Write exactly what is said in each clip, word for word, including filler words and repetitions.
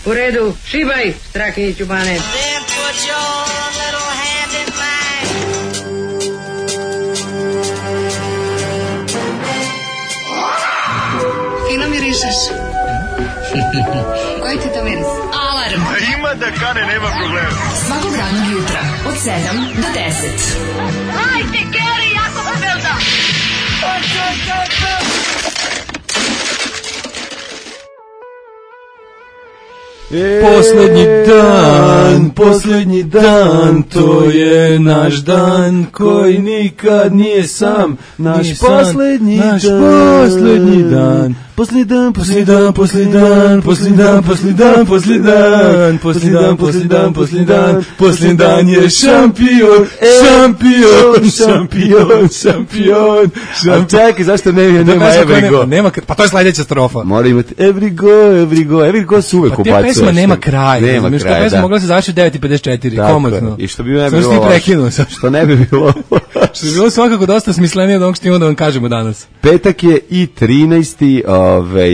U redu, šibaj, Strahinjiću Bane. Fino mirišeš. Koji ti to miris? Alarm. A ima da kane, nema problema. Svakog radnog jutra, od sedam do deset. Hajde, Geri, jako se velda. E, poslednji dan, poslednji dan, to je naš dan koji nikad nije sam, naš poslednji dan, naš poslednji dan, poslednji dan, poslednji dan, poslednji dan, poslednji dan, poslednji dan, poslednji dan, poslednji dan, poslednji dan, poslednji dan, poslednji dan je šampion, šampion, šampion, šampion. A čekaj, zašto ne, nema every go? Nema, pa to je sledeća strofa. Mora imati every go, every go, every go su uvek ubacuje. Pesma nema kraja. Nema kraja, da. Pesma mogla se završiti devet i pedeset četiri, komotno. I što bi ne bilo loše. Što ne bi bilo Što bi bilo svakako dosta smislenije od onog što imamo da vam kažemo danas. Petak je i trinaesti Ovaj,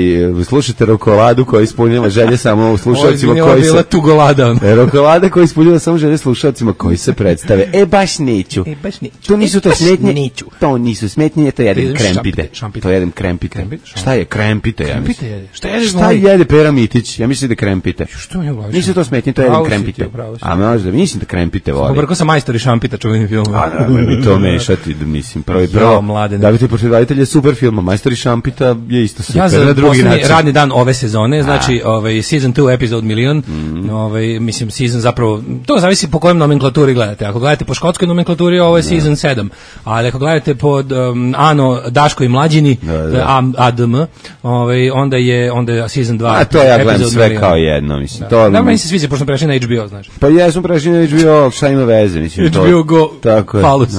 slušajte Rokoladu koja ispunjava želje samo u slušalcima koji se... Bila tugolada. Rokolada koja ispunjava samo želje slušalcima koji se predstave. E, baš neću. E, baš neću. To nisu to smetnje. To nisu smetnje, to jedem krempite. To jedem krempite. Šta je krempite? Krempite jede. Šta jede? Šta jede Pera Mitić? Ja mislim da krempite. Što mi je glaviš? Nisu to smetnje, to jedem krempite. A možda, mislim da krempite voli. Pobrko sam majstor i šampita čuveni film. A da, mi to mešati, mislim, prvo i prvo. Da bi ti početavitelj je super film, majstor i šampita je isto super. Ja za posljednji radni dan ove sezone, znači ovaj, season two, episode milion, mm. ovaj, mislim, season zapravo, to zavisi po kojem nomenklaturi gledate. Ako gledate po škotskoj nomenklaturi, ovo je da. season sedam, ali ako gledate pod um, Ano, Daško i Mlađini, da, da. A D M, ovaj, onda je onda je season dva. A to ja gledam sve milion. Kao jedno, mislim. Da, to, da meni se sviđa, pošto sam prešli na H B O, znaš. Pa ja sam prešli na H B O, šta ima veze, mislim. H B O to, Go, tako Falus.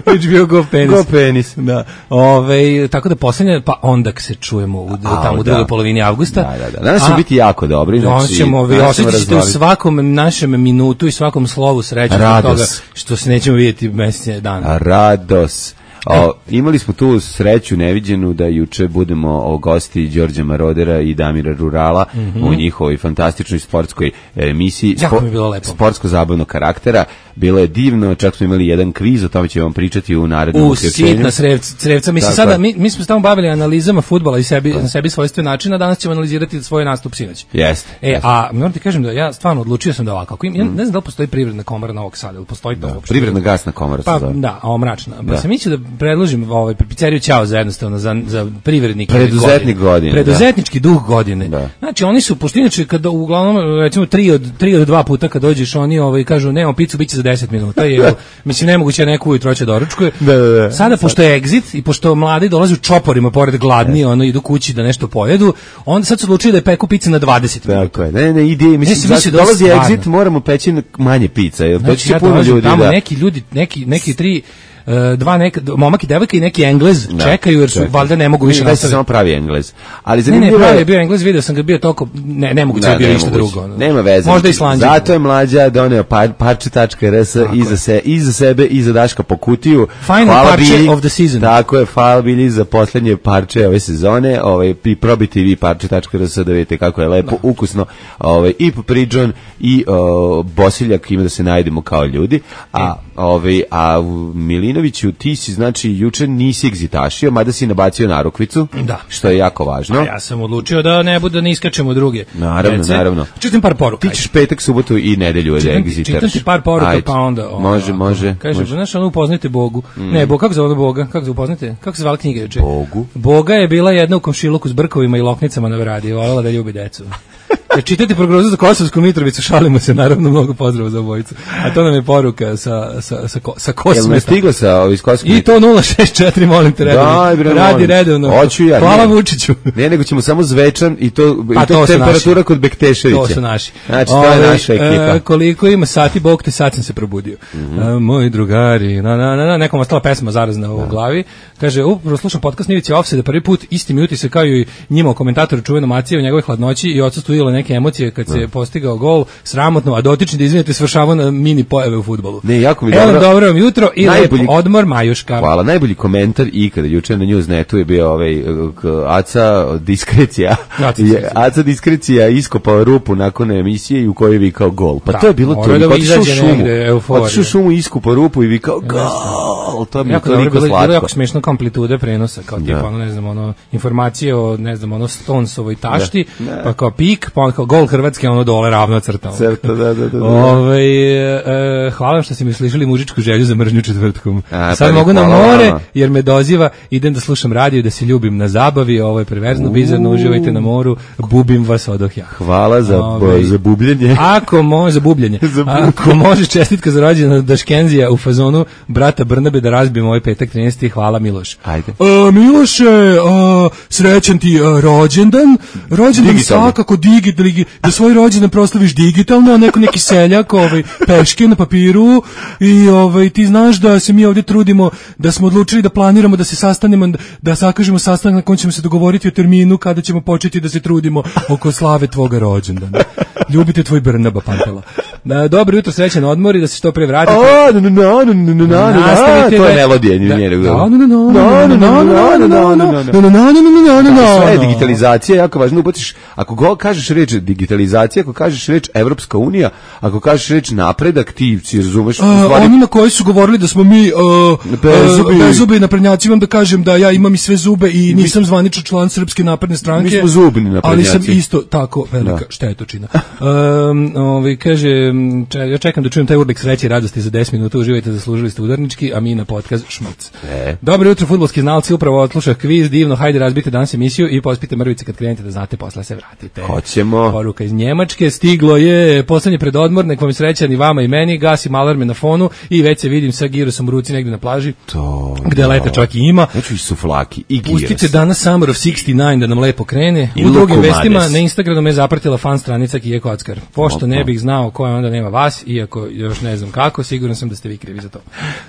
H B O Go penis. Go penis. Da. Ove, tako da posljednje, pa onda se čujemo u, A, tamo u drugoj da. polovini avgusta. Da, da, da. Danas će biti jako dobri. Znači, ćemo, vi osjećate u svakom našem minutu i svakom slovu sreće zbog toga što se nećemo vidjeti mesec dana. Rados. O, imali smo tu sreću neviđenu da juče budemo o gosti Đorđa Marodera i Damira Rurala mm-hmm. u njihovoj fantastičnoj sportskoj emisiji spo, sportsko-zabavnog karaktera. Bilo je divno, čak smo imali jedan kviz, o tome ćemo vam pričati u narednom uključenju. U sitna srevca. Mislim, sada, mi, mi smo tamo bavili analizama fudbala i sebi, na sebi svojstven način, a danas ćemo analizirati svoj nastup sinoć. Jeste. E, jest. A moram ti kažem da ja stvarno odlučio sam da ovako. Ako im, ja ne znam da li postoji privredna komora Novog Sada, ili postoji to uopšte? Privredna gasna komora pa, se zove. Da, a mračna. Pa sam mislio da predložim ovaj pizzeriju Ćao za jednostavno za za privrednike preduzetnik godine. godine preduzetnički da. duh godine. Da. Znači oni su pošto inače kada uglavnom recimo tri od tri od dva puta kad dođeš oni ovaj kažu nemamo picu biće za deset minuta je mislim nemoguće neku ujutro će doručkuje. Da, da, da. Sada pošto je exit i pošto mladi dolaze u čoporima pored gladni, ono idu kući da nešto pojedu, onda sad su odlučili da peku pice na dvadeset minuta. Tako je. Ne, ne, ide mislim da dolazi exit moramo peći manje pica, jer znači, to će puno ljudi tamo da. neki ljudi neki neki tri Uh, dva neka momak i devojka i neki Englez da, čekaju jer su čekaj. valjda ne mogu više nastaviti. Samo pravi Englez. Ali zanimljivo ne, ne, pravi je bio Englez, video sam ga bio toliko ne ne mogu da bio ništa drugo. Nema veze. Možda Islandija. Zato je mlađa doneo par, parče tačka r s iza se iza sebe i za Daška po kutiju. Final parče bili, of the season. Tako je, hvala bili za poslednje parče ove sezone. Ovaj i probite vi parče tačka r s da vidite kako je lepo, da. ukusno. Ovaj i Pridžon i o, Bosiljak ima da se najdemo kao ljudi. A ovaj a Milinoviću, ti si, znači, juče nisi egzitašio, mada si nabacio narukvicu, da. Što je jako važno. A ja sam odlučio da ne bude, da ne iskačemo druge. Naravno, Rece. naravno. Čitam par poruka. Ti ćeš petak, subotu i nedelju da egzitaraš. Čitam ti par poruka, ajde. Pa onda... O, može, može. Kaže, znaš, ono upoznajte Bogu. Mm. Ne, Bog, kako zove Boga? Kako se upoznajte? Kako se zvala knjiga juče? Bogu. Boga je bila jedna u komšiluku s brkovima i loknicama na veradi. Voljela da ljubi decu. Ja čitate prognozu za Kosovsku Mitrovicu, šalimo se, naravno, mnogo pozdrava za obojicu. A to nam je poruka sa, sa, sa, sa Kosmeta. Jel ne stigla sa iz Kosovske? I to nula šest četiri, molim te, redovno. Radi redovno. Hoću ja. Hvala ne. Vučiću. Ne, nego ćemo samo Zvečan i to, pa, i to, to temperatura naši. Kod Bekteševića. To su naši. Znači, to je naša ekipa. E, koliko ima sati, Bog te, sad sam se probudio. Mm-hmm. A, moji drugari, na, na, na, na, nekom ostala pesma zarazna u glavi. Kaže, upravo slušam podcast Ivice Offside prvi put, isti mi utisak kao i njima o komentatoru čuveno Macije o njegovoj hladnoći i odsustvu neke emocije kad se postigao gol, sramotno, a dotični da izvinite svršavao na mini pojave u fudbalu. Ne, jako mi Evo, dobro. dobro vam jutro i Najbolji- lep odmor, Majuška. Hvala, najbolji komentar ikada juče na Newsnetu je bio ovaj k- Aca diskrecija. Aca Je- diskrecija. Aca diskrecija iskopao rupu nakon emisije i u kojoj je vikao gol. Pa Da, to je bilo morao to. da Otišao u izađe šumu. negde, euforija. Otišao u šumu, iskopao rupu i vikao gol. To mi je Jako dobro, toliko bilo, bilo slatko. jako smešno kao amplitude prenosa, kao tipa, Da. ono, ne znam, ono, informacije o, ne znam, ono, Stonesovoj tašti, Da. Da. pa kao pik, pa ono kao gol Hrvatske, ono dole ravno crta. ono. Crta, da, da, da, da. Ovaj, e, hvala vam što ste mi slišali mužičku želju za mržnju četvrtkom. A, Sad pa mogu na hvala more, vama. jer me doziva, idem da slušam radio i da se ljubim na zabavi, ovo je perverzno, bizarno, uživajte na moru, bubim vas odoh ja. Hvala za, Ovaj, za bubljenje. Ako može, za bubljenje. Za bubljenje. Ako može, čestitka za rođendan Daškenzija u fazonu brata Brnabe da razbijemo ovaj petak trinaesti. Hvala Miloš. Ajde. A, Miloše, a, srećan ti a, rođendan. Rođendan Digitalno. svakako digitalno, da svoj rođendan proslaviš digitalno, a neko neki seljak, ovaj, peške na papiru i ovaj, ti znaš da se mi ovdje trudimo, da smo odlučili da planiramo da se sastanemo, da, da sakažemo sastanak na kojem ćemo se dogovoriti o terminu kada ćemo početi da se trudimo oko slave tvoga rođendana. Ljubite tvoj Brnaba, Pantela. Da, dobro jutro, srećan odmor i da se što pre vratite. O, no, no, no, no, no, no, no, Nastavite to je da- melodija da- njenog. da, no, no, no, no, no, no, no, no, no, no, no, no, no, no, no, no, Sve je no. digitalizacija, jako važno ubaciš, ako go, kažeš reč digitalizacija, ako kažeš reč Evropska unija, ako kažeš reč napredak, ti si razumeš, u A, stvari, onima koji su govorili da smo mi uh, Bezubi. uh, bezubi naprednjaci, imam da kažem da ja imam i sve zube i nisam zvaničan član Srpske napredne stranke. Mi smo zubni ali sam naprednjaci. isto tako velika Da. štetočina. Um, ovaj, kaže, če, ja čekam da čujem taj urlik sreće i radosti za deset minuta, uživajte, zaslužili ste udarnički, a mi na podcast šmrc. E. Dobro jutro, fudbalski znalci, upravo odslušah kviz, divno, hajde razbite danas emisiju i pospite mrvice kad krenete da znate, posle se vratite. Hoćemo. Poruka iz Njemačke, stiglo je poslednji predodmor, nek vam je srećan i vama i meni, gasim alarme na fonu i već se vidim sa girosom u ruci negde na plaži, to, gde da. leta čak i ima. Neću i suflaki i Pustite giros. danas Summer of šezdeset devet da nam lepo krene. I U drugim Luku vestima Mades. na Instagramu me zapratila fan stranica Kije Kockar. Pošto ne bih znao ko je, onda nema vas, iako još ne znam kako, siguran sam da ste vi krivi za to.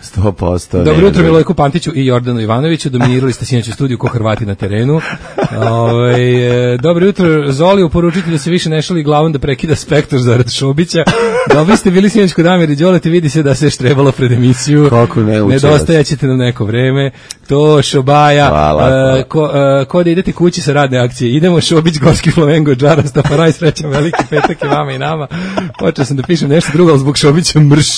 sto posto. Dobro ne, jutro ne. Milojku Pantiću i Jordanu Ivanoviću, dominirali ste sinoć u studiju ko Hrvati na terenu. Ove, dobro jutro Zoli, uporučite da se više ne šali glavom da prekida spektar zarad Šobića. Dobri ste bili sinoć kod Amir i Đolete, vidi se da se štrebalo pred emisiju. Kako ne uče vas. Nedostajaćete nam neko vreme. To Šobaja. Hvala, hvala. E, ko, e, ko da idete kući sa radne akcije. Idemo Šobić, Gorski Flamengo, Džara, Staparaj, srećan veliki petak i vama i nama. Počeo sam da pišem nešto drugo, ali zbog Šobića mrš.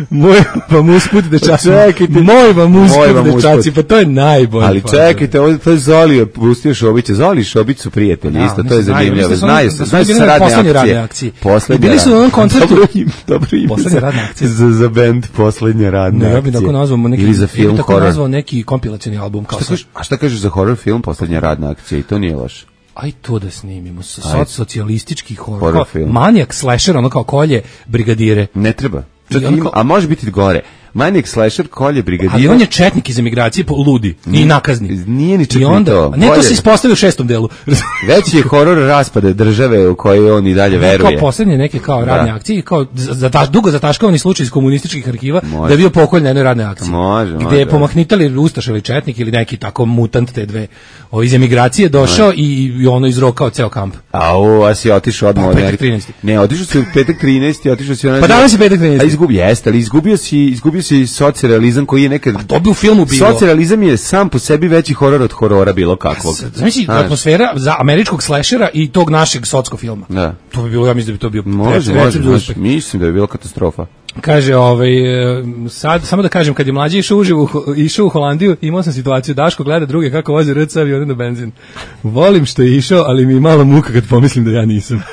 Moj vam usput dečaci. Čekajte. Moj vam Moj usput vam dečaci, usput. pa to je najbolje. Ali čekajte, ovo to je Zoli pustio Šobića. Zoli i Šobić su prijatelji, Da, isto, oni to je se znaju, zanimljivo. mislim da su Znaju oni- se, da su znaju se bili sa na radne poslednje akcije. radne akcije. Poslednje I bili su na onom radne- koncertu- Dobro ime, dobro ime. Poslednje za- radne akcije. Za, za band poslednje radne Ne, ja akcije. bih tako nazvao neki, Ili za ja film bih tako horor. nazvao neki kompilacioni album kao Šta sad. kažeš- A šta kažeš za horor film poslednja radna akcija? I to nije loše. Aj to da snimimo, so, Ajde. socijalistički horor, Horor kao film. manijak slasher, ono kao kolje brigadire. Ne treba. Čak I on ima, kao- a može biti gore. Manic slasher, kolje brigadira. Ali on je četnik iz emigracije, po- ludi i nakazni. Nije ni čak I ni onda, to. ne, to Bolje- se ispostavio u šestom delu. Veći je horor raspade države u kojoj on i dalje veruje. Kao poslednje neke kao radne Da. akcije, kao zataš, dugo zataškavani slučaj iz komunističkih arhiva, Može. da je bio pokolj na jednoj radnoj akciji. Može, Gde može. je pomahnitali Ustaš ili četnik ili neki tako mutant te dve o, iz emigracije došao i, i ono izrokao ceo kamp. A o, a si otišao odmah Pa, od petak Amerike. trinaesti. Ne, otišao si u petak trinaesti, otišao si... Pa danas je petak trinaesti. A izgubi, jeste, ali izgubio si, izgubio si socrealizam koji je nekad... To bi u filmu bilo. Socrealizam je sam po sebi veći horor od horora bilo kakvog. Znači, Znaš. atmosfera za američkog slashera i tog našeg socko filma. Da. To bi bilo, ja mislim da bi to bio Može, recept može, za može. uspeh. Mislim da bi bilo katastrofa. Kaže, ovaj, e, sad, samo da kažem, kad je mlađi išao uživo, u Ho- išao u Holandiju, imao sam situaciju, Daško gleda druge kako voze R C avione na benzin. Volim što je išao, ali mi je malo muka kad pomislim da ja nisam.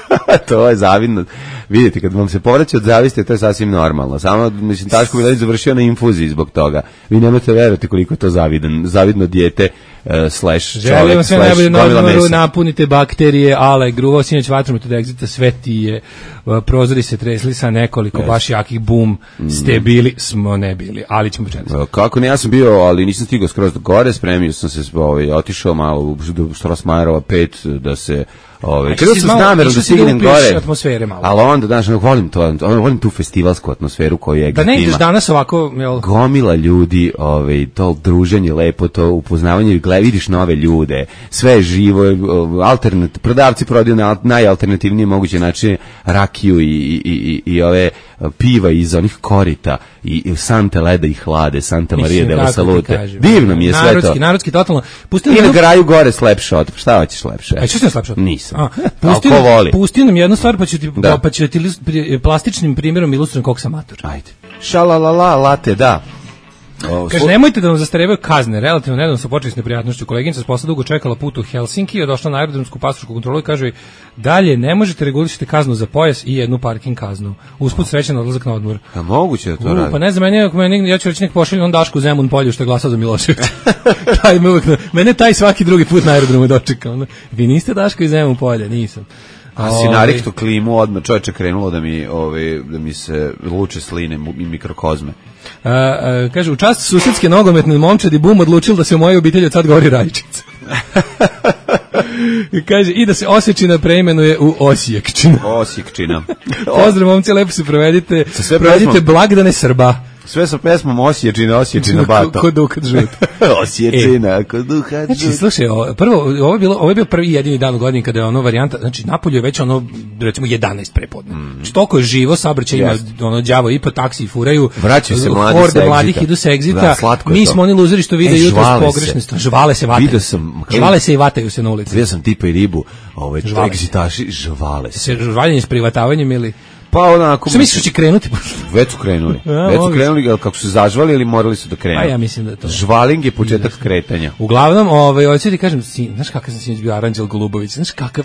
To je zavidno. Vidite, kad vam se povraća od zavisti, to je sasvim normalno. Samo, mislim, Daško Milanić završio na infuziji zbog toga. Vi nemate verovati koliko je to zavidan, zavidno dijete, uh, slash Želim čovek, vam sve slash najbolje na gomila odmoru, mesa. napunite bakterije, ale, gruvao sinoć vatrom od egzita, sve ti je, uh, prozori se tresli sa nekoliko baš jakih bum, ste bili, smo ne bili, ali ćemo početi. E, Kako ne, ja sam bio, ali nisam stigao skroz do gore, spremio sam se, ovaj, otišao malo u do Strasmajerova pet da se Ove, krenuo sam s namerom da stignem gore. Atmosfere malo. Ali onda, znaš, volim to, volim tu festivalsku atmosferu koju je. Da ne ideš danas ovako, jel? Gomila ljudi, ovaj, to druženje lepo, to upoznavanje, gled, vidiš nove ljude, sve je živo, alternat, prodavci prodaju na najalternativnije moguće načine rakiju i, i, i, i ove piva iz onih korita i, i sante leda i hlade, Santa Maria de la Salute. Divno mi je sve narodski, to. Narodski, totalno. Pustili I na graju gore slapshot. Šta hoćeš lepše? A što si slapshot? Nisam. Pusti, pusti nam jednu stvar, pa ću ti, da. pa ću ti plastičnim primjerom ilustrujem koliko sam mator. Ajde. Šalalala, late, da. O, Kaže, nemojte da vam zastarevaju kazne. Relativno nedavno su počeli s neprijatnošću. Koleginica s posla dugo čekala put u Helsinki, je došla na aerodromsku pasošku kontrolu i kaže, dalje ne možete regulisati kaznu za pojas i jednu parking kaznu. Usput srećan odlazak na odmor. A moguće da to U, radi? Pa ne znam, meni, meni, ja ću reći nek pošalju on Dašku u Zemun polju što je glasao za Miloševića. taj me uvijek, mene taj svaki drugi put na aerodromu dočeka. Ono. Vi niste Daško iz Zemun polja, nisam. A si narihto klimu, odmah čovječe krenulo da mi, ove, da mi se luče sline i mikrokozme. A, a, kaže, u čast susedske nogometne momčadi Bum odlučil da se u mojoj obitelji od sad govori Rajčica. I kaže, i da se Osječina preimenuje u Osijekčina. Osijekčina. Pozdrav, momci, lepo se provedite. Provedite blagdane Srba. Sve sa pesmom Osječina, Osječina, bato. Ko dukat žut. Osječina, ko dukat žut. Znači, slušaj, o, prvo, ovo je, bilo, ovo je bio prvi jedini dan u godini kada je ono varijanta, znači, Napolju je već ono, recimo, jedanaest prepodne. Mm. Znači, toliko je živo, saobraćaj ima, yes. ono, đavo i po taksi furaju. Vraćaju se mladi horde mladih idu sa egzita. Mi smo oni luzeri što vide e, jutro s pogrešnosti. Žvale se, vataju. Sam, žvale se i vataju se na ulici. Vidio sam tipa i ribu, ovaj, egzitaši, žvale se. Se žvaljenje s privatavanjem ili... Pa onako... Što misliš će krenuti? Već su krenuli. A, Već su krenuli, ali kako su zažvali ili morali su da krenu? Pa ja mislim da to. Žvaling je početak kretanja. Uglavnom, ovaj, hoću ti kažem, sin, znaš kakav sam sinoć bio Aranđel Golubović, znaš kakav,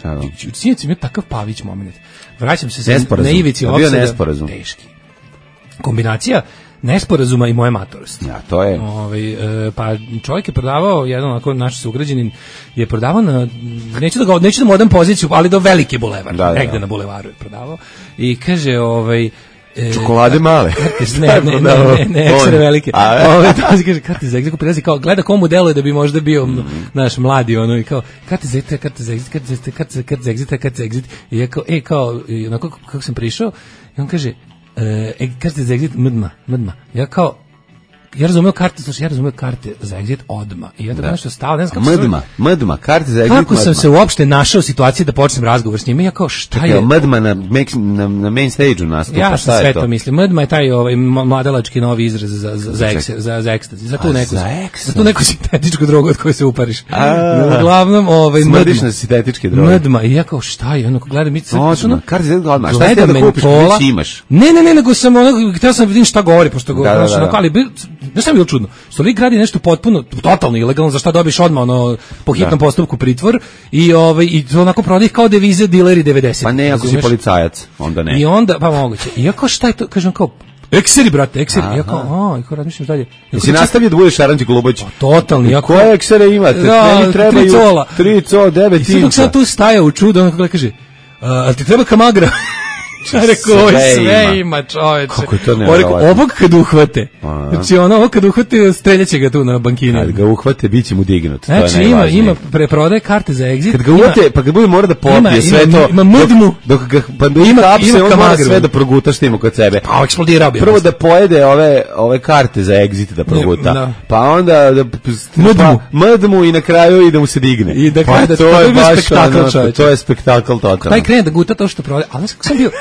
sinoć sam bio takav Pavić moment. Vraćam se se na ivici opsada. Nesporazum. Teški. Kombinacija nesporazuma i moje matorosti. Ja, to je. Ovaj e, pa čovjek je prodavao, jedan onako naš sugrađanin je prodavao na, neću da ga neću da mu odam poziciju, ali do velike bulevar, da, negde da. Na bulevaru je prodavao i kaže ovaj e, čokolade male. Ne, ne, ne, ne, ne, ekstra velike. Ovaj to kaže karte za egziku prilazi kao gleda komu deluje da bi možda bio mm. naš mladi ono i kao karte za egzit, karte za egzit, karte za karte za karte za egzit, karte za egzit i ja kao e kao onako kako sam prišao i on kaže e, karte za egzit mdma, mdma. Ja kao ja razumeo karte, slušaj, ja razumeo karte za egzit odma. I ja da nešto stao, ne znam kako mdma, mdma, karte za egzit. Kako mdma. sam se uopšte našao u situaciji da počnem razgovor s njima, ja kao šta Čekaj, je? Mdma na, na, na main stage-u nastupa, ja šta je to? Ja sve to mislim. Mdma je taj ovaj mladalački novi izraz za za za ekse, za za ekstazi, za tu neku za tu neku sintetičku drogu od koje se upariš. Uglavnom, ovaj smrdiš na sintetičke droge. Mdma, i ja kao šta je? Ono gledam mi se ono karte za egzit odma. Šta ti da kupiš, već imaš? Ne, ne, ne, nego sam ono hteo sam vidim šta govori, pošto govori, ali ne sam bilo čudno. Stoli gradi nešto potpuno totalno ilegalno, za šta dobiš odmah ono po hitnom da. postupku pritvor i ovaj i to onako prodaje kao devize dileri devedesetih. Pa ne, ako si policajac, onda ne. I onda pa moguće. I ako šta je to, kažem kao ekseri brate, ekseri. Ja kao, a, i kao razmišljam dalje. Jesi nastavio da budeš Aranđel Golubović? Totalni. Ja koje eksere imate? Da, meni trebaju tri co devet inča. I sad tu staje u čudo, on kako kaže, a ti treba kamagra? Ja rekao, sve, sve ima, čoveče. Kako je to nevjerovatno? Ovog kad uhvate, znači ono, ovog kad uhvate, streljaće ga tu na bankini. Kad ga uhvate, bit će mu dignut. Znači ima, ima preprodaje karte za egzit. Kad ga uhvate, pa kad bude mora da popije ima, sve ima, to. Ima mudmu. Dok ga, pa da ima kapse, on mora sve da proguta što ima kod sebe. Pa eksplodirao bi. Prvo da pojede ove, ove karte za egzit da proguta. Da. Pa onda da mudmu. Mudmu i na kraju i da mu se digne. I da pa da to je baš spektakl, čoveče. To je spektakl totalno. Taj krene da guta to što prodaje, ali kako sam bio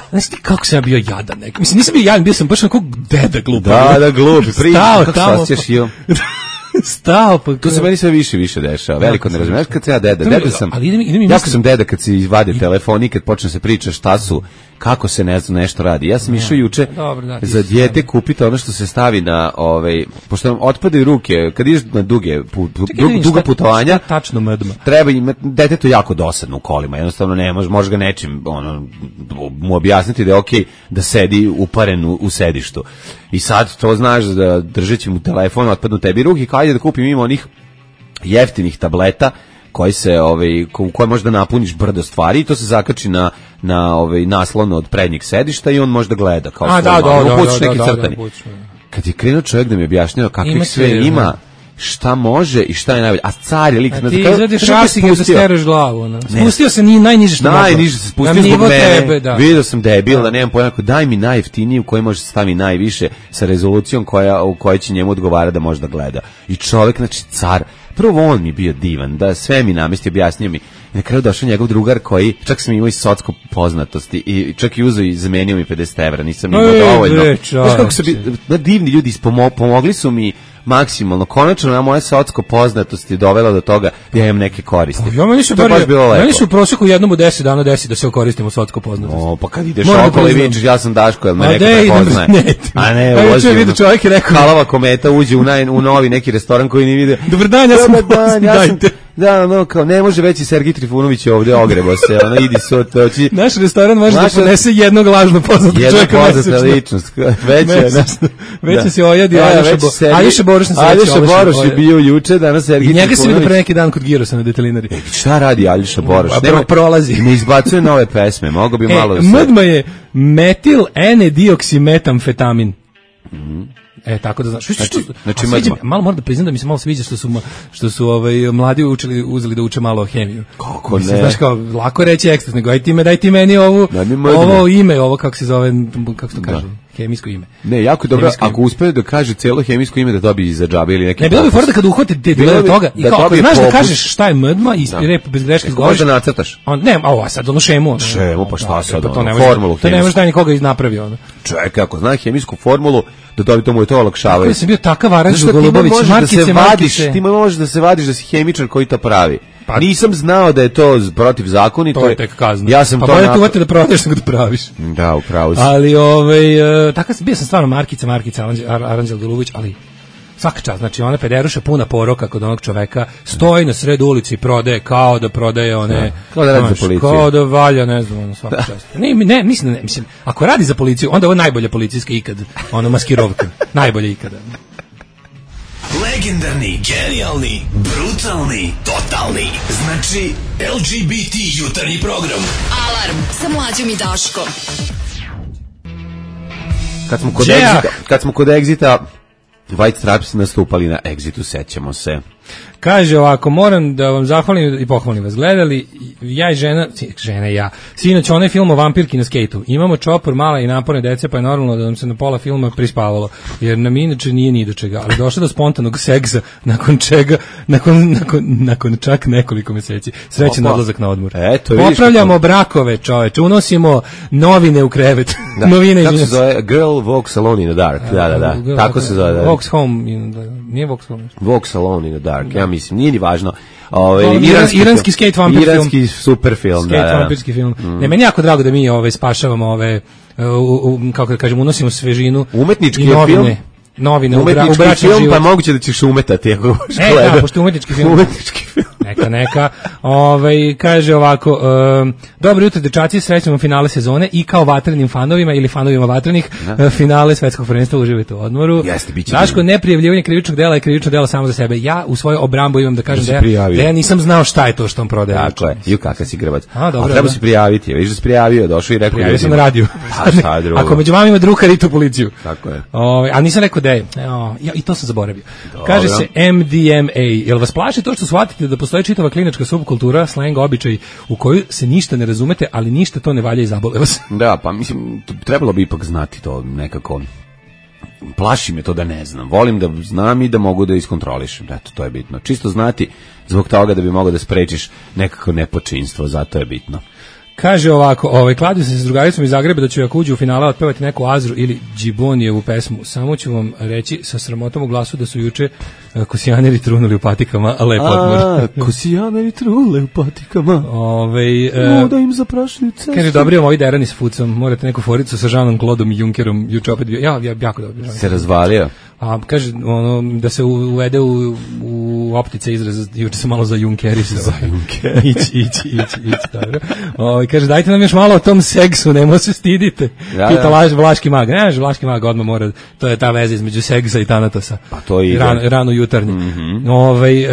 znaš ti kako sam ja bio jadan neki. Mislim, nisam bio jadan, bio sam baš onako deda glupa. Da, da, glupi. Stao tamo. Stao, pa... To se meni sve više više dešava. Veliko ne razumiješ kad se ja deda. Deda sam, ali idem, idem jako sam deda kad se izvade telefon i kad počne se priča šta su, kako se ne znam nešto radi. Ja sam išao juče za dijete kupiti ono što se stavi na, ovaj, pošto nam otpadaju ruke, kad ideš na duge, put, dug, duga putovanja, tačno medma. Treba imati, detetu jako dosadno u kolima, jednostavno ne može, može ga nečim ono, mu objasniti da je okej da sedi uparen u, u sedištu. I sad to znaš da držeći mu telefon, otpadnu tebi ruke, kao ajde da kupim ima onih jeftinih tableta koji se ovaj u koje možda napuniš brdo stvari i to se zakači na na ovaj naslon od prednjeg sedišta i on može da gleda kao A, da, da, da, da, neki crtani. Kad je krenuo čovjek da mi objašnjava kakvih sve ima, šta može i šta je najbolje. A car je lik... A ti izvadiš šasike da stereš glavu. No. Spustio se ni najniže što mogu. Najniže se spustio zbog mene. Tebe, da. Vidio sam debil, da nemam pojma. Daj mi najjeftiniji u koji može se stavi najviše sa rezolucijom koja, u kojoj će njemu odgovara da može da gleda. I čovjek, znači car, prvo on mi bio divan, da sve mi namesti, objasnio mi. I na kraju došao njegov drugar koji, čak sam imao i socko poznatosti i čak i uzeo i zamenio mi pedeset evra, nisam imao dovoljno. Znaš kako su bi, da divni ljudi ispomo, pomogli su mi maksimalno. Konačno na moje socsko poznatosti dovela do toga da ja imam neke koristi. Pa, ja meni su, bar, meni su u prosjeku jednom u deset dana desi da se okoristimo socsko poznatosti. O, pa kad ideš okolo i vidiš, ja sam Daško, jel me neko prepoznaje. A ne, a juče vidio čovjek je rekao. Halava kometa uđe u, naj, u novi neki restoran koji ni vide. Dobar dan, ja sam dan, ja sam, da, no, kao, ne može veći Sergij Trifunović ovdje, ogrebo se, ono, idi sot, oči. Naš restoran može da ponese jednog lažno poznatog čovjeka mesečno. Jedna poznata ličnost, veća. Veća si ojadi, Aljoša Boruš na sveći. Aljoša Boruš je bio juče, danas Sergij Trifunović. I njega se vidio pre neki dan kod Girosa na Detelinari. E, šta radi Aljoša Boruš? Nema, prolazi. Ne izbacuje nove pesme, mogo bi e, malo da se... Mdma je metil ene-dioksimetamfetamin. Mhm. E, tako da znaš. Što, znači, što, znači sviđa, malo moram da priznam da mi se malo sviđa što su, što su ovaj, mladi učili, uzeli da uče malo hemiju. Kako mislim, ne? Znaš kao, lako reći ekstras, nego aj ti, me, daj ti meni ovu, ovo ime, ovo kako se zove, kako se to kaže, da. Hemijsko ime. Ne, jako je dobro, ako uspe da kaže celo hemijsko ime da dobije za džabe ili neki. Ne, bilo bi fora da kad uhvate te dele toga, i kao, ako znaš da kažeš šta je mdma i rep bez greške izgovoriš. Možda nacrtaš. On, ne, ovo sad ono šemu. Šemu, pa šta sad, ono, formulu. To ne može da nikoga napravio, ono. Čekaj, ako zna hemijsku formulu, da dobi to mu je to olakšavaju. Ja sam bio takav Aranđel Golubović, markice, markice. Ti možeš da se vadiš da si hemičar koji to pravi. Pa nisam znao da je to protivzakonito. To je tek kazna. Ja sam pa to bolje tu uvati da prodaješ nego da praviš. Da, upravo si. Ali ovaj uh, takav bio sam stvarno markica, markica Aranđel Golubović, ali svaka čast, znači ona pederuša puna poroka kod onog čoveka, stoji na sred ulici i prodaje kao da prodaje one, da, kao da radi za policiju. Kao da valja, ne znam, ono svaka čast. Ne, ne, mislim, ne, mislim, ako radi za policiju, onda ovo je najbolja policijska ikad, ono maskirovka, najbolja ikada. Legendarni, genijalni, brutalni, totalni. Znači, el ge be te jutarnji program. Alarm sa Mlađom i Daškom. Kad smo kod Exita, kad smo kod Exita, White Stripes nastupali na Exitu, sećamo se. Kaže ovako, moram da vam zahvalim i pohvalim vas. Gledali, ja i žena, žena i ja, sinoć onaj film o vampirki na skejtu. Imamo čopor, mala i naporne dece, pa je normalno da nam se na pola filma prispavalo. Jer nam inače nije ni do čega. Ali došlo do spontanog seksa, nakon čega, nakon, nakon, nakon čak nekoliko meseci. Srećan odlazak na odmor. Eto, popravljamo brakove, čoveče, unosimo novine u krevet. Da, novine, kako se zove? Girl walks alone in the dark. Da, da, da. Girl, tako se zove. Da. Walks home in the, nije walks home. Walks alone in the dark. Da. Ja mislim, nije ni važno. Ovaj iranski, iranski, iranski skate vampir film. Iranski super film, skate da, da. vampirski film. Mm. Ne, meni jako drago da mi ovaj spašavamo ove u, u, kako da kažemo, unosimo svežinu. Umetnički i novine, film. Novine, umetnički u bračni film, život. pa moguće da ćeš umetati ako hoćeš e, gledati. Da, pošto je umetnički film. Umetnički film. Neka, neka. Ovaj kaže ovako, um, dobro jutro dečaci, srećemo finale sezone i kao vatrenim fanovima ili fanovima vatrenih uh, finale svetskog prvenstva uživajte u odmoru. Jeste, biće. Daško, neprijavljivanje krivičnog dela je krivično delo samo za sebe. Ja u svojoj obrambu imam da kažem da, da, ja, da ja nisam znao šta je to što on prodaje. Tako je. Ju kakav si grbac. A, dobro, a treba se prijaviti. Vidiš da se prijavio, došao i rekao ja sam na radiju. Ako među vama ima druga ritu policiju. Tako je. Ovaj, a nisam rekao da je. Ja, i to sam zaboravio. Dobro. Kaže se em de em a. Jel vas plaši to što shvatite da postoji čitava klinička subkultura, slang, običaj u koju se ništa ne razumete, ali ništa to ne valja i zabole vas? Da, pa mislim, trebalo bi ipak znati to nekako. Plaši me to da ne znam. Volim da znam i da mogu da iskontrolišem. Eto, to je bitno. Čisto znati zbog toga da bi mogao da sprečiš nekako nepočinstvo, zato je bitno. Kaže ovako, ovaj, kladio sam se s drugaricom iz Zagreba da ću ako uđu u finale otpevati neku Azru ili Džibonijevu pesmu. Samo ću vam reći sa sramotom u glasu da su juče uh, kosijaneri trunuli u patikama, a lep odmor. A, kosijaneri trule u patikama. Ove, uh, da im zaprašaju cestu. Kaže, dobri vam ovi derani s fucom, morate neku foricu sa Žanom Klodom i Junkerom, juče opet bio. Ja, ja jako dobro. Se razvalio. A kaže ono da se uvede u, u u optice izraz, juče sam malo za Junkerisao. Za Junkerisao. Ići, ići, ići, ići, dobro. O, kaže, dajte nam još malo o tom seksu, nemo se stidite. Ja, Pita laž, Vlaški mag. Ne, Vlaški mag odmah mora, to je ta veza između seksa i Tanatosa. Pa to ide. Rano, rano jutarnje. Mm-hmm. Ove, e,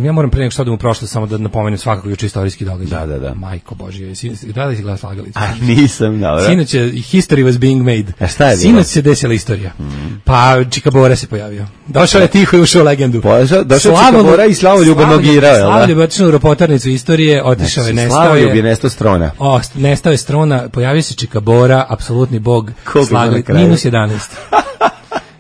ja moram pre nego što odem u prošlost samo da napomenem svakako juče istorijski događaj. Da, da, da. Majko Božje, da li si gledao Slagalicu? A nisam, dobro. Sinoć je, history was being made. A šta je bilo? Sinoć se desila istorija. Mm. Pa Čika Bora se pojavio. Došao je tiho i ušao u legendu. Došao je Čika Bora i Slavoljub nogirao. Slavoljub je otišao u ropotarnicu istorije, otišao je, nestao je. Slavoljub je nestao strona. O, nestao je strona, pojavio se Čika Bora, apsolutni bog Slagalice. Minus jedanaest.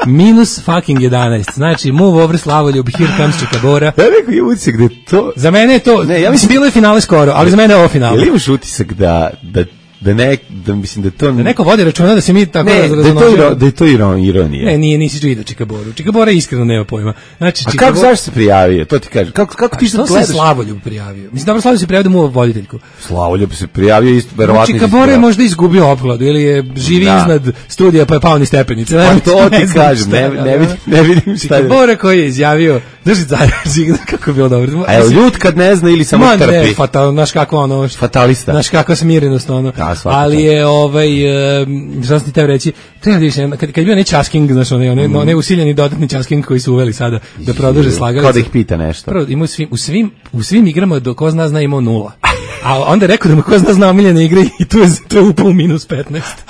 Minus fucking jedanaest. Znači, move over Slavoljub, here comes Čika Bora. Ja rekao, je utisak da je to... Za mene je to... Ne, ja mislim, bilo je finale skoro, ali za mene je ovo finale. Ili imaš utisak da... da da ne da mislim da to da neko vodi računa da se mi tako ne, da je to iro, da je to ironija. Ne, nije nisi vidio Čika Boru. Čika Bora iskreno nema pojma. Znači Čika A kako Bora... zašto se prijavio? To ti kaže. Kako kako ti se gledaš? Slavoljub prijavio. Mislim dobro Slavoljub se prijavio da mu voditeljku. Slavoljub se prijavio isto verovatno. Čika Bora je možda izgubio opkladu ili je živi da. iznad studija pa je pao niz stepenice. Pa to ti kažem, ne ne vidim ne vidim šta. Čika Bora koji je izjavio drži zajedno kako bi bilo dobro. A je ljut kad ne zna ili samo trpi. Ne, fatal, znaš kako ono. Fatalista. Znaš kako smirenost ono. Ali je ovaj šta sam ti teo reći, treba da kad kad je bio neki časking, znači onaj mm. onaj usiljeni dodatni časking koji su uveli sada da produže Slagalicu. Kao da ih pita nešto. Prvo ima u svim u svim u svim igrama do ko zna zna imao nula. A onda je rekao da mu ko zna zna omiljene igre i tu je to je upao minus petnaest.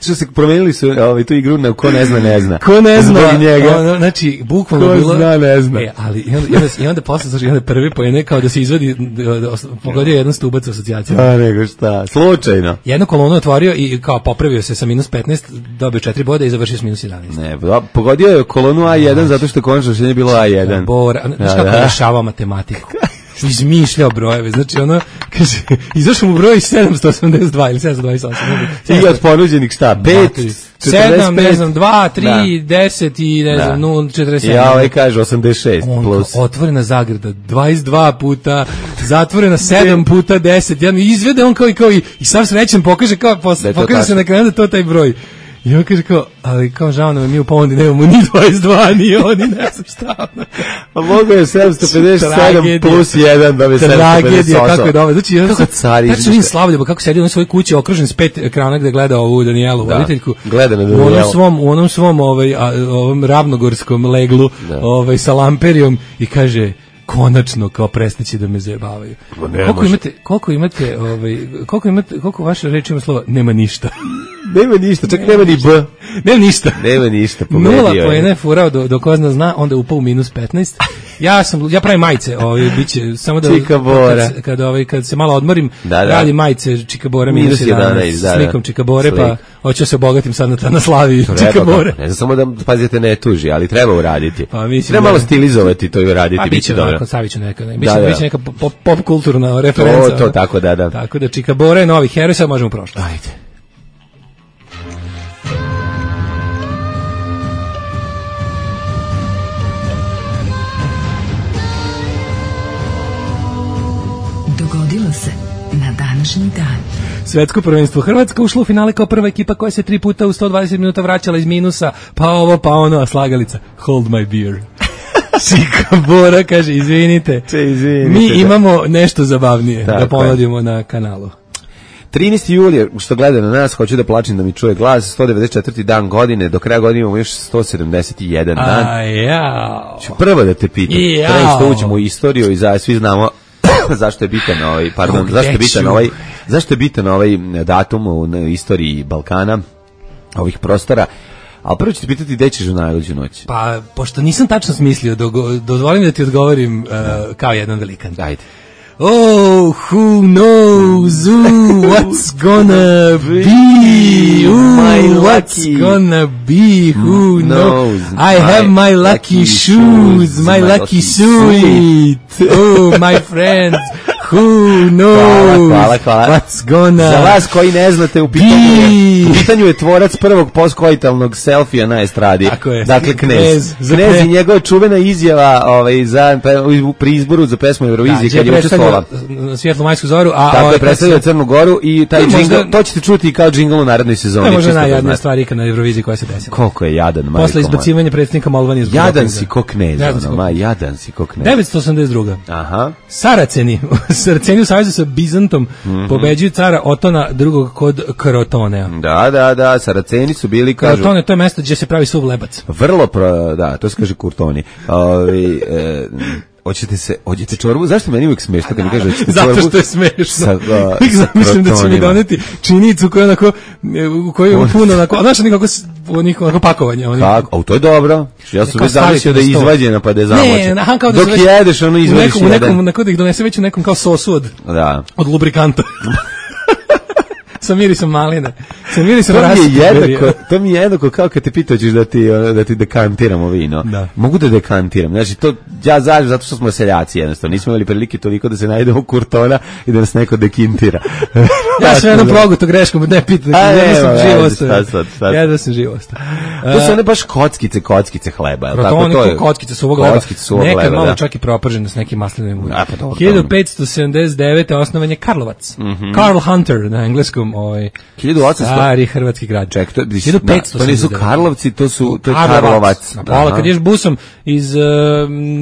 Što se promenili su ovaj tu igru na ko ne zna ne zna. Ko ne zna njega. Ono, znači bukvalno ko bilo. Zna, ne zna. E, ali i onda, i onda, i onda posle znači onda prvi poen kao da se izvadi pogodio jedan stubac asocijacije. A nego šta? Slučajno. Jednu kolonu otvorio i kao popravio se sa minus petnaest, dobio četiri boda i završio s minus jedanaest. Ne, pogodio je kolonu A jedan zato što konačno rešenje bilo A jedan. Bor, znači kako rešavao matematiku. Izmišljao brojeve, znači ono, kaže, izašao mu broj sedamsto osamdeset dva ili sedamsto dvadeset osam. I od ponuđenih šta? pet, sedam, ne znam, dva, tri, deset i ne znam, nula, četrdeset sedam. Ja ovaj kaže osamdeset šest plus. Otvorena zagrada, dvadeset dva puta, zatvorena sedam puta deset, jedan izvede on kao i kao i, i sav srećan pokaže kao, pokaže se na kraju da to taj broj. I on kaže kao, ali kao žao nam je mi u ponudi nemamo ni dvadeset dva, ni oni, ne znam šta. A mogo je sedamsto pedeset sedam plus jedan da bi sedamsto pedeset osam. Kako je dobro. Znači, kako sad, cari. Tačno vidim Slavoljub, kako sedi u svojoj kući okružen s pet ekrana gde gleda ovu Danijelu, da, voditeljku. Gleda na Danijelu. U onom svom, u onom svom ovaj, a, ovom ravnogorskom leglu da. ovaj, sa lamperijom i kaže, konačno kao prestaće da me zajebavaju. Koliko imate, koliko imate, ovaj, koliko imate, koliko vaše reči ima slova, nema ništa. Nema ništa, čak nema ni B. Nema ništa. Nema ništa, pomedio. Nula poena je furao do, do ko zna zna, onda upao u minus petnaest. Ja sam, ja pravim majice, ovaj, biće, samo da, Čika Bora. Kad, kad, ovaj, kad se malo odmorim, da, da. radim majice Čika Bora minus jedanaest, da, da. Slikom Čika Bore, Slik. Pa hoću se obogatim sad na, na slavi Čika Bore. Ne znam, samo da pazite ne tuži, ali treba uraditi. Pa, mislim, treba malo stilizovati to i uraditi, pa, biće dobro. Pa stavit ću neka, ne, biće, da, da. biće neka pop, pop kulturna referenca. To, to, tako da, da. Tako da Čika Bora je novi heroj, sad možemo prošlo. Ajde. Dogodilo se na današnji dan. Svetsko prvenstvo Hrvatska ušla u finale kao prva ekipa koja se tri puta u sto dvadeset minuta vraćala iz minusa, pa ovo, pa ono, a Slagalica, hold my beer. Čika Bora kaže, izvinite, Če, izvinite mi imamo nešto zabavnije tako da ponudimo na kanalu. trinaesti juli, što gleda na nas, hoću da plačim da mi čuje glas, sto devedeset četvrti dan godine, do kraja godine imamo još sto sedamdeset jedan dan. A ja. Ću prvo da te pitam, pre što uđemo u istoriju i za, svi znamo zašto je bitan ovaj, pardon, zašto je bitan ovaj, zašto je bitan ovaj datum u istoriji Balkana, ovih prostora. Ali prvo ću ti pitati gde ćeš u najluđu noć. Pa, pošto nisam tačno smislio, dozvolim da ti odgovorim uh, kao jedan velikan. Ajde. Oh, who knows, ooh, what's gonna be, ooh, what's gonna be, who knows, I have my lucky shoes, my lucky suite, oh, my friends, Who knows? Hvala, hvala. What's gonna Za vas koji ne znate, u pitanju je, u pitanju je tvorac prvog postkoitalnog selfija na estradi. Tako je. Dakle, Knez. Knez, za Knez pre- i njegova čuvena izjava ovaj, za, pri izboru za pesmu Eurovizije, Da, kad je učestvovala. Svjetlu majsku zoru, a Tako ovaj, je predstavio Crnu Goru i taj To je džingl, možda- to ćete čuti i kao džingl u narednoj sezoni. To je možda čisto da najjadnija znate. stvar ikad na Euroviziji koja se desila. Koliko je jadan, majko Posle moja. izbacivanja predsjednika Molvanije zbog Jadan dopinga. si ko Knez, Jadan si ono, ko ma, Knez. jadan si ko Knez. devetsto osamdeset druga. Aha. Saraceni, Saraceni u savezu sa Bizantom Mhm. pobeđuju cara Otona drugog kod Krotonea. Da, da, da, Saraceni su bili, kažu, Krotone, to je mesto gdje se pravi suv lebac. vrlo, pro, da, to se kaže kurtoni. Ovi, e, hoćete se, hoćete čorbu? Zašto meni uvijek smiješno kad mi kaže hoćete čorbu? Zato što je smešno. Sa, a, Uvijek sa zamislim da će mi krotonima. doneti činicu koja onako, u kojoj je puno onako, znaš nikako, onako, onako pakovanje. Oni, Kako? A to je dobro. Ja sam Kao već zamislio staviti da je na sto. izvađena pa da je zamočena. Ne, aha, kao da Dok se već- jedeš, ono u izvadiš nekom, u nekom, jedan. onako da ih donese već u nekom kao sosu od, Da. od lubrikanta. Sa mirisom maline. Sa mirisom To mi je raspberry. jednako, to mi je jednako kao kad te pita hoćeš da ti ono, da ti dekantiramo vino. Da. Mogu da dekantiram. Znači to ja zažem zato što smo seljaci jednostavno. Nismo imali prilike toliko da se najdemo u kurtona i da nas neko dekintira. Ja sam jednom proguto greškom, ne pitam, A, jedno sam nema živo veze, ostao. šta sad, šta sad. Jedno sam živo ostao. To su one baš kockice, kockice hleba. jel tako? Protoni To je- ko kockice suvog leba. Kockice suvog Nekad leba, malo da. čak i propržene s nekim maslinovim uljem. A, pa dobro, hiljadu petsto sedamdeset devete osnovan je Karlovac. Karl Hunter na engleskom, ovaj hiljadu osamsto stari hrvatski grad. Ček, to, da, hiljadu petsto to nisu sedamdeset devete. Karlovci, to su to je Karlovac. Na pola, Aha. kad ješ busom iz uh,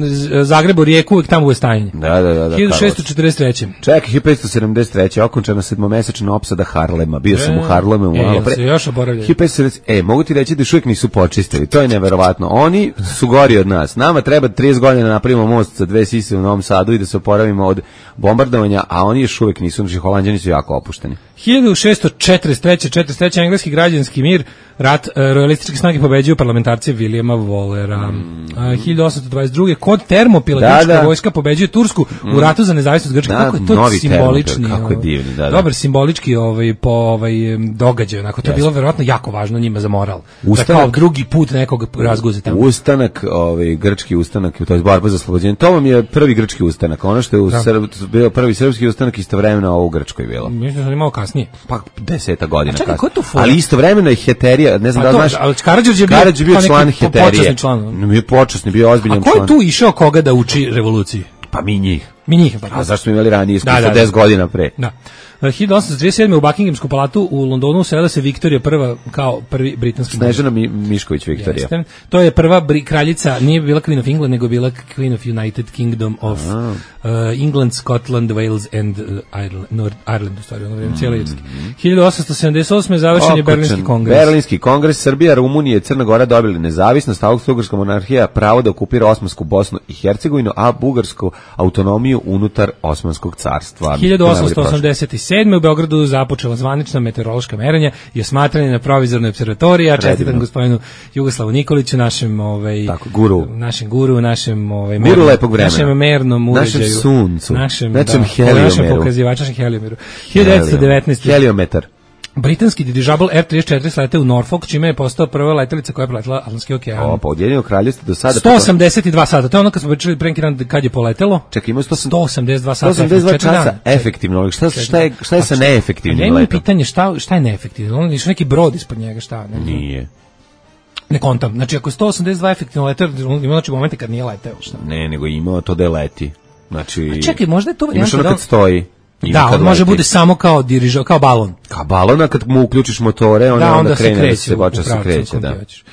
z- Zagreba u Rijeku, uvijek tamo bude stajanje. Da, da, da, da. hiljadu šessto četrdeset treće. Čekaj, hiljadu petsto sedamdeset treće okončana sedmomesečna opsada Harlema. Bio sam u Harlemu E, malo jel pre. se još oboravljaju? hiljadu petsto sedamdeset E, mogu ti reći da još uvijek nisu počistili. To je neverovatno. Oni su gori od nas. Nama treba trideset godina da napravimo most sa dve sise u Novom Sadu i da se oporavimo od bombardovanja, a oni još uvijek nisu. Znači, Holanđani su jako opušteni. hiljadu šessto četrdeset treće. četrdeset treće engleski građanski mir, rat, e, royalističke snage pobeđuju parlamentarce Williama Wallera. A, hiljadu osamsto dvadeset druge kod Termopila Da, grčka da. vojska pobeđuje Tursku u ratu za nezavisnost Grčke. Da, Kako je to novi simbolični, Termopil, kako je ovaj, divni, da, da. dobar simbolički ovaj po ovaj em, događaj, onako to je bilo verovatno jako važno njima za moral. Ustanak- Da kao drugi put nekog razguzite. Ustanak, ovaj grčki ustanak, to je borba za oslobođenje. To vam je prvi grčki ustanak. Ono što je u Da. Srb, bio prvi srpski ustanak istovremeno ovo u Grčkoj bilo. Mislim da sam imao kasnije. Pa deseta godina. A čekaj, kasnije. ko je tu fora? Ali istovremeno je Heterija, ne znam Pa da li to, znaš. ali Karađorđe je bio, Karađorđe je bio kao neki član po- Heterije. počasni član. Bio počasni, bio ozbiljan A ko član. je tu išao koga da uči revoluciji? Pa mi njih. Mi njih, pa A zašto smo imali ranije iskustvo Da, da, da. deset godina pre? Da. hiljadu osamsto trideset sedme u Buckinghamskom palatu u Londonu usela se Viktorija prva kao prvi britanski monarh. Snežana Mi, Mišković Viktorija. Jeste. To je prva bri, kraljica, nije bila Queen of England, nego bila Queen of United Kingdom of uh, England, Scotland, Wales and uh, Ireland, North Ireland, u stvari, ono vrijeme, cijela Irska. hiljadu osamsto sedamdeset osme završen je Okočan. Berlinski kongres. Berlinski kongres, Srbija, Rumunija i Crna Gora dobili nezavisnost, Austro-Ugarska monarhija pravo da okupira Osmansku Bosnu i Hercegovinu, a Bugarsku autonomiju unutar Osmanskog carstva. hiljadu osamsto osamdeset sedme u Beogradu započela zvanična meteorološka merenja i osmatranje na provizornoj observatoriji. Ja čestitam Predivno. gospodinu Jugoslavu Nikoliću, našem ovaj Tako, guru. našem guru, našem ovaj Guru mernom- lepog vremena. našem mernom Našem uređaju, suncu. našem Našem da, heliomeru. našem pokazivaču, našem heliomeru. hiljadu devetsto devetnaeste Heliometar. britanski dirižabl R trideset četiri slete u Norfolk, čime je postao prva letelica koja je preletela Atlantski okean. O, pa Ujedinjeno kraljevstvo do sada... sto osamdeset dva sata, to je ono kad smo pričali pre neki dan kad je poletelo. Čekaj, ima sto sto osamdeset dva sata. sto osamdeset dva četiri časa dana. efektivno, ali šta, šta, je, šta je sa Pa neefektivnim ja imam letom? pitanje šta, šta je neefektivno? Ono je neki brod ispod njega, šta? Ne, znam. Nije. Ne kontam. Znači, ako je sto osamdeset dva efektivno leteo, ima znači momente kad nije leteo, šta? Ne, nego imao to da je leti. Znači, A čekaj, možda je to imaš varijanta ono da kad on- stoji. ima Da, kad on može leti. bude samo kao dirižo, kao balon. Kao balona, kad mu uključiš motore, on Da, onda, onda se krene, da kreće, se u- počne u se pravcu kreće, u kom da. ti hoćeš.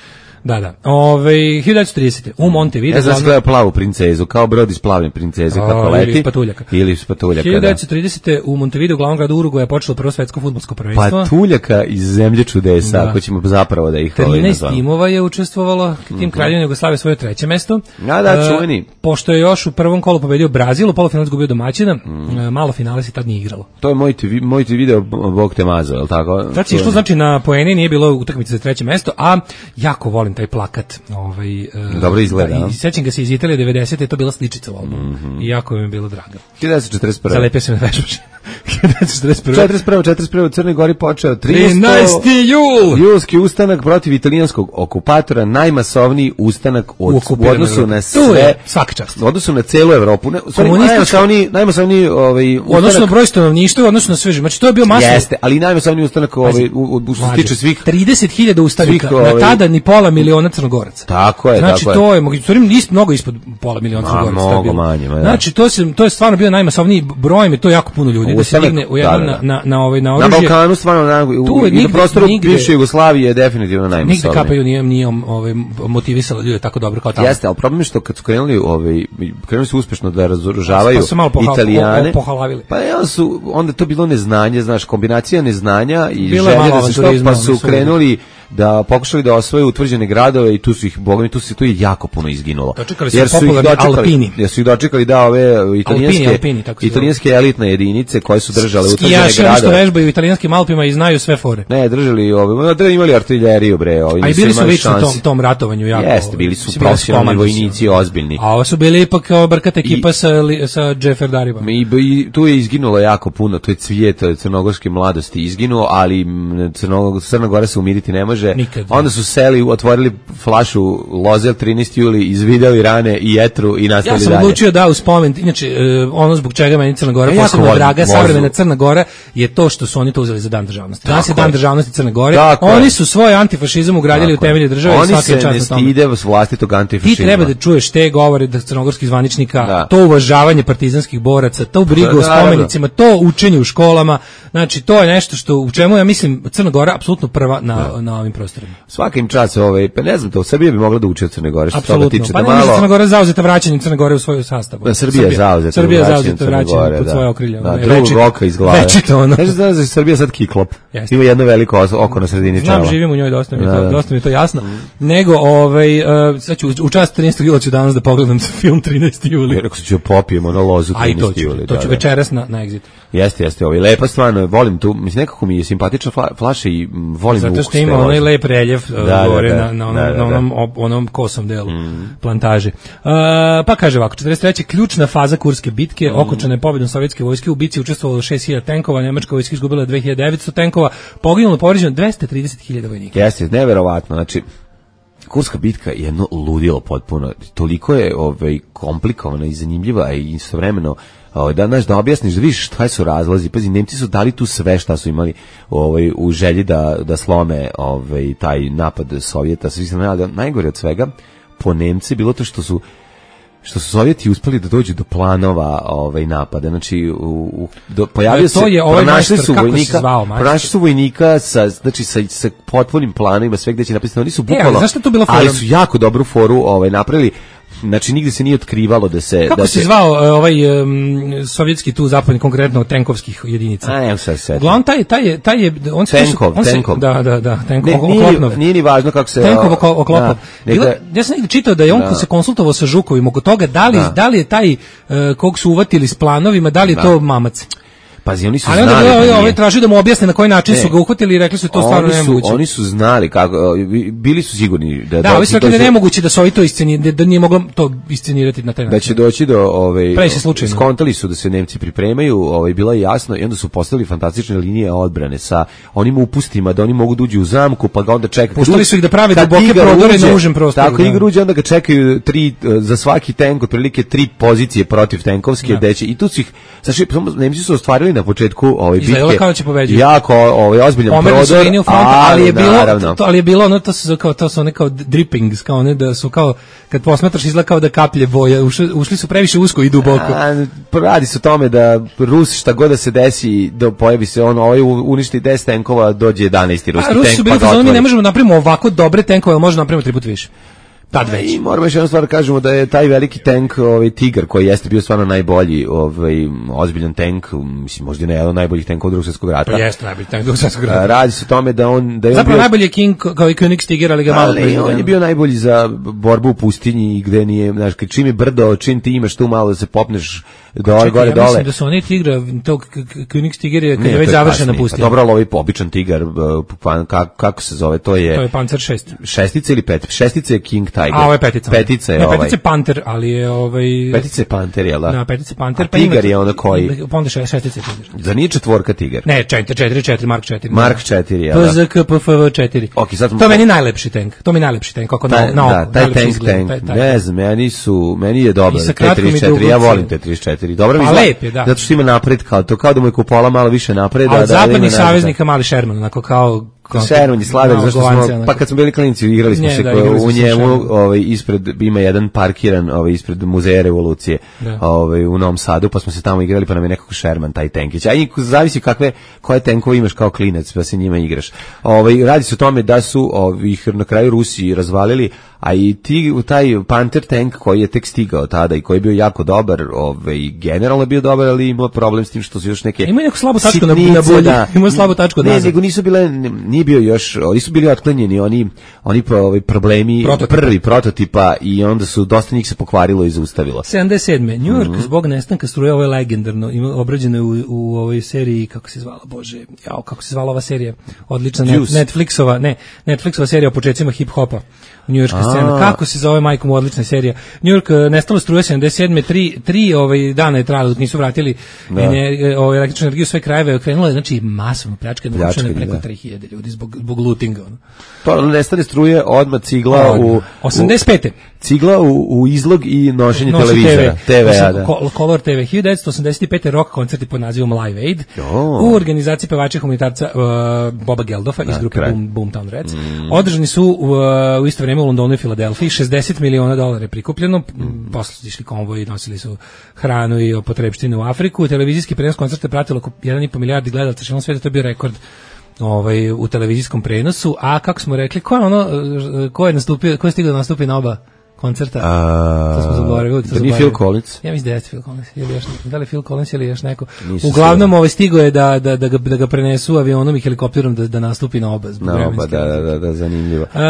Da, da. Ove, hiljadu devetsto tridesete u Montevideo. Ja znam glavno- gleda plavu princezu, kao brod iz plavne princeze, A, kako ili leti. iz patuljaka. Ili iz patuljaka, hiljadu da. devetsto tridesete u Montevideo, glavnom gradu Urugvaja, je počelo prvo svetsko fudbalsko prvenstvo. Patuljaka iz zemlje čudesa, Da. ako ćemo zapravo da ih ovaj trinaest nazvamo. timova je učestvovalo, tim Kraljevina Jugoslavije svoje treće mesto. A da, E, čuveni. Pošto je još u prvom kolu pobedio Brazil, u polufinalu izgubio domaćina, e, malo finale se tad nije igralo. To je moj ti, vi- moj ti video, Bog te mazo, je li tako? Znači, što znači na poeni nije bilo utakmice za treće mesto, a jako volim taj plakat. Ovaj, e, Dobro izgleda, da, a? i sećam ga se iz Italije devedesete, je to bila sličica u albumu. I jako mi je bilo drago. hiljadu devetsto četrdeset prve. Zalepio se na vešbače. četrdeset prve četrdeset prve četrdeset prve u Crnoj Gori počeo trinaesti jul Julski ustanak protiv italijanskog okupatora, najmasovniji ustanak od, u odnosu na sve, svaka čast. U odnosu na celu Evropu. Ne, najmasovniji, najmasovniji ovaj ustanak. Odnosno broj stanovništva, odnosno na sve. Znači to je bio masovni. Jeste, ali najmasovniji ustanak ovaj u što se tiče svih trideset hiljada ustanika, na tada ni pola miliona Crnogoraca. Tako je, znači, tako to je. je, mogu ispod, mnogo ispod pola miliona Crnogoraca. Mnogo manje. Ja. Znači, to, se, to je stvarno bio najmasovniji broj, je to jako puno ljudi. Ustanak, da se digne u jednom da, da. na, na, na, ovaj, na oružje. Na Balkanu stvarno, na, u, i na prostoru bivše Jugoslavije je definitivno najmasovniji. Nigde Kapaju nije, nije ovaj, motivisala ljude tako dobro kao tamo. Jeste, ali problem je što kad su krenuli, ovaj, krenuli su uspešno da razoružavaju pa Italijane, pohalavili. Pa onda su, onda to bilo neznanje, znaš, kombinacija neznanja i želje da se što, pa su krenuli da pokušali da osvoje utvrđene gradove i tu su ih, bogami, tu se tu je jako puno izginulo. Dočekali su jer su ih dočekali, Alpini. Jer su ih dočekali da ove italijanske, Alpini, Alpini, italijanske elitne jedinice koje su držale utvrđene gradove. Skijaši što vežbaju u italijanskim Alpima i znaju sve fore. Ne, držali ove, da imali artiljeriju bre, ovi. A i bili su lično tom, tom ratovanju jako. Jeste, bili su profesionalni vojnici, ozbiljni. A ovo su bili ipak kao brkata ekipa sa sa Džeferdarima. I, i tu je izginulo jako puno, to je cvijet crnogorske mladosti izginuo, ali Crna Gora se umiriti ne može. Nikad. Onda su seli, otvorili flašu Lozel trinaesti juli, izvideli rane i jetru i nastavili dalje. Ja sam dalje. odlučio da u spomen, inače ono zbog čega meni Crna Gora ja posebno draga, savremena Crna Gora je to što su oni to uzeli za dan državnosti. Danas je dan državnosti Crne Gore. Tako oni je. su svoj antifašizam ugradili Tako u temelje države oni i svaki čast na tome. Oni se ne stide vlastitog antifašizma. Ti treba da čuješ te govore da crnogorskih zvaničnika, da. to uvažavanje partizanskih boraca, to brigu o spomenicima, to učenje u školama. Znači to je nešto što u čemu ja mislim Crna Gora apsolutno prva na da. na ovim prostorima. Svakim čas ovaj pa ne znam to Srbija bi mogla da uči od Crne Gore što toga tiče pa da malo. Crna Gora zauzeta vraćanjem Crne Gore u svoju sastav. Da, Srbija je zauzeta. Srbija je zauzeta vraćanjem pod svoje okrilje. Da, drugog oka iz glave. Večito ono. Znači da je Srbija sad kiklop. Ima jedno veliko oko na sredini čela. Znam, živim u njoj, dosta mi je to, dosta mi je to jasno. Nego ovaj sad ću u čast trinaestog jula ću danas da pogledam film trinaesti juli. Rekao sam ću popijemo na lozu trinaesti juli. To ću večeras na na Exit. Jeste, jeste, ovaj lepa stvarno, volim tu, mislim nekako mi je simpatična fla, flaša i volim zato što ima onaj lep reljef da, gore da, da, na, na onom, da, da, da. na onom, op, onom kosom delu mm. plantaže. Uh, pa kaže ovako, četrdeset treće ključna faza Kurske bitke, mm. okončana je pobedom sovjetske vojske, u bitci učestvovalo šest hiljada tenkova, nemačka vojska izgubila dve hiljade devetsto tenkova, poginulo povređeno dvesta trideset hiljada vojnika. Jeste, neverovatno, znači Kurska bitka je jedno ludilo potpuno, toliko je ovaj, komplikovana i zanimljiva i istovremeno da znaš da objasniš da vidiš šta su razlozi. Pazi, Nemci su dali tu sve šta su imali ovaj u želji da da slome ovaj taj napad Sovjeta. Svi znaju da najgore od svega po Nemci bilo to što su što su Sovjeti uspeli da dođu do planova ovaj napada. Znači u, u do, pojavio se ovaj pronašli su vojnika, pronašli su vojnika sa znači sa sa potpunim planovima sve gde će napisano. Oni su bukvalno, e, ali su jako dobru foru ovaj napravili. Znači nigde se nije otkrivalo da se kako da se zvao ovaj um, sovjetski tu zapadni konkretno tenkovskih jedinica. A ne se se. Uglavnom taj taj taj je on se Tenkov, on se, Tenkov. da da da Tenkov ne, oklopnov. Nije ni važno kako se Tenkov oklopnov. Ja sam negdje čitao da je on da. se konsultovao sa Žukovim oko toga da li da, da li je taj uh, kog su uvatili s planovima, da li je da. to mamac. Pazi, oni su ali znali. Ali onda ovaj traži da mu objasne na koji način ne. su ga uhvatili i rekli su to stvarno nemoguće. Oni su znali kako, bili su sigurni da da, oni su rekli da je nemoguće da se ovi to iscenirati, da nije moglo to iscenirati na taj način. Da će doći do ovaj slučajno. Skontali su da se Nemci pripremaju, ovaj bilo je jasno i onda su postavili fantastične linije odbrane sa onim upustima da oni mogu da uđu u zamku, pa ga onda čekaju. Puštali su ih da prave duboke prodore na užem prostoru. Tako igra uđe, onda ga čekaju tri za svaki tenk otprilike tri pozicije protiv tenkovske, da će i tu su ih znači Nemci su ostvarili na početku ovaj bitke kao će pobeđuju. Jako ovaj ozbiljan prodor, fronta, ali, ali je bilo to, ali je bilo ono to su kao to su one kao drippings, kao one da su kao kad posmatraš izgleda kao da kaplje boje, ušli, ušli su previše usko i duboko. A, radi se o tome da Rus šta god da se desi, da pojavi se ono ovaj uništi deset tenkova, dođe jedanaesti ruski tank. Rusi su bili pa mi ne možemo napravimo ovako dobre tenkove, ali možemo napraviti tri puta više. Tad već. I moramo još jednu stvar kažemo da je taj veliki tank, ovaj Tigar, koji jeste bio stvarno najbolji, ovaj ozbiljan tank, mislim možda ne jedan od najboljih tenkova Drugog svjetskog rata. To jeste najbolji tank Drugog svjetskog rata. Radi se o tome da on da je zapravo bio najbolji King kao i Königstiger, ali ga malo proizvodio. On je bio najbolji za borbu u pustinji i gde nije, znaš, čim je brdo, čim ti imaš tu malo da se popneš dole, gore, ja dole. Mislim da su oni Tigra, tog Königstiger je kad je već završena pustinja. Dobro, ali ovaj običan Tigar, kako se zove, to je to je Panzer šest. Šestica ili pet? Šestica je King Tiger. A ovo je petica. Petica je ne, ovaj. Petica je Panter, ali je ovaj... Petica je Panter, jel da? Da, petica je Panter. A Tigar je onda koji? Pa onda šestica je Tigar. Za nije četvorka Tigar? Ne, četiri, četiri, četiri, Mark četiri. Mark četiri, jel da? P Z K P F V četiri. Okay, sad... To je meni najlepši tank. To mi je najlepši tank. Kako taj, na, na da, oko. taj tank, tank. Taj, taj. Ne znam, meni su, meni je dobar. T trideset četiri, ja volim T trideset četiri. Dobro mi izgleda. Lep je, da. Zato što ima napred, kao to, kao da mu je kupola malo više napreda. A od zapadnih saveznika mali Sherman, onako kao... Sherman je sladak, zašto smo, pa kad smo bili klinici igrali smo Nje, se da, ko, u njemu ovaj, ispred, ima jedan parkiran ovaj, ispred muzeja revolucije ovaj, u Novom Sadu, pa smo se tamo igrali, pa nam je nekako Sherman taj tenkić. A zavisi kakve, koje tenkove imaš kao klinac, pa se njima igraš. Ovaj, radi se o tome da su ovih na kraju Rusi razvalili, a i ti, taj Panther tank koji je tek stigao tada i koji je bio jako dobar, ovaj, generalno je bio dobar, ali imao problem s tim što su još neke... Ima neku slabu tačku na, na bolji, ima slabu tačku ne, nego nisu bile, nije bio još, nisu bili otklanjeni oni, oni ovaj, problemi prototipa. Prvi prototipa i onda su, dosta njih se pokvarilo i zaustavilo. sedamdeset sedme New York mm-hmm. zbog nestanka struje, ovo je legendarno, ima obrađeno je u, u ovoj seriji, kako se zvala, bože, jao, kako se zvala ova serija, odlična net, Netflixova, ne, Netflixova serija o početcima hip-hopa. Njujorška scena. Kako se zove, majkom, odlična serija. New York nestalo struje sedamdeset sedme tri, tri ovaj dana je trajalo dok nisu vratili ener, ovaj električnu energiju sve krajeve, krenula je znači masovno pljačkanje, narušeno preko tri hiljade ljudi zbog zbog lootinga. Ono. To nestane struje, odmah cigla odmah. u osamdeset pete Cigla u, u izlog i nošenje Noši televizora, te ve, a da. Color te ve. hiljadu devetsto osamdeset pete rock koncerti pod nazivom Live Aid oh. u organizaciji pevača humanitarca uh, Boba Geldofa iz grupe Boom, Boomtown Rats. Mm. Održani su u, u isto vrijeme u Londonu i Filadelfiji, šezdeset miliona dolara je prikupljeno, mm. posle išli konvoji, nosili su hranu i potrebštine u Afriku. Televizijski prenos koncerta je pratilo oko jedan i po milijardi gledalaca širom sveta, to je bio rekord ovaj, u televizijskom prenosu. A kako smo rekli, ko je ono, ko je nastupio, ko je stigao da nastupi na oba koncerta? A, to smo zaboravili. Da nije Phil Collins? Ja mislim da je Phil Collins. Ili još, da li Phil Collins ili još neko. Nisu Uglavnom ovaj stigo je da, da, da, ga, da ga prenesu avionom i helikopterom da, da nastupi na oba. Na oba, da, da, da, da, zanimljivo. Uh,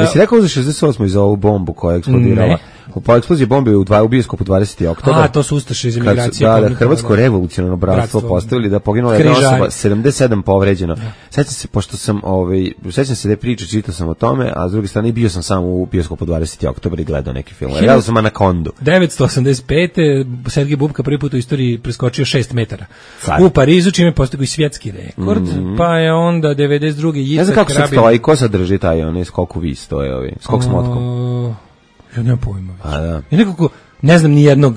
Jesi rekao za šezdeset osme za ovu bombu koja je eksplodirala? Ne. Po eksploziji bombe u, dva, u bioskopu dvadeseti oktobar. A, to su ustaše iz emigracije. Da, da, Hrvatsko revolucionarno bratstvo postavili da poginula jedna osoba, sedamdeset sedam povređeno. Ja. Sećam se, pošto sam, ovaj, sećam se da je priča, čitao sam o tome, a s druge strane bio sam sam u bioskopu dvadeseti oktobar i gledao neki film. Gledao sam Anakondu. devetsto osamdeset pete Sergej Bubka prvi put u istoriji preskočio šest metara. Sad. U Parizu, čime postigao i svjetski rekord, mm-hmm. pa je onda devedeset druge Jica Krabin. Ne znam kako se stoji, ko sadrži taj onaj skok u vis, to je ovaj, skok s motkom. Ja nemam pojma. A da. I nekako, ne znam ni jednog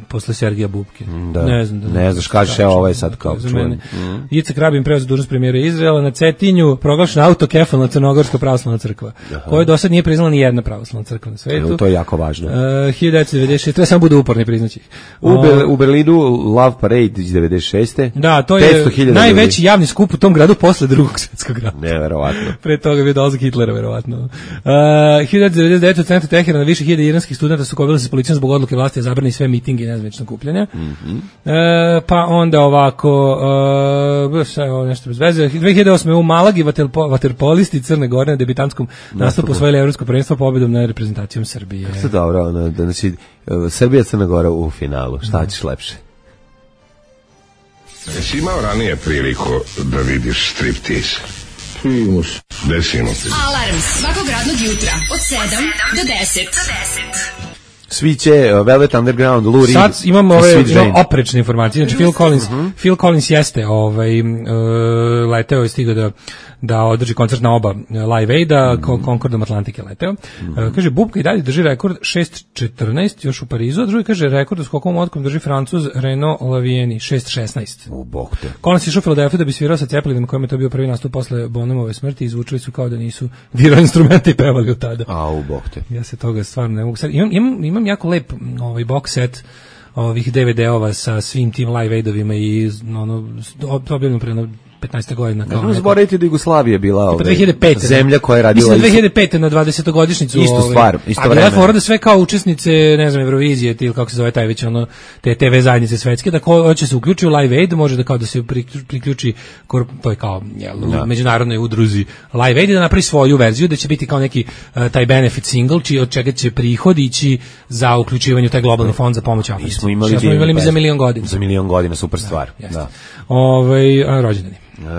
posle Sergeja Bubke. Da. Ne znam. Da, ne znaš, kažeš, evo ovaj sad kao čujem. Mm. Jica Krabin preuzeo dužnost premijera Izraela, na Cetinju proglašena autokefalna Crnogorska pravoslavna crkva, koju do sad nije priznala ni jedna pravoslavna crkva na svetu. E, to je jako važno. Uh, hiljadu devetsto devedeset šeste treba samo bude uporni, priznaći. U, uh, Be, u Berlinu Love Parade iz devedeset šeste Da, to je najveći ljudi. Javni skup u tom gradu posle drugog svjetskog rata. Neverovatno. Pre toga je bio dolazak Hitlera, verovatno. Uh, hiljadu devetsto devedeset devete u centru Teherana više hiljada iranskih studenta su kovili se s policijom zbog odluke vlasti da zabrani sve mitinge i nezvanična okupljanja. Mm-hmm. E, pa onda ovako, uh, sve ovo nešto bez veze. dve hiljade osme u Malagi vaterpolisti Crne Gore na debitantskom nastupu osvojili evropsko prvenstvo pobedom nad reprezentacijom Srbije. Kako dobro, ono, da znači, Srbija Crna Gora u finalu. Šta ćeš lepše? Jesi imao ranije priliku da vidiš striptease? Primus. Desimo se. Alarm svakog radnog jutra od sedam do deset. Sviće, uh, Velvet Underground, Lou Reed. Sad imamo ove no, oprečne informacije. Znači Phil Collins, uh-huh. Phil Collins jeste ovaj, uh, leteo i stigao da da održi koncert na oba Live Aida, mm. Concordom Atlantic je leteo. Mm. Uh, kaže, Bubka i dalje drži rekord šest četrnaest još u Parizu, a drugi kaže, rekord u skokom odkom drži Francuz Renaud Lavieni, šest šesnaest. U bog te. Collins išao u Filadelfiju da bi svirao sa Ceplinima, kojima je to bio prvi nastup posle Bonhamove smrti, izvučili su kao da nisu dirali instrumenti i pevali od tada. A, u bog te. Ja se toga stvarno ne mogu sad. Imam, imam, imam jako lep ovaj box set ovih de ve de-ova sa svim tim Live Aidovima i ono, objavljeno pre petnaest godina. Ne možemo zaboraviti da Jugoslavija bila ovaj, dve hiljade pete zemlja koja je radila... Mislim dve hiljade pete na dvadesetogodišnjicu. Istu ovaj, stvar, isto vreme. A bila da sve kao učesnice, ne znam, Eurovizije, ili kako se zove taj već, ono, te te ve zajednice svetske, da ko hoće se uključi u Live Aid, može da kao da se priključi, to je kao jel, u međunarodnoj udruzi Live Aid, da napravi svoju verziju, da će biti kao neki uh, taj benefit single, či od čega će prihod ići za uključivanje u taj globalni fond za pomoć Africi. Mi smo imali, smo imali mi za milion godina. Za milion godina, super stvar. Da, da. Ovaj, a, rođendani.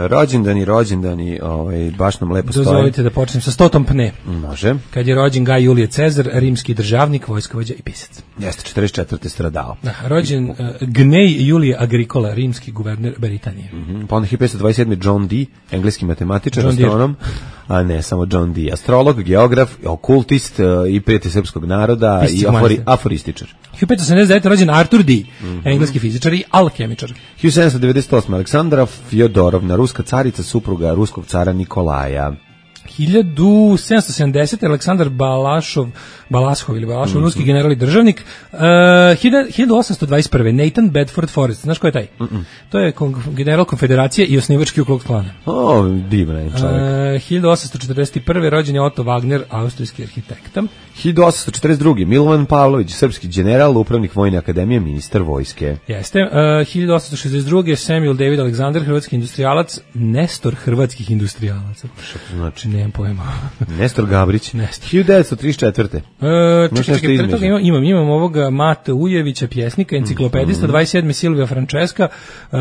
Rođendani, rođendani, ovaj, baš nam lepo stoji. Dozvolite da počnem sa stotom pne. Može. Kad je rođen Gaj Julije Cezar, rimski državnik, vojskovođa i pisac. Jeste, četrdeset četvrte stradao. Da, rođen uh, Gnej Julije Agricola, rimski guverner Britanije. Mm-hmm. Pa onda hiljadu petsto dvadeset sedme. John Dee, engleski matematičar, John astronom, a ne samo John Dee, astrolog, geograf, okultist uh, i prijatelj srpskog naroda Pisci i afori, aforističar. hiljadu petsto sedamdeset devete. rođen Arthur Dee, mm-hmm. engleski fizičar i alhemičar. hiljadu sedamsto devedeset osme. Aleksandra Fjodorovna, ruska carica, supruga ruskog cara Nikolaja. hiljadu sedamsto sedamdesete. Aleksandar Balašov, Balashov ili Balashov, mm-hmm. ruski general i državnik. Uh, hiljadu osamsto dvadeset prve. Nathan Bedford Forrest, znaš ko je taj? Mm-mm. To je kon- general konfederacije i osnivački Ku Klux Klana. O, divan čovjek. Uh, hiljadu osamsto četrdeset prve. rođen je Otto Wagner, austrijski arhitekta. hiljadu osamsto četrdeset druge. Milovan Pavlović, srpski general, upravnik Vojne akademije, ministar vojske. Jeste. Uh, hiljadu osamsto šezdeset druge. Samuel David Alexander, hrvatski industrijalac, nestor hrvatskih industrijalaca. Što to znači? Nemam pojma. Nestor Gabrić. Nestor. hiljadu devetsto trideset četvrte. Uh, čekaj, čekaj, pre toga imam, imam, imam ovoga Mate Ujevića, pjesnika, enciklopedista, dvadeset sedme. Silvija Francesca, uh,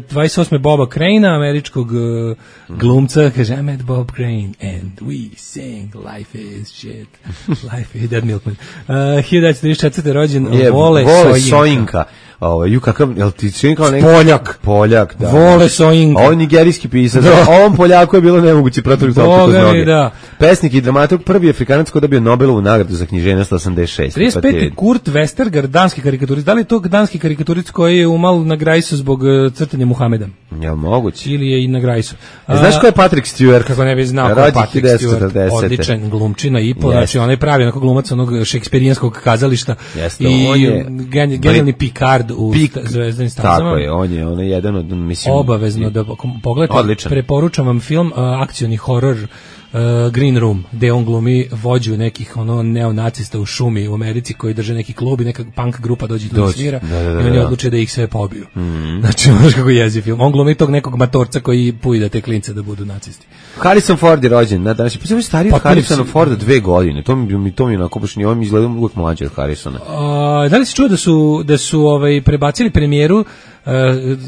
dvadeset osme. Boba Crane'a, američkog uh, glumca, kaže, I'm at Bob Crane, and we sing Life is shit, Life is Dead Milkman. Uh, hiljadu devetsto trideset četvrte. rođen je, Vole, Vole Sojinka. Sojinka. Ovo, ju kakav, jel ti čini kao neki? Poljak. Poljak, da. Vole Sojinka. Ovo je nigerijski pisac. Da. Ovom Poljaku je bilo nemoguće protiviti opet uz noge. Da. Pesnik i dramaturg, prvi Afrikanac koji dobio Nobelovu nagradu za književnost osamdeset šeste. trideset pete. Kurt Westergaard, danski karikaturist. Da li je to danski karikaturist koji je umal na Grajsu zbog uh, crtanja Muhameda? Jel moguće? Ili je i na Grajsu. A, znaš ko je Patrick Stewart? Kako ne bi znao ko je Patrick Stewart. Odličan glumčina i po, znači onaj pravi onako glumac onog šekspirijanskog kazališta. Jeste, i on je gen, generalni Picard u Pik, Zvezdanim stazama. Tako je, on je, on je jedan od, mislim... Obavezno da pogledate, odličan. Preporučam vam film, uh, akcioni horor Uh, Green Room, gde on glumi vođu nekih ono neonacista u šumi u Americi koji drže neki klub i neka punk grupa dođe do svira da, da, da, i oni da. odluče da ih sve pobiju. Mm. Znači, znaš kako jezi film. On glumi tog nekog matorca koji pujda te klince da budu nacisti. Harrison Ford je rođen, na danas je pa stariji od Pa, Harrisona si- Forda dve godine. To mi mi to mi onako baš ni on mi izgleda uvijek mlađi od Harrisona. Uh, da li si čuo da su da su ovaj prebacili premijeru uh,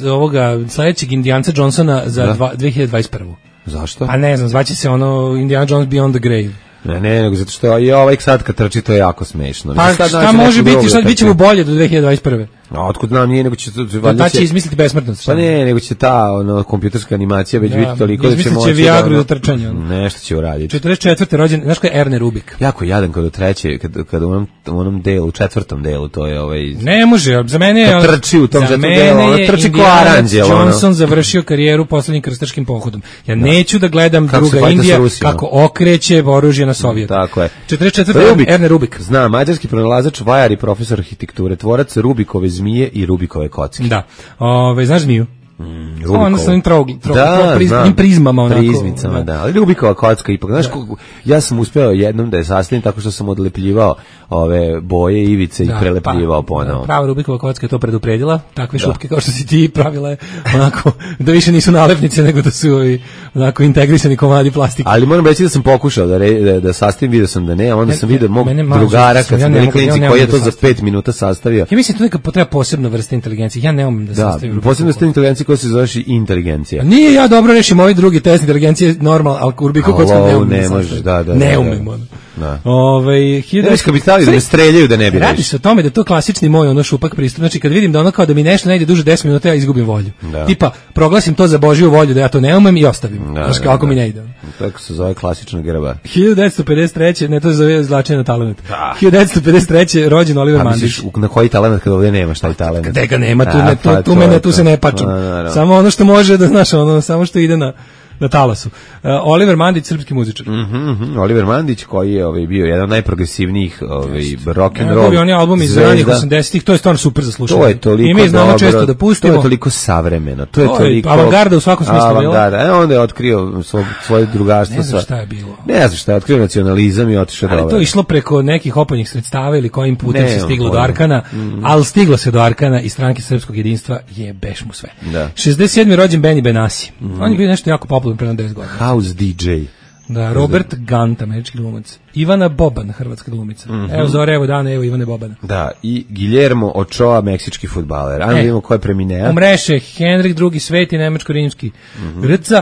ovoga sledećeg Indijanca Johnsona za Da. dva, dve hiljade dvadeset prvu. Zašto? Pa ne znam, zvaće se ono Indiana Jones Beyond the Grave. Ne, ne, nego zato što je ovaj sad kad trči to je jako smešno. Pa Sad šta naći može neku biti, drugu sad da bit ćemo trči. bolje do dve hiljade dvadeset prve. A otkud nam nije, nego će... Da će izmisliti besmrtnost. Pa ne, nego će ta ono, kompjuterska animacija već Da, biti toliko da će izmislit će moći Viagru ono- za trčanje, ono. Nešto će uraditi. četrdeset četvrte. rođen, znaš ko je Erne Rubik? Jako jadan kad u treće, kad, kad u onom, u onom delu, u četvrtom delu, to je ovaj... Ne može, za mene je... Kad trči u tom za četvrtom mene delu, ono je trči ko Indijanac aranđel, ono. Johnson završio karijeru poslednjim krstaškim pohodom. Ja neću da gledam Kako se druga fajta sa Indija Rusijom. kako okreće oružje na Sovjet. Tako je. četrdeset četvrte. Rubik. Erne Rubik. Zna, mađarski pronalazač, vajar i profesor arhitekture, tvorac Rubikove zmije i Rubikove kocke. Da. Ove, znaš zmiju? Mm, Samo ono sa onim trog, trog, trog, priz, znam. onim prizmama onako. Prizmicama, da. Ali Rubikova kocka ipak, znaš, ko- ja sam uspeo jednom da je sastavim tako što sam odlepljivao ove boje, ivice Da, i prelepljivao pa, ponovo. da, prava Rubikova kocka je to predupredila, takve šupke kao što si ti pravila je onako, da više nisu nalepnice nego da su ovi, onako integrisani komadi plastike. Ali moram reći da sam pokušao da re, da, da sastavim, vidio sam da ne, a onda Ne, sam vidio mog mene malo drugara sam, kad ja sam ne bili mogu- ja klinici ne koji je mogu to da za sastavim. pet minuta sastavio. Ja mislim da tu neka potreba posebna vrsta inteligencije. Ja ne umem da Da, sastavim. posebno ste inteligencija koja se zoveš i inteligencija. A nije ja dobro rešim ovaj drugi test inteligencije normal, ali Rubikov kocku ne Alo, umem. ne da možeš, sastavim. da, da, Ne da, umem, da. ono. Da. Ovaj Ne viš kad bi stavili da me streljaju da ne bi Radi rešio. se o tome da je to klasični moj ono šupak pristup. Znači kad vidim da ono kao da mi nešto ne ide duže deset minuta, ja izgubim volju. Da. Tipa proglasim to za Božju volju da ja to ne umem i ostavim. Da, Znaš da, kako da. mi ne ide. Tako se zove klasična grba. hiljadu devetsto pedeset treće ne to se zove izvlačenje na talenat. Da. hiljadu devetsto pedeset treće rođen Oliver A Mandić. misliš u- na koji talent kad ovdje nemaš taj talent? Gde ga nema, tu, A, ne, tu, pa tu, to mene, je tu to. se ne pačam. A, naravno. Samo ono što može da, znaš, ono, samo što ide na, na talasu. Uh, Oliver Mandić, srpski muzičar. Mhm, mhm. Oliver Mandić koji je ovaj bio jedan od najprogresivnijih ovaj rock and roll. Njegovi oni albumi iz zvezda. ranih osamdesetih, to je stvarno super za slušanje. To je toliko I mi znamo dobro, često da pustimo. To je toliko savremeno. To je To je toliko avangarda u svakom smislu, jel? Avangarda. E, onda je otkrio svo, svoje drugarstvo Ne znam sa... šta je bilo. Ne znam šta je, otkrio nacionalizam i otišao Ali dole. to je išlo preko nekih opojnih sredstava ili kojim putem Ne, se stiglo on do pojma. Arkana, ali stiglo se do Arkana i stranke srpskog jedinstva je beš mu sve. Da. šezdeset sedmi rođen Benny Benassi. On je bio nešto jako popularan pre deset godina. House D J. Da, Robert Gant, američki glumac. Ivana Boban, hrvatska glumica. Mm-hmm. Evo zore, evo dana, evo Ivane Bobana. Da, i Guillermo Ochoa, meksički fudbaler. Ajmo e, vidimo ko je premineo. Umreše, Henrik drugi sveti, nemačko-rimski. Mm-hmm. Rca,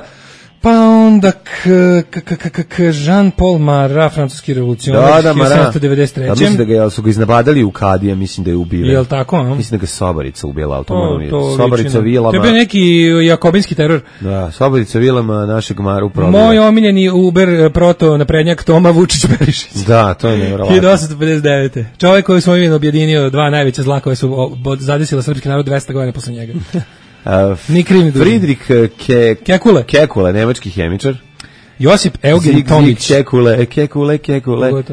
pa onda k, k, k, k, k, Jean-Paul Marat, francuski revolucionar, da, da, hiljadu sedamsto devedeset treće. Da, mislim da ga je, su ga iznabadali u Kadija, mislim da je ubio. Jel tako, a? Mislim da ga Sobarica ubila, to, to Sobarica Vilama. To je bio neki jakobinski teror. Da, Sobarica Vilama našeg Maru probio. Moj omiljeni Uber proto naprednjak Toma Vučić-Berišić. Da, to je nevjerovatno. hiljadu osamsto pedeset devete. Čovjek koji je svoj imen objedinio dva najveća zla koje su zadesila srpski narod dvesta godina posle njega. Uh, Ni kriv ni dužan. Friedrich Ke, Kekule. Kekule, nemački hemičar. Josip Eugen Tomić. Kekule, Kekule, Kekule.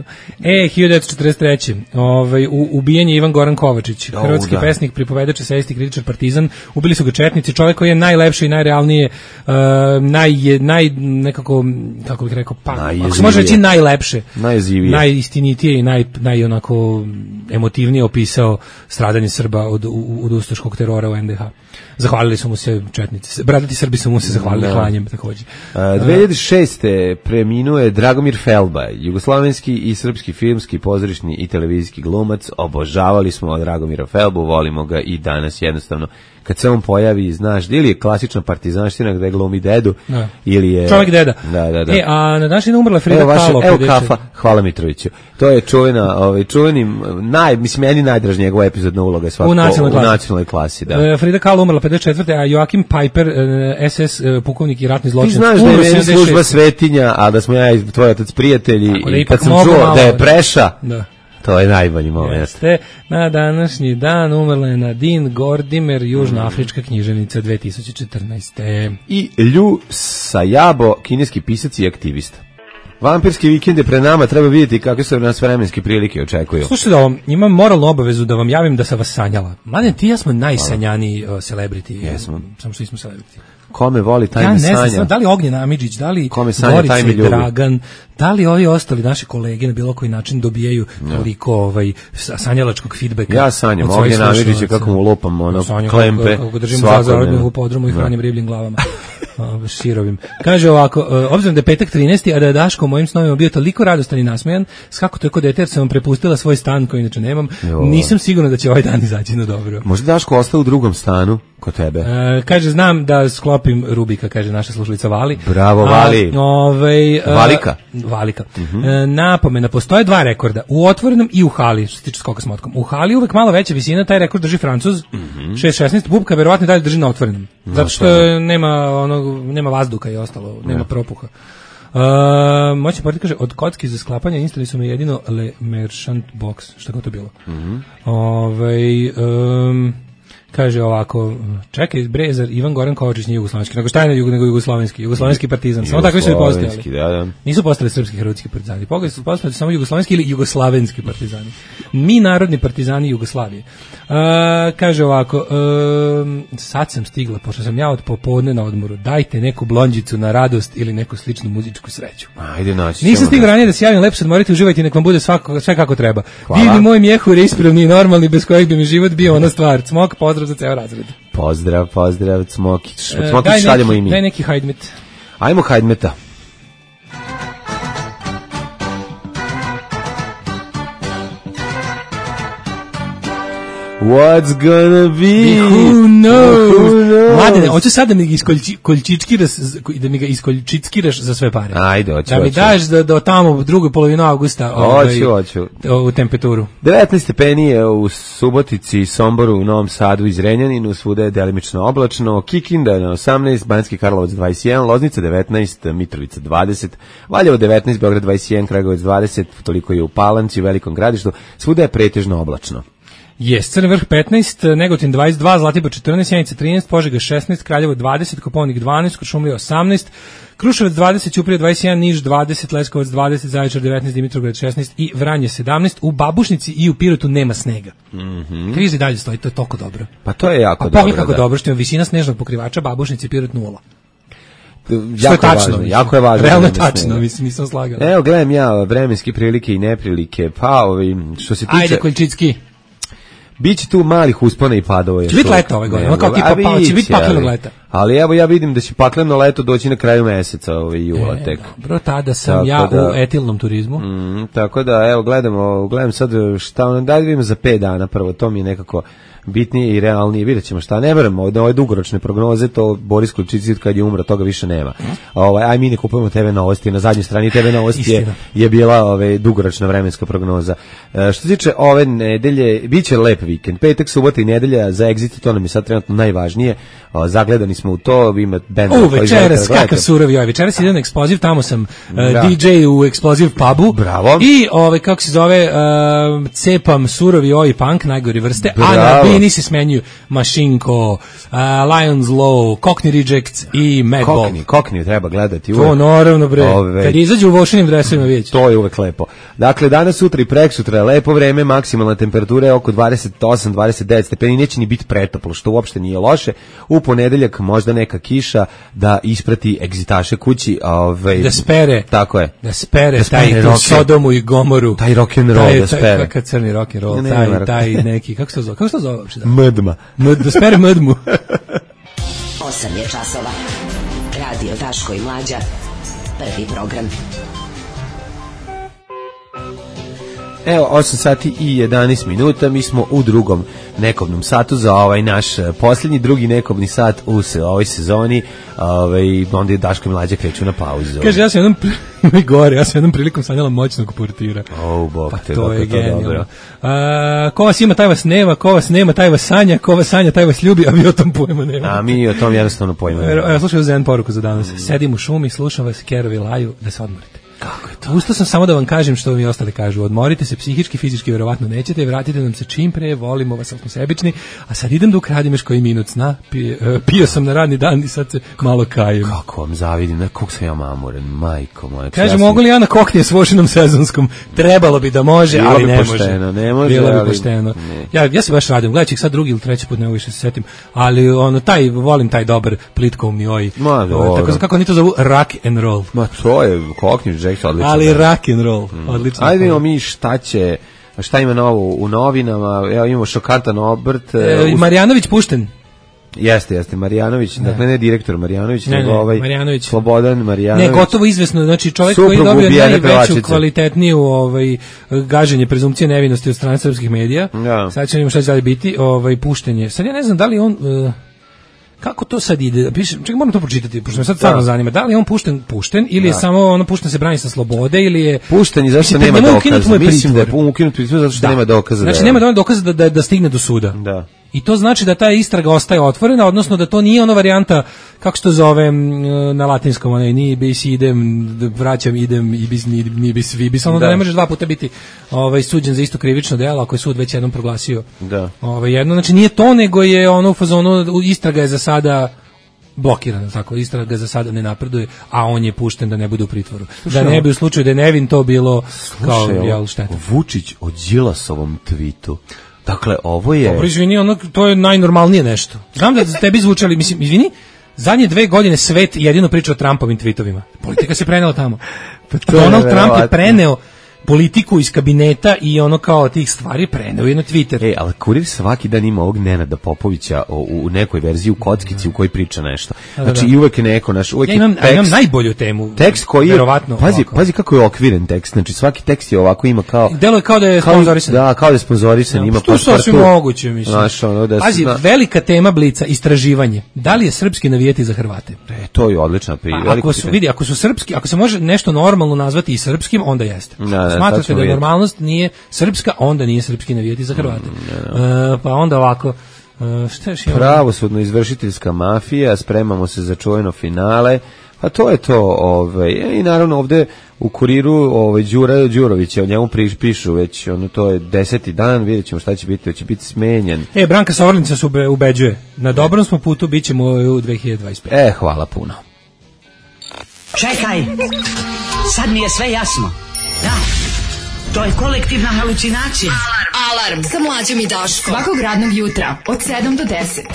E, hiljadu devetsto četrdeset treće. Ovaj, u, ubijen je Ivan Goran Kovačić, oh, hrvatski da. pesnik, pripovedač, esejist, kritičar, partizan. Ubili su ga četnici, čovjek koji je najlepši i najrealnije, uh, naj, naj, nekako, kako bih rekao, pa, ako se može reći najlepše, najjezivije, najistinitije i naj, naj onako emotivnije opisao stradanje Srba od, od ustaškog terora u en de ha. Zahvalili su mu se četnici. Bradati Srbi su mu se zahvalili hlanjem takođe. Uh, dve hiljade šeste preminuo je Dragomir Felba, jugoslovenski i srpski filmski, pozorišni i televizijski glumac. Obožavali smo Dragomira Felbu, volimo ga i danas jednostavno. Kad se on pojavi, znaš, ili je klasična partizanština gde glumi dedu, da. Ili je... Čovjek deda. Da, da, da. E, a na današnji umrla Frida evo vaše, Kahlo. Evo kafa, hvala Mitroviću. To je čuvena, ovaj, čuveni, naj, mislim, meni najdraž njegova epizodna uloga je svakako u nacionalnoj klasi. U nacionalnoj klasi da. E, Frida Kahlo umrla pedeset četvrte a Joakim Piper, es es pukovnik i ratni zločinac. Ti znaš da je meni služba svetinja, a da smo ja i tvoj otac prijatelji, da i kad sam čuo malo, da je preša, da. To je najbolji moment. Jeste, na današnji dan umrla je Nadine Gordimer, južnoafrička književnica dve tisuće četrnaeste. I Lju Sajabo, kineski pisac i aktivista. Vampirski vikend je pred nama, treba vidjeti kakve su nas vremenske prilike očekuju. Slušajte da vam, imam moralnu obavezu da vam javim da sam vas sanjala. Mladen, ti ja smo najsanjaniji uh, celebrity. Jesmo. Samo što nismo celebrity. Kome voli taj ja me sanja? Ja ne znam, da li Ognjena Amidžić, da li Gorica i Dragan, da li ovi ostali naši kolege na bilo koji način dobijaju toliko ovaj, sanjalačkog feedbacka. Ja sanjam Ognjena Amidžića kako mu lupam ono, sanjam, klempe. Kako držimo zazarodnju u podrumu i hranim ribljim glavama. O, širovim. Kaže ovako, obzirom da je petak trinaesti a da je Daško u mojim snovima bio toliko radostan i nasmejan, skako to je kod dete jer sam vam prepustila svoj stan koji inače nemam, jo. Nisam sigurna da će ovaj dan izaći na dobro. Možda Daško ostao u drugom stanu kod tebe? E, kaže, znam da sklopim Rubika, kaže naša slušalica Vali. Bravo, Vali. A, ovaj, Valika. Valika. Uh-huh. E, napomena, postoje dva rekorda, u otvorenom i u hali, što se tiče skoka s motkom. U hali uvek malo veća visina, taj rekord drži Francuz, uh-huh. šest šesnaest, Bubka verovatno dalje drži na otvorenom. Zato što nema, onog, nema vazduha i ostalo, nema ne. propuha. Uh, moćni portir kaže, od kocki za sklapanje instali su mi jedino Le Merchant Box, što je to bilo. Uh-huh. Ove, um, kaže ovako, čekaj, Brezar, Ivan Goran Kovačić nije jugoslovenski, nego šta je nego, nego jugoslovenski, jugoslovenski partizan, samo takvi su i postojali. Da, da. Nisu postali srpski hrvatski partizani, pogledaj su postali samo jugoslovenski ili jugoslavenski partizani. Mi narodni partizani Jugoslavije. Uh, kaže ovako, uh, sad sam stigla, pošto sam ja od popodne na odmoru, dajte neku blondžicu na radost ili neku sličnu muzičku sreću. Ajde, naći. Nisam stigla ranije da se javim, lepo se odmorite, uživajte, nek vam bude svako, sve kako treba. Divni moj mjehur je ispravni i normalni, bez kojeg bi mi život bio ona stvar. Cmok, pozdrav za ceo razred. Pozdrav, pozdrav, Cmokić. Cmokić šaljemo i mi. Daj neki hajdmet. Ajmo hajdmeta. What's gonna be? Who knows? Who knows? Mladene, hoću sad da mi ga iskolčičkiraš, da mi ga iskolčickiraš za sve pare. Ajde, hoću. Da mi hoću. daš da do tamo u drugoj polovini avgusta ovaj, hoću, hoću. u temperaturu. devetnaest stepeni je u Subotici, Somboru, u Novom Sadu i Zrenjaninu, svuda je delimično oblačno, Kikinda na osamnaest, Banjski Karlovac dvadeset jedan, Loznica devetnaest, Mitrovica dvadeset, Valjevo devetnaest, Beograd dvadeset jedan, Kragujevac dvadeset, toliko je u Palanci, u Velikom Gradištu, svuda je pretežno oblačno. Jes, Crni Vrh petnaest, Negotin dvadeset dva, Zlatibor četrnaest, Sjenica trinaest, Požega šesnaest, Kraljevo dvadeset, Koponik dvanaest, Kuršumlija osamnaest, Kruševac dvadeset, Ćuprija dvadeset jedan, Niš dvadeset, Leskovac dvadeset, Zaječar devetnaest, Dimitrovgrad šesnaest i Vranje sedamnaest. U Babušnici i u Pirotu nema snega. Mm-hmm. Krizi dalje stoji, to je toliko dobro. Pa to je jako A dobro. Pogledaj kako da. dobro, što je visina snežnog pokrivača Babušnici i Pirot nula. Što je tačno, važno, jako je važno. Realno je tačno, mislim, nisam slagao. Evo, gledam ja vremenske prilike i neprilike, pa ovi, što se tiče... Ajde, Koljčicki. Biće tu malih uspona i padova. Će biti leta ove godine, ono kao tipa, pa, će biti paklenog leta. Ali evo ja vidim da će pakleno leto doći na kraju meseca, ovaj jula e, tek. Dobro, tada sam tako ja da, u etilnom turizmu. Mm, tako da, evo, gledamo, gledam sad šta ono, da vidimo za pet dana prvo, to mi je nekako bitnije i realnije, vidjet ćemo šta, ne verujem, ove dugoročne prognoze, to Boris Klučić kad je umro, toga više nema. Ovaj, aj mi ne kupujemo te ve Novosti, na zadnjoj strani te ve Novosti je, je bila ove, dugoročna vremenska prognoza. E, što se tiče ove nedelje, bit će lep vikend, petak, subota i nedelja za Exit, to nam je sad trenutno najvažnije, o, zagledani smo u to, ima band. U, večeras, kakav surovi ovaj, večeras idem na eksploziv, tamo sam uh, D J u eksploziv pubu. Bravo. I, ove, kako se zove, uh, cepam surovi oi punk, najgori vrste, Bravo. a na bini se smenjuju Mašinko, uh, Lions Law, Cockney Rejects i Mad Ball. Cockney, Cockney treba gledati uvek. To naravno, bre, Ove, kad izađu u vošenim dresovima vidjet. To je uvek lepo. Dakle, danas, sutra i preksutra je lepo vreme, maksimalna temperatura je oko dvadeset osam dvadeset devet stepeni, neće ni biti pretoplo, što uopšte nije loše. U ponedeljak možda neka kiša da isprati egzitaše kući. Ove, da spere. Tako je. Da spere, da spere taj tu Sodomu i Gomoru. Taj rock and roll da spere. Kakav crni rock and roll, ne, taj, ne, taj neki, kako se to zove? Kako se to zove uopšte? Mdma. Md, da spere mdmu. osam je časova. Radio Daško i Mlađa. Prvi program. Evo, osam sati i jedanaest minuta, mi smo u drugom nekobnom satu za ovaj naš posljednji, drugi nekobni sat u se, ovoj sezoni, ovaj, onda je Daško i Mlađa kreću na pauzu. Kaže, ja sam jednom, gore, ja sam jednom prilikom sanjala moćnog portira. Oh, bog pa te, to je to genijalno. Ko vas ima, taj vas nema, ko vas nema, taj vas sanja, ko vas sanja, taj vas ljubi, a vi o tom pojma nema. A mi o tom jednostavno pojma nema. Ja slušam za jednu poruku za danas. Mm. Sedim u šumi, slušam vas, kerovi laju, da se odmorite. Kako je to? Ustao sam samo da vam kažem što mi ostali kažu. Odmorite se psihički, fizički verovatno nećete, vratite nam se čim pre, volimo vas, ali smo sebični, a sad idem da ukradim još koji minut sna. Pio, uh, pio sam na radni dan i sad se malo kajem. Kako vam zavidim, na kog sam ja mamuren, majko moja. Kažem, mogu li ja na koknije s vošinom sezonskom? Trebalo bi da može, bilo ali bi ne pošteno, može. Ne može. Bilo bi ali, pošteno. Ja, ja se baš radim, gledaj ih sad drugi ili treći put, ne mogu više se setim, ali ono, taj, volim taj dobar plitkovni oj. Ma, dobro. Tako, kako oni to zovu, rock and roll. Ma, to je koknji Jack, odlično. Ali rock and roll, mm. odlično. Ajde imamo mi šta će, šta ima novo u novinama, evo imamo šokantan obrt. E, uz... Marijanović pušten. Jeste, jeste, Marijanović, ne. Dakle ne direktor Marijanović, ne, nego ne, ovaj Marijanović. Slobodan Marijanović. Ne, gotovo izvesno, znači čovjek Suprug koji je dobio najveću, pevačice. kvalitetniju ovaj, gaženje prezumpcije nevinosti od strane srpskih medija. Ja. Sad ćemo šta će dalje biti, ovaj, pušten je. Sad ja ne znam da li on... Uh, kako to sad ide? Piše, čekaj, moram to pročitati, pošto me sad stvarno zanima. Da li je on pušten, pušten ili je da. samo ono pušten se brani sa slobode ili je pušten i zašto nema dokaza? Mislim da je ukinut pritvor zato što da. nema dokaza. Znači da nema dovoljno dokaza da, da da stigne do suda. Da. I to znači da ta istraga ostaje otvorena, odnosno da to nije ona varijanta, kako se to zove na latinskom, onaj, ni bis idem, vraćam, idem, ibis, ni, ni bis, vibis, ono da. da ne možeš dva puta biti ovaj, suđen za isto krivično delo, ako je sud već jednom proglasio da. ovaj, jedno. Znači nije to, nego je ono u fazonu, istraga je za sada blokirana, tako, istraga za sada ne napreduje, a on je pušten da ne bude u pritvoru. Slušaj, da ne bi u slučaju da je nevin to bilo kao, jel, šteta. Vučić o Đilasovom tvitu. Dakle, ovo je... Dobro, izvini, ono, to je najnormalnije nešto. Znam da tebi zvučali, mislim, izvini, zadnje dve godine svet jedino priča o Trumpovim tweetovima. Politika se prenela tamo. Pa Donald Trump je preneo politiku iz kabineta i ono kao tih stvari preneo je na Twitter. Ej, ali Kurir svaki dan ima ovog Nenada Popovića u, u nekoj verziji u kockici u kojoj priča nešto. Znači da, da. i uvek je neko naš, uvek ja imam, tekst, imam najbolju temu. Tekst koji je, verovatno, pazi, ovako. pazi kako je okviren tekst. Znači svaki tekst je ovako ima kao delo je kao da je sponzorisan. Da, kao da je sponzorisan, ja, ima pa što sve moguće, mislim. Znaš, ono da pazi, na... velika tema Blica, istraživanje. Da li je srpski navijeti za Hrvate? E, to je odlična priča. Pa, ako su vidi, ako su srpski, ako se može nešto normalno nazvati i srpskim, onda jeste. Da, da, smatrate da je normalnost nije srpska, onda nije srpski navijeti za Hrvate. Mm, uh, pa onda ovako, uh, šta još imamo? Pravosudno izvršiteljska mafija, spremamo se za čuveno finale. Pa to je to, ovaj, i naravno ovde u Kuriru ovaj Đura Đurović, o njemu pišu već, ono to je deseti dan, vidjećemo šta će biti, hoće biti smenjen. E, Branka Savornica se ube, ubeđuje. Na dobrom smo putu, bićemo u dve hiljade dvadeset pete. E, hvala puno. Čekaj, sad mi je sve jasno. Da, to je kolektivna halucinacija. Alarm, Alarm. Sa Mlađom i Daškom. Svakog radnog jutra od sedam do deset.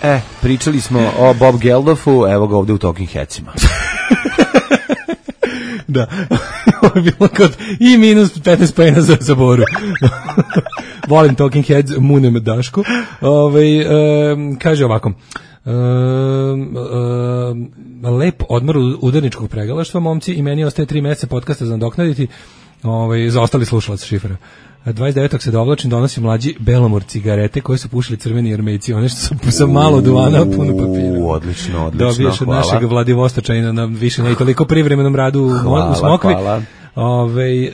E, pričali smo o Bob Geldoffu, evo ga ovde u Talking Headsima. Da. Ovo je bilo kod i minus petnaest pojena za, za Boru. Volim Talking Heads, munem Daško. Ove, um, kaže ovako. Um, um, lep odmor udarničkog pregalaštva, momci, i meni ostaje tri meseca podcasta za nadoknaditi. Ovaj, za ostali slušalac šifra. dvadeset devetog se dovlačim, donosi mlađi Belomor cigarete koje su pušili crveni armejci, one što su sa malo duvana, puno papira. Odlično, odlično. Dobiješ od našeg Vladivostočanina na više ne i toliko privremenom radu u, hvala, u Smokvi. Hvala. Ove,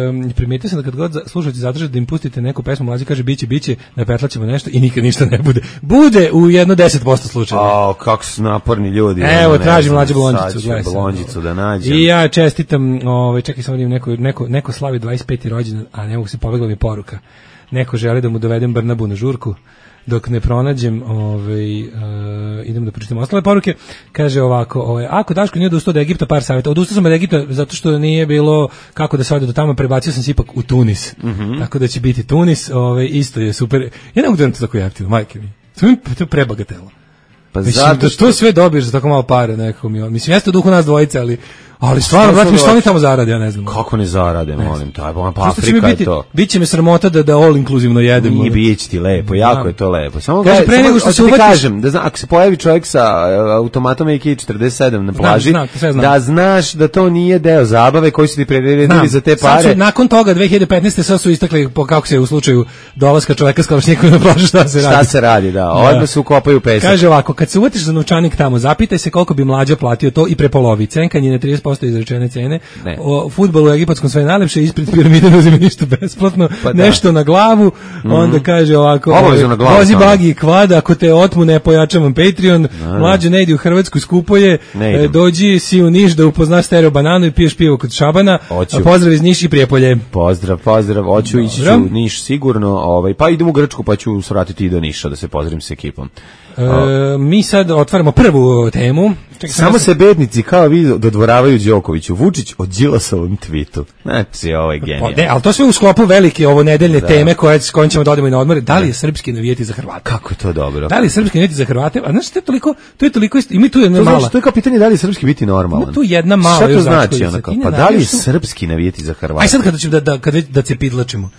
um, primetio sam da kad god slušalci zatraže da im pustite neku pesmu, mlađi kaže biće, biće, napetlaćemo nešto i nikad ništa ne bude. Bude u jedno deset posto slučajeva. A, kako su naporni ljudi. Evo, tražim mlađu blondžicu. Blondžicu da nađem. I ja čestitam, ovaj, čekaj samo da im neko, neko, neko slavi dvadeset peti rođendan, a ne mogu se, pobegla mi poruka. Neko želi da mu dovedem Brnabu na žurku. Dok ne pronađem, ovaj, uh, idem da pročitam ostale poruke. Kaže ovako, ovaj, ako Daško nije odustao od Egipta, par savjeta. Odustao sam od Egipta zato što nije bilo kako da se ode do tamo, prebacio sam se ipak u Tunis. Mm -hmm. Tako da će biti Tunis, ovaj, isto je super. Ja ne mogu da to tako jeftino, majke mi. To je prebagatelo. Pa mislim, zato što... da to sve dobiješ za tako malo pare, nekako mi. Mislim, jeste u duhu nas dvojice, ali ali stvarno, brate, mi što oni tamo zarade, ja ne znam. Kako ne zarade, molim, taj, pa Afrika je to. Biće mi sramota da da all inkluzivno jedem. Nije, biće ti lepo, jako da. Je to lepo. Samo kaže pre nego što se uvatiš, kažem, da zna, ako se pojavi čovjek sa automatom A K četrdeset sedam na plaži, znam, znam, znam. Da znaš da to nije deo zabave koji su ti priredili za te pare. Su, nakon toga dve hiljade petnaeste sad su istakli po kako se u slučaju dolaska čovjeka s kalašnjikom na plažu šta se radi. Šta se radi, da. Odmah se ukopaju u pesak. Kaže ovako, kad se uvatiš za novčanik tamo, zapitaj se koliko bi mlađa platio to i prepolovi. Cenkanje na trideset posto izrečene cene. Ne. O fudbalu u egipatskom sve najlepše, ispred piramide ne uzme ništa besplatno, pa nešto na glavu, mm-hmm. Onda kaže ovako, vozi bagi i kvada, ako te otmu ne pojačavam Patreon, ne. Mlađe ne idi u Hrvatsku, skupo je, e, dođi si u Niš da upoznaš Stereo Bananu i piješ pivo kod Šabana, a pozdrav iz Niš i Prijepolje. Pozdrav, pozdrav, hoću ići ću u Niš sigurno, ovaj, pa idem u Grčku pa ću svratiti i do Niša da se pozdravim s ekipom. E, mi sad otvaramo prvu temu. Čekaj, samo se bednici kao vi dodvoravaju Đokoviću. Vučić o Đilasovom tvitu. Znači, ovo je genijalno. Ne, ali to sve u sklopu velike ovo nedeljne da. Teme koje, s kojim ćemo da odemo i na odmore. Da li je srpski navijeti za Hrvate? Kako je to dobro? Da li je srpski navijeti za Hrvate? A znaš, to je toliko, to je toliko i mi tu jedna to mala. Znači, to je kao pitanje da li je srpski biti normalan. Ima tu jedna mala. Šta to znači? Onako? Pa da li je srpski navijeti za Hrvate? Aj sad kada ćemo da, da, kad da se pidlačimo.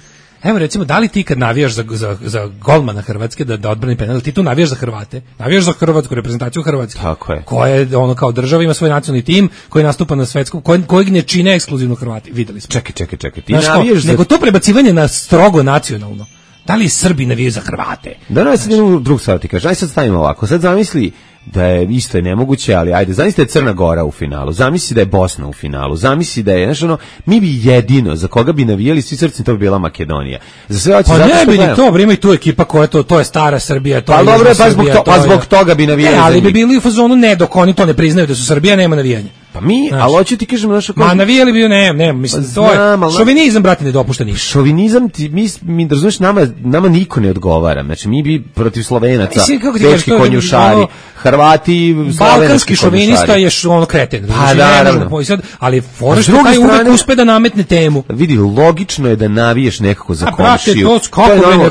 Evo recimo, da li ti kad navijaš za, za, za golmana Hrvatske da, da odbrani penal, ti tu navijaš za Hrvate, navijaš za hrvatsku reprezentaciju Hrvatske. Tako je. Koja je, ono, kao država ima svoj nacionalni tim koji nastupa na svetskom, koji, kojeg ne čine ekskluzivno Hrvati, videli smo. Čekaj, čekaj, čekaj, ti znaš navijaš za... Nego to prebacivanje na strogo nacionalno. Da li Srbi navijaju za Hrvate? Da, no, ja sad jednu drugu stvar ti kažem, aj sad stavimo ovako, sad zamisli da je isto je nemoguće, ali ajde, zamisli da je Crna Gora u finalu, zamisli da je Bosna u finalu, zamisli da je, znaš ono, mi bi jedino, za koga bi navijali svi srcem, to bi bila Makedonija. Za sve hoće, pa zato ne bi gledam. Ni to, ima i tu ekipa koja je to, to je stara Srbija, to pa je dobro, pa zbog, to, pa zbog toga bi navijali. Ne, ali bi bili u fazonu ne, dok oni to ne priznaju da su Srbija, nema navijanja. Pa mi, znači, ali hoću ti kažem naša ma navijali bi, ne, ne, mislim, pa to znam, je, šovinizam, brate, ne dopušta ništa. Šovinizam, ti, mi, mi razumiješ, nama, nama niko ne odgovara, znači mi bi protiv Slovenaca, teški konjušari, Hrvati, balkanski šovinista je ono kreten. Pa da, ali Forest taj uvek uspe da nametne temu. Vidi, logično je da naviješ nekako za komšiju.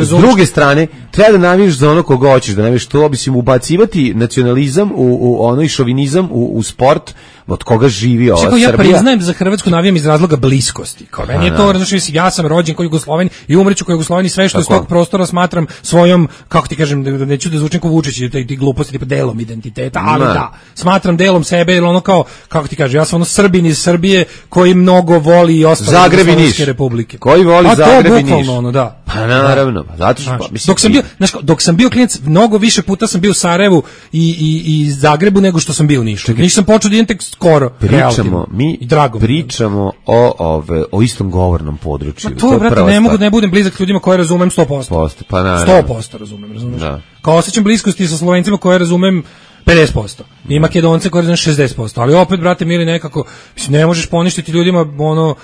S druge strane, treba da naviješ za ono koga hoćeš, da naviješ to, mislim, ubacivati nacionalizam u, u ono i šovinizam u, u sport, od koga živi ova Srbija. Ja priznajem da za Hrvatsku navijam iz razloga bliskosti. Kao meni je to, znači, ja sam rođen kao Jugosloven i umreću kao Jugosloven i sve što iz tog prostora smatram svojom, kako ti kažem, da neću da zvučim kao Vučić i ti gluposti tipa delom identiteta, ali da, smatram delom sebe, jer ono kao, kako ti kažem, ja sam ono Srbin iz Srbije koji mnogo voli i ostale Jugoslovenske republike. Koji voli Zagreb i Niš. Ono, da. Pa naravno, pa zato što mislim, dok sam bio, znaš, dok sam bio klijent, mnogo više puta sam bio u Sarajevu i i i Zagrebu nego što sam bio u Nišu. Nisam počeo da idem tek skoro. Pričamo, mi pričamo o ove o istom govornom području. Ma to, to brate, ne mogu da ne budem blizak ljudima koje razumem sto posto. Pa naravno. sto posto razumem, razumeš? Da. Kao osjećam bliskosti sa Slovencima koje razumem pedeset posto. I Makedonce koje razumem šezdeset posto. Ali opet, brate, mili, nekako, mislim, ne možeš poništiti ljudima, ono,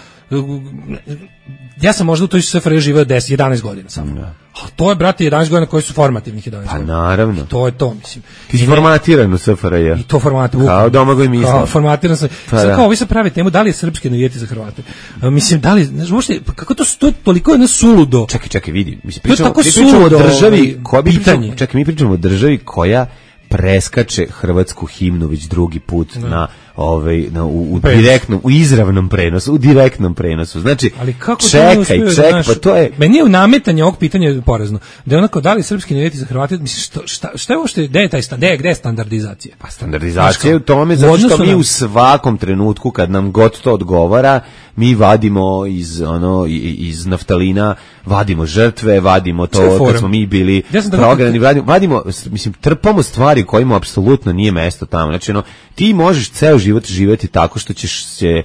ja sam možda u toj S F R J živeo deset jedanaest godina samo. Da. A to je, brate, jedanaest godina koji su formativnih jedanaest pa godina. Pa naravno. I to je to, mislim. Ti si formatiran u S F R J. I to formatiran. Kao Domagoj Mislav. Kao formatiran sam. Pa sad da. Kao, ovi se pravi temu, da li je srpski navijeti za Hrvate? A, mislim, da li, znaš, možete, kako to, to je toliko jedno suludo. Čekaj, čekaj, vidi. Mislim, pričamo, to je tako suludo državi, koja bi pričamo, čekaj, mi pričamo o državi koja preskače hrvatsku himnu već drugi put no. na ovaj na u, u direktnom u izravnom prenosu, u direktnom prenosu. Znači, ali kako čekaj, čekaj, naš, pa to je meni je u nametanje ovog pitanja porazno. Da je onako da li srpski identitet za Hrvate, mislim što šta šta je ovo što je gde je taj gde je gde je standardizacija? Pa standardizacija je u tome zato što mi u svakom trenutku kad nam god to odgovara, mi vadimo iz ono iz naftalina, vadimo žrtve, vadimo to kad smo mi bili ja prognani, vadimo, vadimo mislim trpamo stvari kojima apsolutno nije mesto tamo. Znači ono, ti možeš ceo život živjeti tako što ćeš se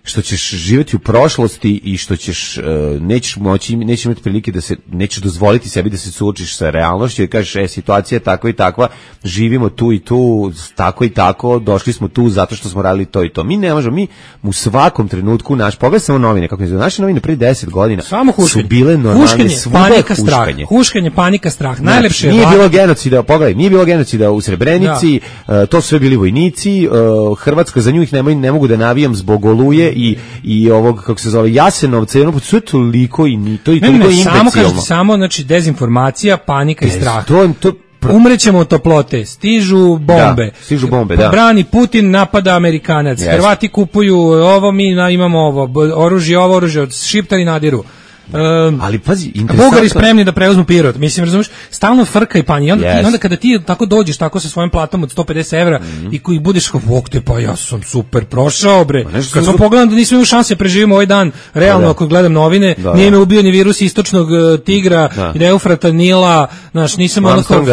što ćeš živjeti u prošlosti i što ćeš uh, nećeš moći nećeš imati prilike da se nećeš dozvoliti sebi da se suočiš sa realnošću i kažeš e situacija je takva i takva, živimo tu i tu, tako i tako, došli smo tu zato što smo radili to i to. Mi ne možemo, mi u svakom trenutku naš pogled samo novine, kako izgleda naše novine pre deset godina samo su bile normalne, panika, strah, huškanje, panika, strah, najlepše znači, nije vlad... bilo genocida, pogledaj, nije bilo genocida u Srebrenici, uh, to su sve bili vojnici, uh, Hrvatska za nju ih ne, ne mogu da navijam zbog Oluje i i ovog kako se zove Jasenovca, jedno sve toliko i ni to i toliko imbecilno. Samo kažete, samo znači dezinformacija, panika Bez, i strah. To, to pr... Umrećemo od toplote, stižu bombe. Da, stižu bombe, da. Brani Putin, napada Amerikanac. Yes. Hrvati kupuju ovo, mi imamo ovo, oružje, ovo oružje od Šiptari nadiru. Um, ali pazi, interesantno. Bugari spremni da preuzmu Pirot. Mislim, razumiješ, stalno frka i panje. I onda, yes. onda kada ti tako dođeš tako sa svojim platom od sto pedeset evra mm-hmm. i koji budeš kao, bog te, pa ja sam super prošao, bre. Pa kad sam pogledam da nisam imao šanse da preživimo ovaj dan, realno, da. Ako gledam novine, da, nije me ubio ni virus istočnog uh, tigra, da. I Eufrata, Nila, znaš, nisam ono kao,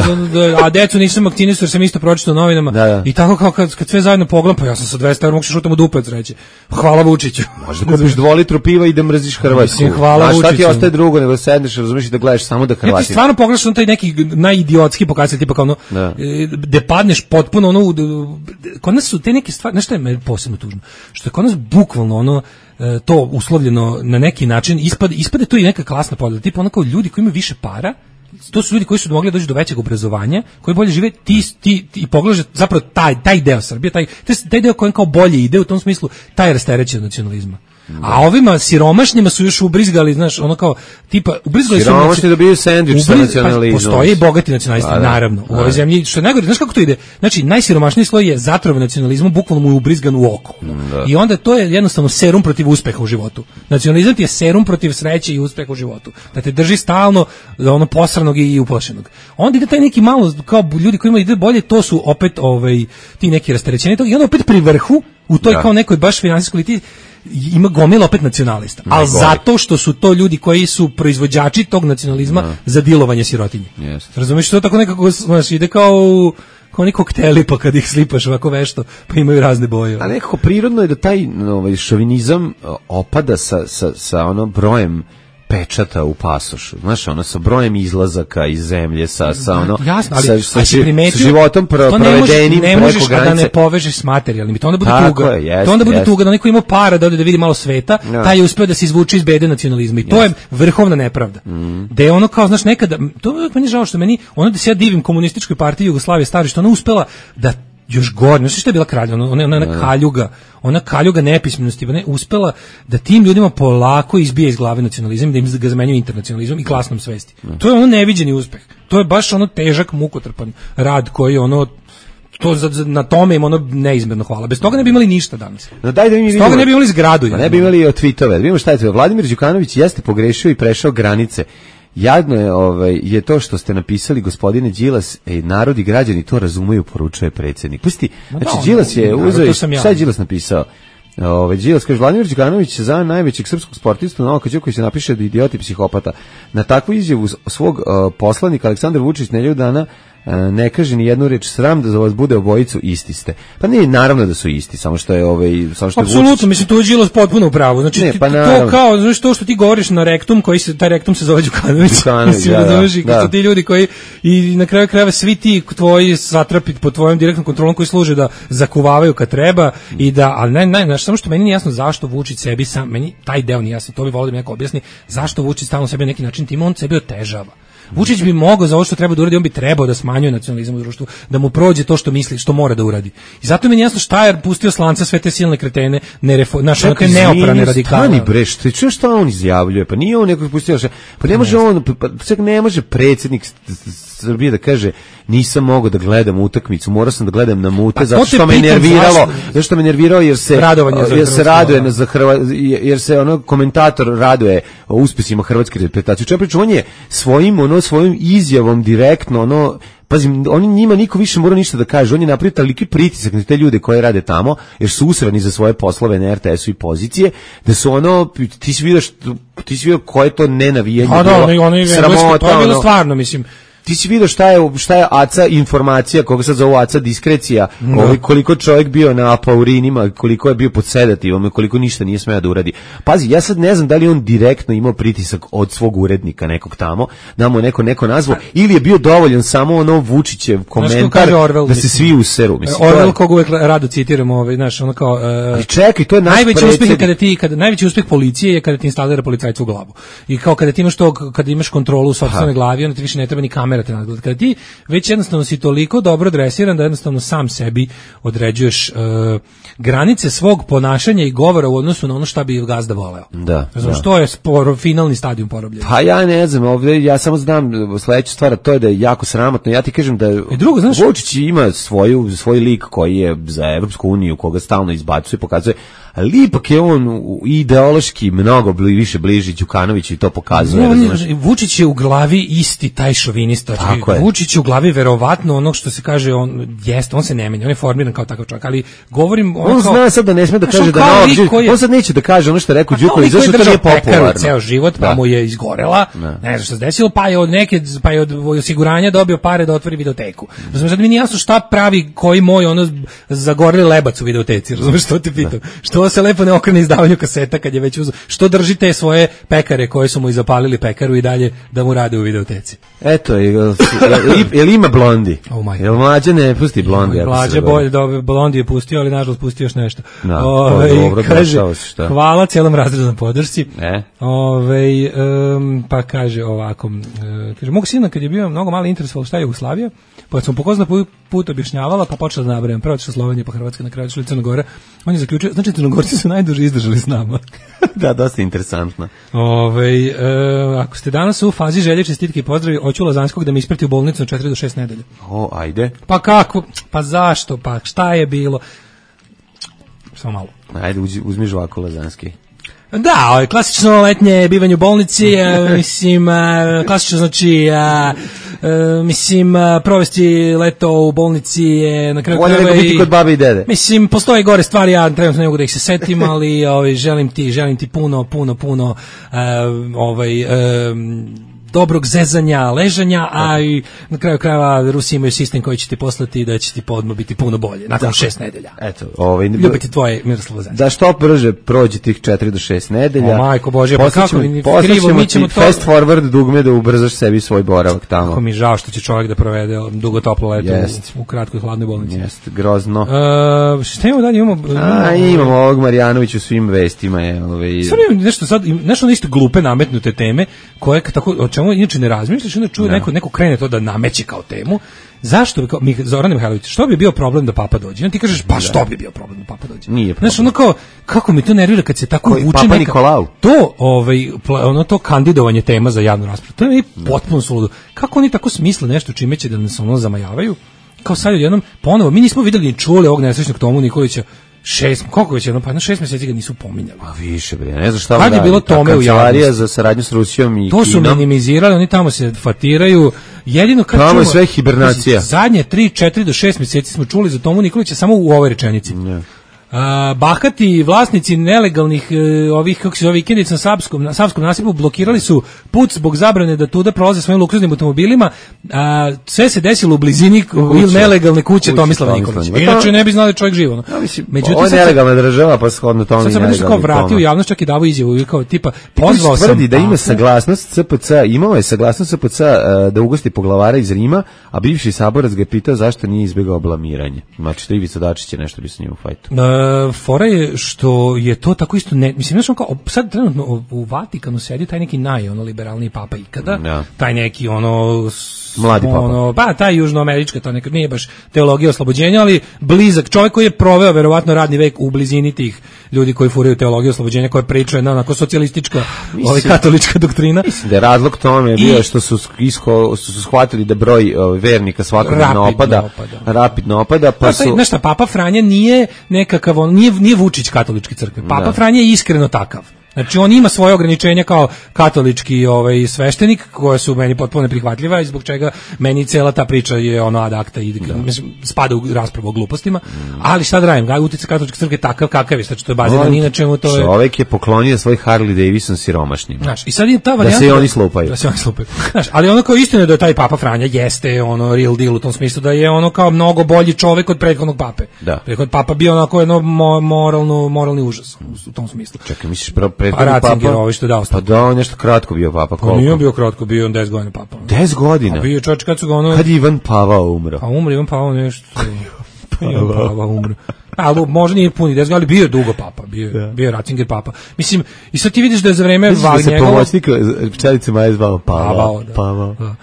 a decu nisam vakcinisao jer sam isto pročitao novinama. Da, da. I tako kao kad, kad sve zajedno pogledam, pa ja sam sa dvesta evra mogu se šutam u dupac, reći. Hvala Vučiću. Možda kupiš dva litru piva i da mrziš Hrvatsku. Hvala Vučiću. Šta ti ostaje drugo nego sedneš, razumiješ i da gledaš samo da Hrvati. Ja ti stvarno pogledaš on taj neki najidiotski pokazatelj tipa kao ono da. Gde padneš potpuno ono kod nas su te neke stvari, nešto je meni posebno tužno, što je kod nas bukvalno ono to uslovljeno na neki način ispade, ispade to i neka klasna podela, tipa ono kao ljudi koji imaju više para, to su ljudi koji su mogli doći do većeg obrazovanja, koji bolje žive, ti, ti, ti pogledaš zapravo taj, taj deo Srbije, taj, taj deo koji kao bolje ide u tom smislu, taj rasterećen nacionalizma. A ovima siromašnjima su još ubrizgali, znaš, ono kao tipa ubrizgali su siromašni dobiju sendvič sa nacionalizmom. Pa, postoje i bogati nacionalisti, da, naravno. U ovoj zemlji što je najgore, znaš kako to ide? Znači najsiromašniji sloj je zatrovan nacionalizmom, bukvalno mu je ubrizgan u oko. Da. I onda to je jednostavno serum protiv uspeha u životu. Nacionalizam ti je serum protiv sreće i uspeha u životu. Da te drži stalno ono posranog i uplašenog. Onda ide taj neki malo kao ljudi koji imaju ide bolje, to su opet ovaj ti neki rasterećeni i onda opet pri vrhu u toj da. Kao nekoj baš finansijskoj eliti ima gomila opet nacionalista, ali zato što su to ljudi koji su proizvođači tog nacionalizma no. Za dilovanje sirotinje. Yes. Razumiješ, to tako nekako znaš, ide kao kao oni kokteli, pa kad ih slipaš ovako vešto, pa imaju razne boje. A nekako prirodno je da taj ovaj, šovinizam opada sa, sa, sa ono brojem pečata u pasošu, znaš, ono sa brojem izlazaka iz zemlje, sa, sa ono jasno, ali, sa, sa, sa, sa životom pro, provedenim ne možeš, preko granice. Ne možeš da ne povežeš s materijalnim, to onda bude tako tuga. Je, jest, to onda bude jest. Tuga da neko ima para da ode da vidi malo sveta, no. Taj je uspeo da se izvuče iz bede nacionalizma i to yes. Je vrhovna nepravda. Mm. Da je ono kao, znaš, nekada, to je meni žao što meni, ono da se ja divim komunističkoj partiji Jugoslavije stari, što ona uspela da još gore, ne znam što je bila kralja, ona, ona, ona kaljuga, ona kaljuga nepismenosti, ne, uspela da tim ljudima polako izbije iz glave nacionalizam, da im ga zamenjuju internacionalizmom i klasnom svesti. Ne. To je ono neviđeni uspeh. To je baš ono težak, mukotrpan rad koji ono to za, za, na tome im ono neizmjerno hvala. Bez toga ne bi imali ništa danas. No daj da mi Bez toga ne bi imali zgradu. Ne bi imali od tweetove. Da vidimo šta je to. Vladimir Đukanović jeste pogrešio i prešao granice. Jadno je, ovaj, je to što ste napisali, gospodine Đilas, e, narod i građani to razumeju, poručuje predsjednik. Pusti, znači no, Đilas je uzeo, šta je Đilas napisao? Ovaj Đilas kaže Vladimir Đukanović za najvećeg srpskog sportistu Novaka Đokovića napiše da je idiot i psihopata. Na takvu izjavu svog uh, poslanika Aleksandar Vučić nedelju dana ne kaže ni jednu reč, sram da za vas bude obojicu isti ste. Pa ne, naravno da su isti, samo što je ovaj samo što apsolutno, Vučić... mislim tu je Đilas potpuno u pravu. Znači ne, pa to kao, znači to što ti govoriš na rektum, koji se taj rektum se zove Đukanović. Đukanović mislim, da, da, da, da. Su ti ljudi koji i na kraju krajeva svi ti tvoji satrapi pod tvojom direktnom kontrolom koji služe da zakuvavaju kad treba i da, al ne, ne, znači samo što meni nije jasno zašto Vučić sebi sam, meni taj deo nije jasno, to bi volio da mi neko objasni, zašto Vučić stalno sebi na neki način tim on sebi otežava. Vučić bi mogao za ovo što treba da uradi, on bi trebao da smanjuje nacionalizam u društvu, da mu prođe to što misli, što mora da uradi. I zato mi je jasno šta je pustio slanca sve te silne kretene, nerefo, naše neke neoprane radikale. Stani bre, što čuješ šta on izjavljuje? Pa nije on nekog pustio, pa ne može on, pa čak ne može predsjednik Srbije da kaže nisam mogao da gledam utakmicu, morao sam da gledam na mute pa, zato što me nerviralo, zato što me nerviralo jer se jer se raduje za Hrva, jer se ono komentator raduje o uspesima hrvatske reprezentacije. Čemu pričam, on je svojim ono svojim izjavom direktno ono pazim, oni njima niko više mora ništa da kaže, on je napravio toliki pritisak na te ljude koji rade tamo, jer su usrani za svoje poslove na er te esu i pozicije, da su ono, ti si vidio, što, ti si vidio koje to nenavijanje bilo, da, ono, ono, sramota, to je bilo stvarno, mislim. Ti si vidio šta je šta je aca informacija, koga sad zove aca diskrecija, no. ovaj, koliko čovjek bio na apaurinima, koliko je bio pod sedativom, koliko ništa nije smeo da uradi. Pazi, ja sad ne znam da li on direktno imao pritisak od svog urednika nekog tamo, da mu neko neko nazvao, ili je bio dovoljan samo ono Vučićev komentar Orwell, da se svi useru. Mislim, Orwell, kog uvek rado citiramo, ovaj, znaš, ono kao... Uh, I čekaj, to je naš najveći uspeh je kada ti, kada, najveći uspeh policije je kada ti instalira policajca u glavu. I kao kada ti imaš to, kada imaš kontrolu u sopstvenoj glavi, onda ti više ne treba ni kamera te nadgleda. Kada ti već jednostavno si toliko dobro dresiran da jednostavno sam sebi određuješ uh, granice svog ponašanja i govora u odnosu na ono šta bi gazda voleo. Da. Znači, da. što je sporo, finalni stadijum porobljenja. Pa ja ne znam, ovdje ja samo znam sledeća stvar, to je da je jako sramotno. Ja ti kažem da I drugo, znaš, Vučić ima svoju, svoj lik koji je za Evropsku uniju, koga stalno izbacuje, pokazuje, ali ipak je on ideološki mnogo bli, više bliži Đukanoviću i to pokazuje. No, Vučić je u glavi isti taj šovinista. Vučić je u glavi verovatno ono što se kaže, on jeste, on se ne menja, on je formiran kao takav čovjek, ali govorim... On, on kao, zna sad da ne sme da kaže da novog, koji je, on sad neće da kaže ono što je rekao Đuković, zašto to nije popularno. Ceo život, pa da. mu je izgorela, ne, ne znam što se desilo, pa je od neke, pa je od osiguranja dobio pare da otvori videoteku. Razumeš, sad mi nije jasno šta pravi koji moj ono zagoreli lebac u videoteci, razumeš što te pitam. Što se lepo ne okrene izdavanju kaseta kad je već uzeo. Što drži te svoje pekare koje su mu i zapalili pekaru i dalje da mu rade u videoteci. Eto, jel, jel ima blondi? Oh jel mlađe ne pusti blondi? Mlađe bolje, da blondi je pustio, ali nažalost pustio još nešto. Da, Ove, dobro, kaže, šta? Hvala cijelom razredu na podršci. E? Ove, um, pa kaže ovako, um, kaže, mogu sina kad je bio mnogo malo interesovalo šta je Jugoslavija, pa sam pokozna put objašnjavala, pa počela da nabrajam. Prvo otišla Slovenija, pa Hrvatska, na kraju otišla Crna Gora. On je zaključio, znači Crnogorci su najduže izdržali s nama. Da, dosta interesantno. Ove, e, ako ste danas u fazi želje, čestitke i pozdravi, hoću Lazanskog da mi isprati u bolnicu na četiri do šest nedelja. O, ajde. Pa kako? Pa zašto? Pa šta je bilo? Samo malo. Ajde, uzmi žvaku Lazanski. Da, ovo je klasično letnje bivanje u bolnici, mislim, klasično znači, a, a, mislim, a, provesti leto u bolnici je na kraju krajeva i... biti kod babe i dede. Mislim, postoje gore stvari, ja trenutno ne mogu da ih se setim, ali ovaj, želim ti, želim ti puno, puno, puno a, ovaj... A, dobrog zezanja, ležanja, a i na kraju krajeva Rusi imaju sistem koji će ti poslati da će ti podmo biti puno bolje, nakon dakle, šest nedelja. Eto, ovaj, ljubiti tvoje Miroslav Lazanski. Da što brže prođe tih četiri do šest nedelja. O majko Bože, pa kako mi krivo, mi ćemo to... fast forward dugme da ubrzaš sebi svoj boravak tamo. Kako mi žao što će čovjek da provede dugo toplo leto u, u kratkoj hladnoj bolnici. Jeste, grozno. Uh, šta imamo dalje? Imamo, a, imamo ovog Marjanović u svim vestima. Je, ovaj... Sad imamo nešto sad, nešto isto glupe nametnute teme, koje tako, o čemu inače ne razmišljaš, onda čuje neko, neko krene to da nameće kao temu. Zašto bi, kao, Zoran Mihajlović, što bi bio problem da Papa dođe? Ti kažeš, pa što bi bio problem da Papa dođe? Nije problem. Znaš, ono kao, kako mi to nervira kad se tako Koji, vuče Papa neka... Nikolau? To, ovaj, ono to kandidovanje tema za javnu raspravu, to je mi potpuno suludo. Kako oni tako smisle nešto čime će da nas ono zamajavaju? Kao sad jednom, ponovo, mi nismo videli ni čuli ovog nesrećnog Tomu Nikolića, šest, koliko već jedno, pa na šest mjeseci ga nisu pominjali. Pa više bre, ne znam šta kad je bilo tome u javnosti za saradnju s Rusijom i to su Kinom. Minimizirali, oni tamo se fatiraju. Jedino kad tamo čumo, je sve hibernacija. Zadnje tri, četiri do šest mjeseci smo čuli za Tomu Nikolića samo u ovoj rečenici. Ne. A, bahati vlasnici nelegalnih e, ovih kako se zove vikendica na Savskom, na Savskom nasipu blokirali su put zbog zabrane da tuda prolaze svojim luksuznim automobilima. A, sve se desilo u blizini ili nelegalne kuće, kuće Tomislava Nikolića. Inače ne bi znali čovjek živo. No. Ja, mislim, međutim, ovo je nelegalna država, pa shodno tome. Sad sam nešto kao vratio javnost, čak i davo izjavu kao tipa pozvao sam. Tvrdi da ima saglasnost C P C, imao je saglasnost C P C uh, da ugosti poglavara iz Rima, a bivši saborac ga je pitao zašto nije izbegao blamiranje. Znači, to Ivica Dačić je nešto bi sa njim u fajtu. Uh, fora je što je to tako isto ne, mislim znači kao sad trenutno u Vatikanu sedi taj neki naj ono liberalni papa ikada, ja. taj neki ono Mladi papa. Ono, pa taj južnoamerička, to nekad nije baš teologija oslobođenja, ali blizak čovjek koji je proveo verovatno radni vek u blizini tih ljudi koji furaju teologiju oslobođenja, koja priča jedna onako socijalistička, ovaj katolička doktrina. Mislim da je razlog tome je bio što su isko, što su shvatili da broj uh, vernika svakodnevno opada, opada, rapidno opada, pa, pa su... Znaš šta, Papa Franja nije nekakav, on, nije, nije Vučić katoličke crkve, Papa da. Franja je iskreno takav. Znači on ima svoje ograničenja kao katolički ovaj sveštenik koje su meni potpuno neprihvatljiva i zbog čega meni cela ta priča je ono ad acta i mislim spada u raspravu o glupostima, mm. ali šta da radim, uticaj katoličke crkve takav kakav je, znači to je baziran ni na čemu, to je čovjek je poklonio svoj Harley Davidson siromašnima. Znaš, i sad je ta varijanta da se oni slupaju. Da se oni slupaju. Znaš, ali ono kao istina je da je taj Papa Franja jeste ono real deal u tom smislu da je ono kao mnogo bolji čovjek od prethodnog pape. Da. Prethodni papa bio onako jedno moralno moralni užas u tom smislu. Čekaj, misliš pro Pa Ratzinger, ovaj što je dao. Pa da, on nešto kratko bio papa, koliko? On nije bio kratko, bio on deset godina papa. deset godina? A bio čovječ kad su ga ono... Kad je Ivan Pavao umro? A umro Ivan Pavao nešto... Pa Ivan Pavao umro. Ali možda nije puni deset godina, ali bio je dugo papa, bio, ja. bio je Ratzinger papa. Mislim, i sad ti vidiš da je za vreme Vagnjegova... Mislim da se pomoćnik pčelice Maje zvao Pavao. Pavao, da. Pavao. Da.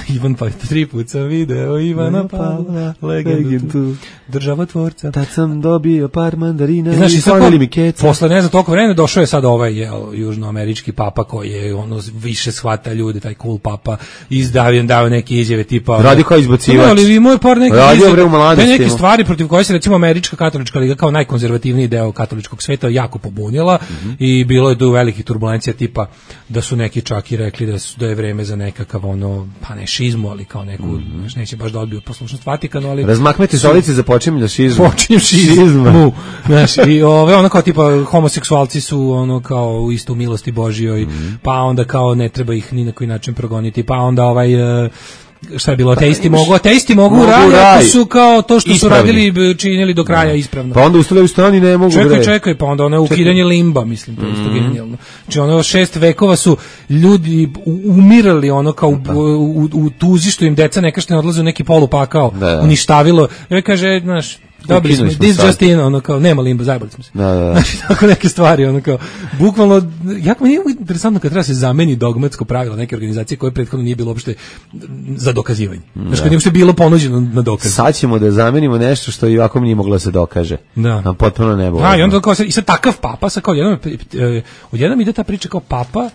Ivan pa tri put sam video Ivana Pavla, legendu državotvorca. Tad sam dobio par mandarina i, znaš, i sonili mi keca. Posle ne znam toliko vremena došao je sad ovaj jel, južnoamerički papa koji je ono više shvata ljude, taj cool papa, izdavio dao neke izjave tipa radi kao izbacivač. Ali imao je par nekih izjave, neke stvari protiv koje se recimo američka katolička liga kao najkonzervativniji deo katoličkog sveta jako pobunila mm-hmm. i bilo je tu velikih turbulencija tipa da su neki čak i rekli da su da je vreme za nekakav ono pa ne šizmu, ali kao neku, mm-hmm. znaš, neće baš da odbiju poslušnost Vatikanu, ali... Razmakmeti stolice za počinjenje šizmu. Počinjem šizmu. Znaš, i ove, ono kao tipa homoseksualci su ono kao isto u milosti Božijoj, mm-hmm. pa onda kao ne treba ih ni na koji način progoniti, pa onda ovaj... Uh, šta je bilo, ateisti pa, mogu, ateisti mogu, mogu radi, ako su kao to što ispravni. Su radili, činili do kraja ispravno. Pa onda ustavljaju strani ne mogu čekaj, bre. Čekaj, pa onda ono ukidanje limba, mislim, to je isto mm. genijalno. Znači ono šest vekova su ljudi umirali ono kao u, u, u tuzi što im deca nekašte ne odlaze u neki polupakao, da, da. Uništavilo. I kaže, znaš, dobili smo, this just in, ono kao, nema limba, zajebali smo se. Da, da, da. Znači, tako neke stvari, ono kao, bukvalno, jako mi nije interesantno kad treba se zameni dogmatsko pravilo neke organizacije koje prethodno nije bilo uopšte za dokazivanje. Znači, kad nije uopšte bilo ponuđeno na dokaz. Sad ćemo da zamenimo nešto što i ovako nije moglo da se dokaže. Da. Nam potpuno ne bilo. A, i onda kao, i sad takav papa, sad kao, jednom, odjednom ide ta priča kao papa,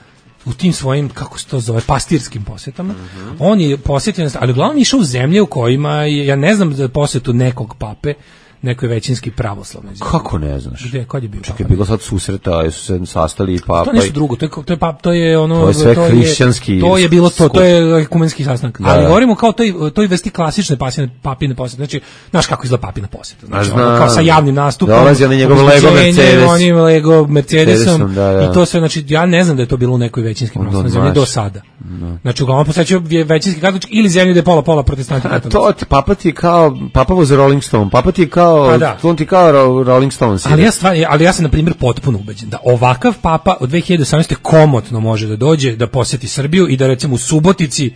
u tim svojim, kako se to zove, pastirskim posjetama. Mm-hmm. On je posjetio, ali uglavnom išao u zemlje u kojima, je, ja ne znam za posjetu nekog pape, neko je većinski pravoslavni zemlji. Kako ne znaš? Gde, kad je bio Čekaj, je bilo sad susreta, su se sastali i papa. To nešto drugo, to je, to je, pap, to je ono... To je sve to hrišćanski je, To je bilo to, to je ekumenski sastanak. Da. Ali govorimo kao toj, toj vesti klasične pasine, papine posjete. Znači, znaš kako izgleda papina posjeta. Znači, ono, kao sa javnim nastupom. Dolazi on njegov Lego Mercedes. Onim Lego Mercedesom. Da, da. I to sve, znači, ja ne znam da je to bilo u nekoj većinski pravoslavnoj zemlji do sada. No. Znači, uglavnom posjećaju većinski katolički ili zemlji gde je pola, pola protestanti katolici. To, papa ti je kao, papa voze Rolling Stone, papa ti je kao, on ti kao Rolling Stones. Ali ja, stvar, ali ja sam, na primjer, potpuno ubeđen da ovakav papa od dve hiljade osamnaeste. komotno može da dođe, da posjeti Srbiju i da, recimo, u Subotici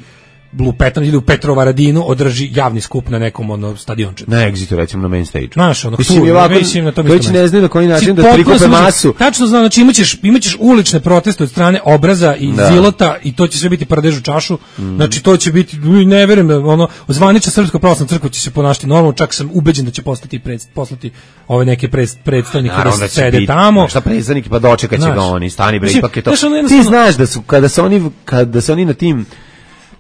Lupetan ili u Petrovaradinu održi javni skup na nekom ono stadiončetu. Na Exitu, recimo na main stage. Znaš, ono, mislim, tu, ovako, mislim na tom već ne znaju na koji način da prikupe masu. Tačno znam, znači imaćeš, imaćeš ulične proteste od strane Obraza i da. Zilota i to će sve biti prdež u čašu. Mm. Znači to će biti, ne verujem da ono, zvanična Srpska pravoslavna crkva će se ponašati normalno, čak sam ubeđen da će postati pred, poslati ove neke pred, predstavnike da, da sede biti, tamo. Šta predstavniki, pa dočekat će ga oni, stani bre, ipak je to. Ti znaš da su, kada se oni, kada se oni na tim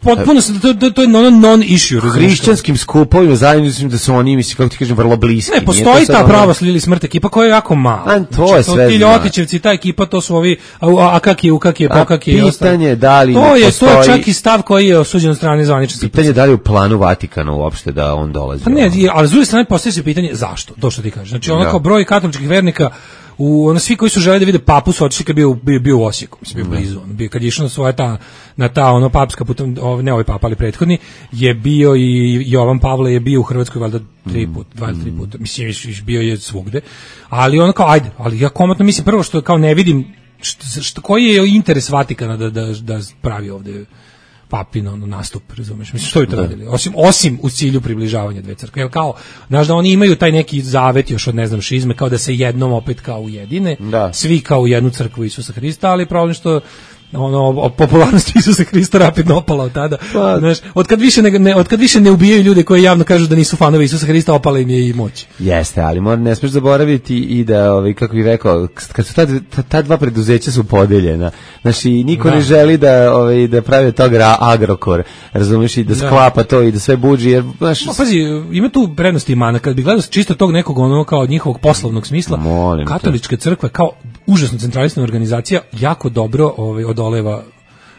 potpuno se to to, to je non non issue hrišćanskim skupovima zajedno mislim da su oni mislim kako ti kažem vrlo bliski. Ne postoji ta pravoslavna ili smrt ekipa koja je jako mala. A to znači, je sve. Ti Ljotićevci, ta ekipa to su ovi a, a kak je u kak je pokak je. Pitanje da li to je postoji, to je čak i stav koji je osuđen od strane zvanične. Pitanje da li u planu Vatikana uopšte da on dolazi. Pa ne, ali s druge strane postoji se pitanje zašto? To što ti kažeš. Znači onako broj katoličkih vernika u ono svi koji su želeli da vide papu su otišli kad bio bio, bio u Osijeku, mislim bio blizu, on bio kad je išao na svoja ta na ta ono papska putem, ne ovaj papa ali prethodni je bio i Jovan Pavle je bio u Hrvatskoj valjda tri put, dva ili tri puta, mislim bio je svugde, ali ono kao ajde, ali ja komotno mislim prvo što kao ne vidim što, što koji je interes Vatikana da da da pravi ovde papin ono nastup, razumeš? Mislim što bi to radili? Osim osim u cilju približavanja dve crkve. Jel kao, znaš da oni imaju taj neki zavet još od ne znam šizme kao da se jednom opet kao ujedine, da. Svi kao u jednu crkvu Isusa Hrista, ali problem što ono popularnost Isusa Hrista rapidno opala od tada. Pa, znaš, od kad više ne, ne od kad više ne ubijaju ljude koji javno kažu da nisu fanovi Isusa Hrista, opala im je i moć. Jeste, ali mora ne smeš zaboraviti i da ovaj kako bih rekao, kad su ta, ta, ta dva preduzeća su podeljena. Znači niko da. ne želi da ovaj da pravi od toga Agrokor, razumeš, i da, da sklapa to i da sve budži, jer znaš, no, pazi, ima tu prednosti i mana. Kad bi gledao čisto tog nekog ono kao njihovog poslovnog smisla, Molim katolička te. crkva kao užasno centralisana organizacija jako dobro ovaj odoleva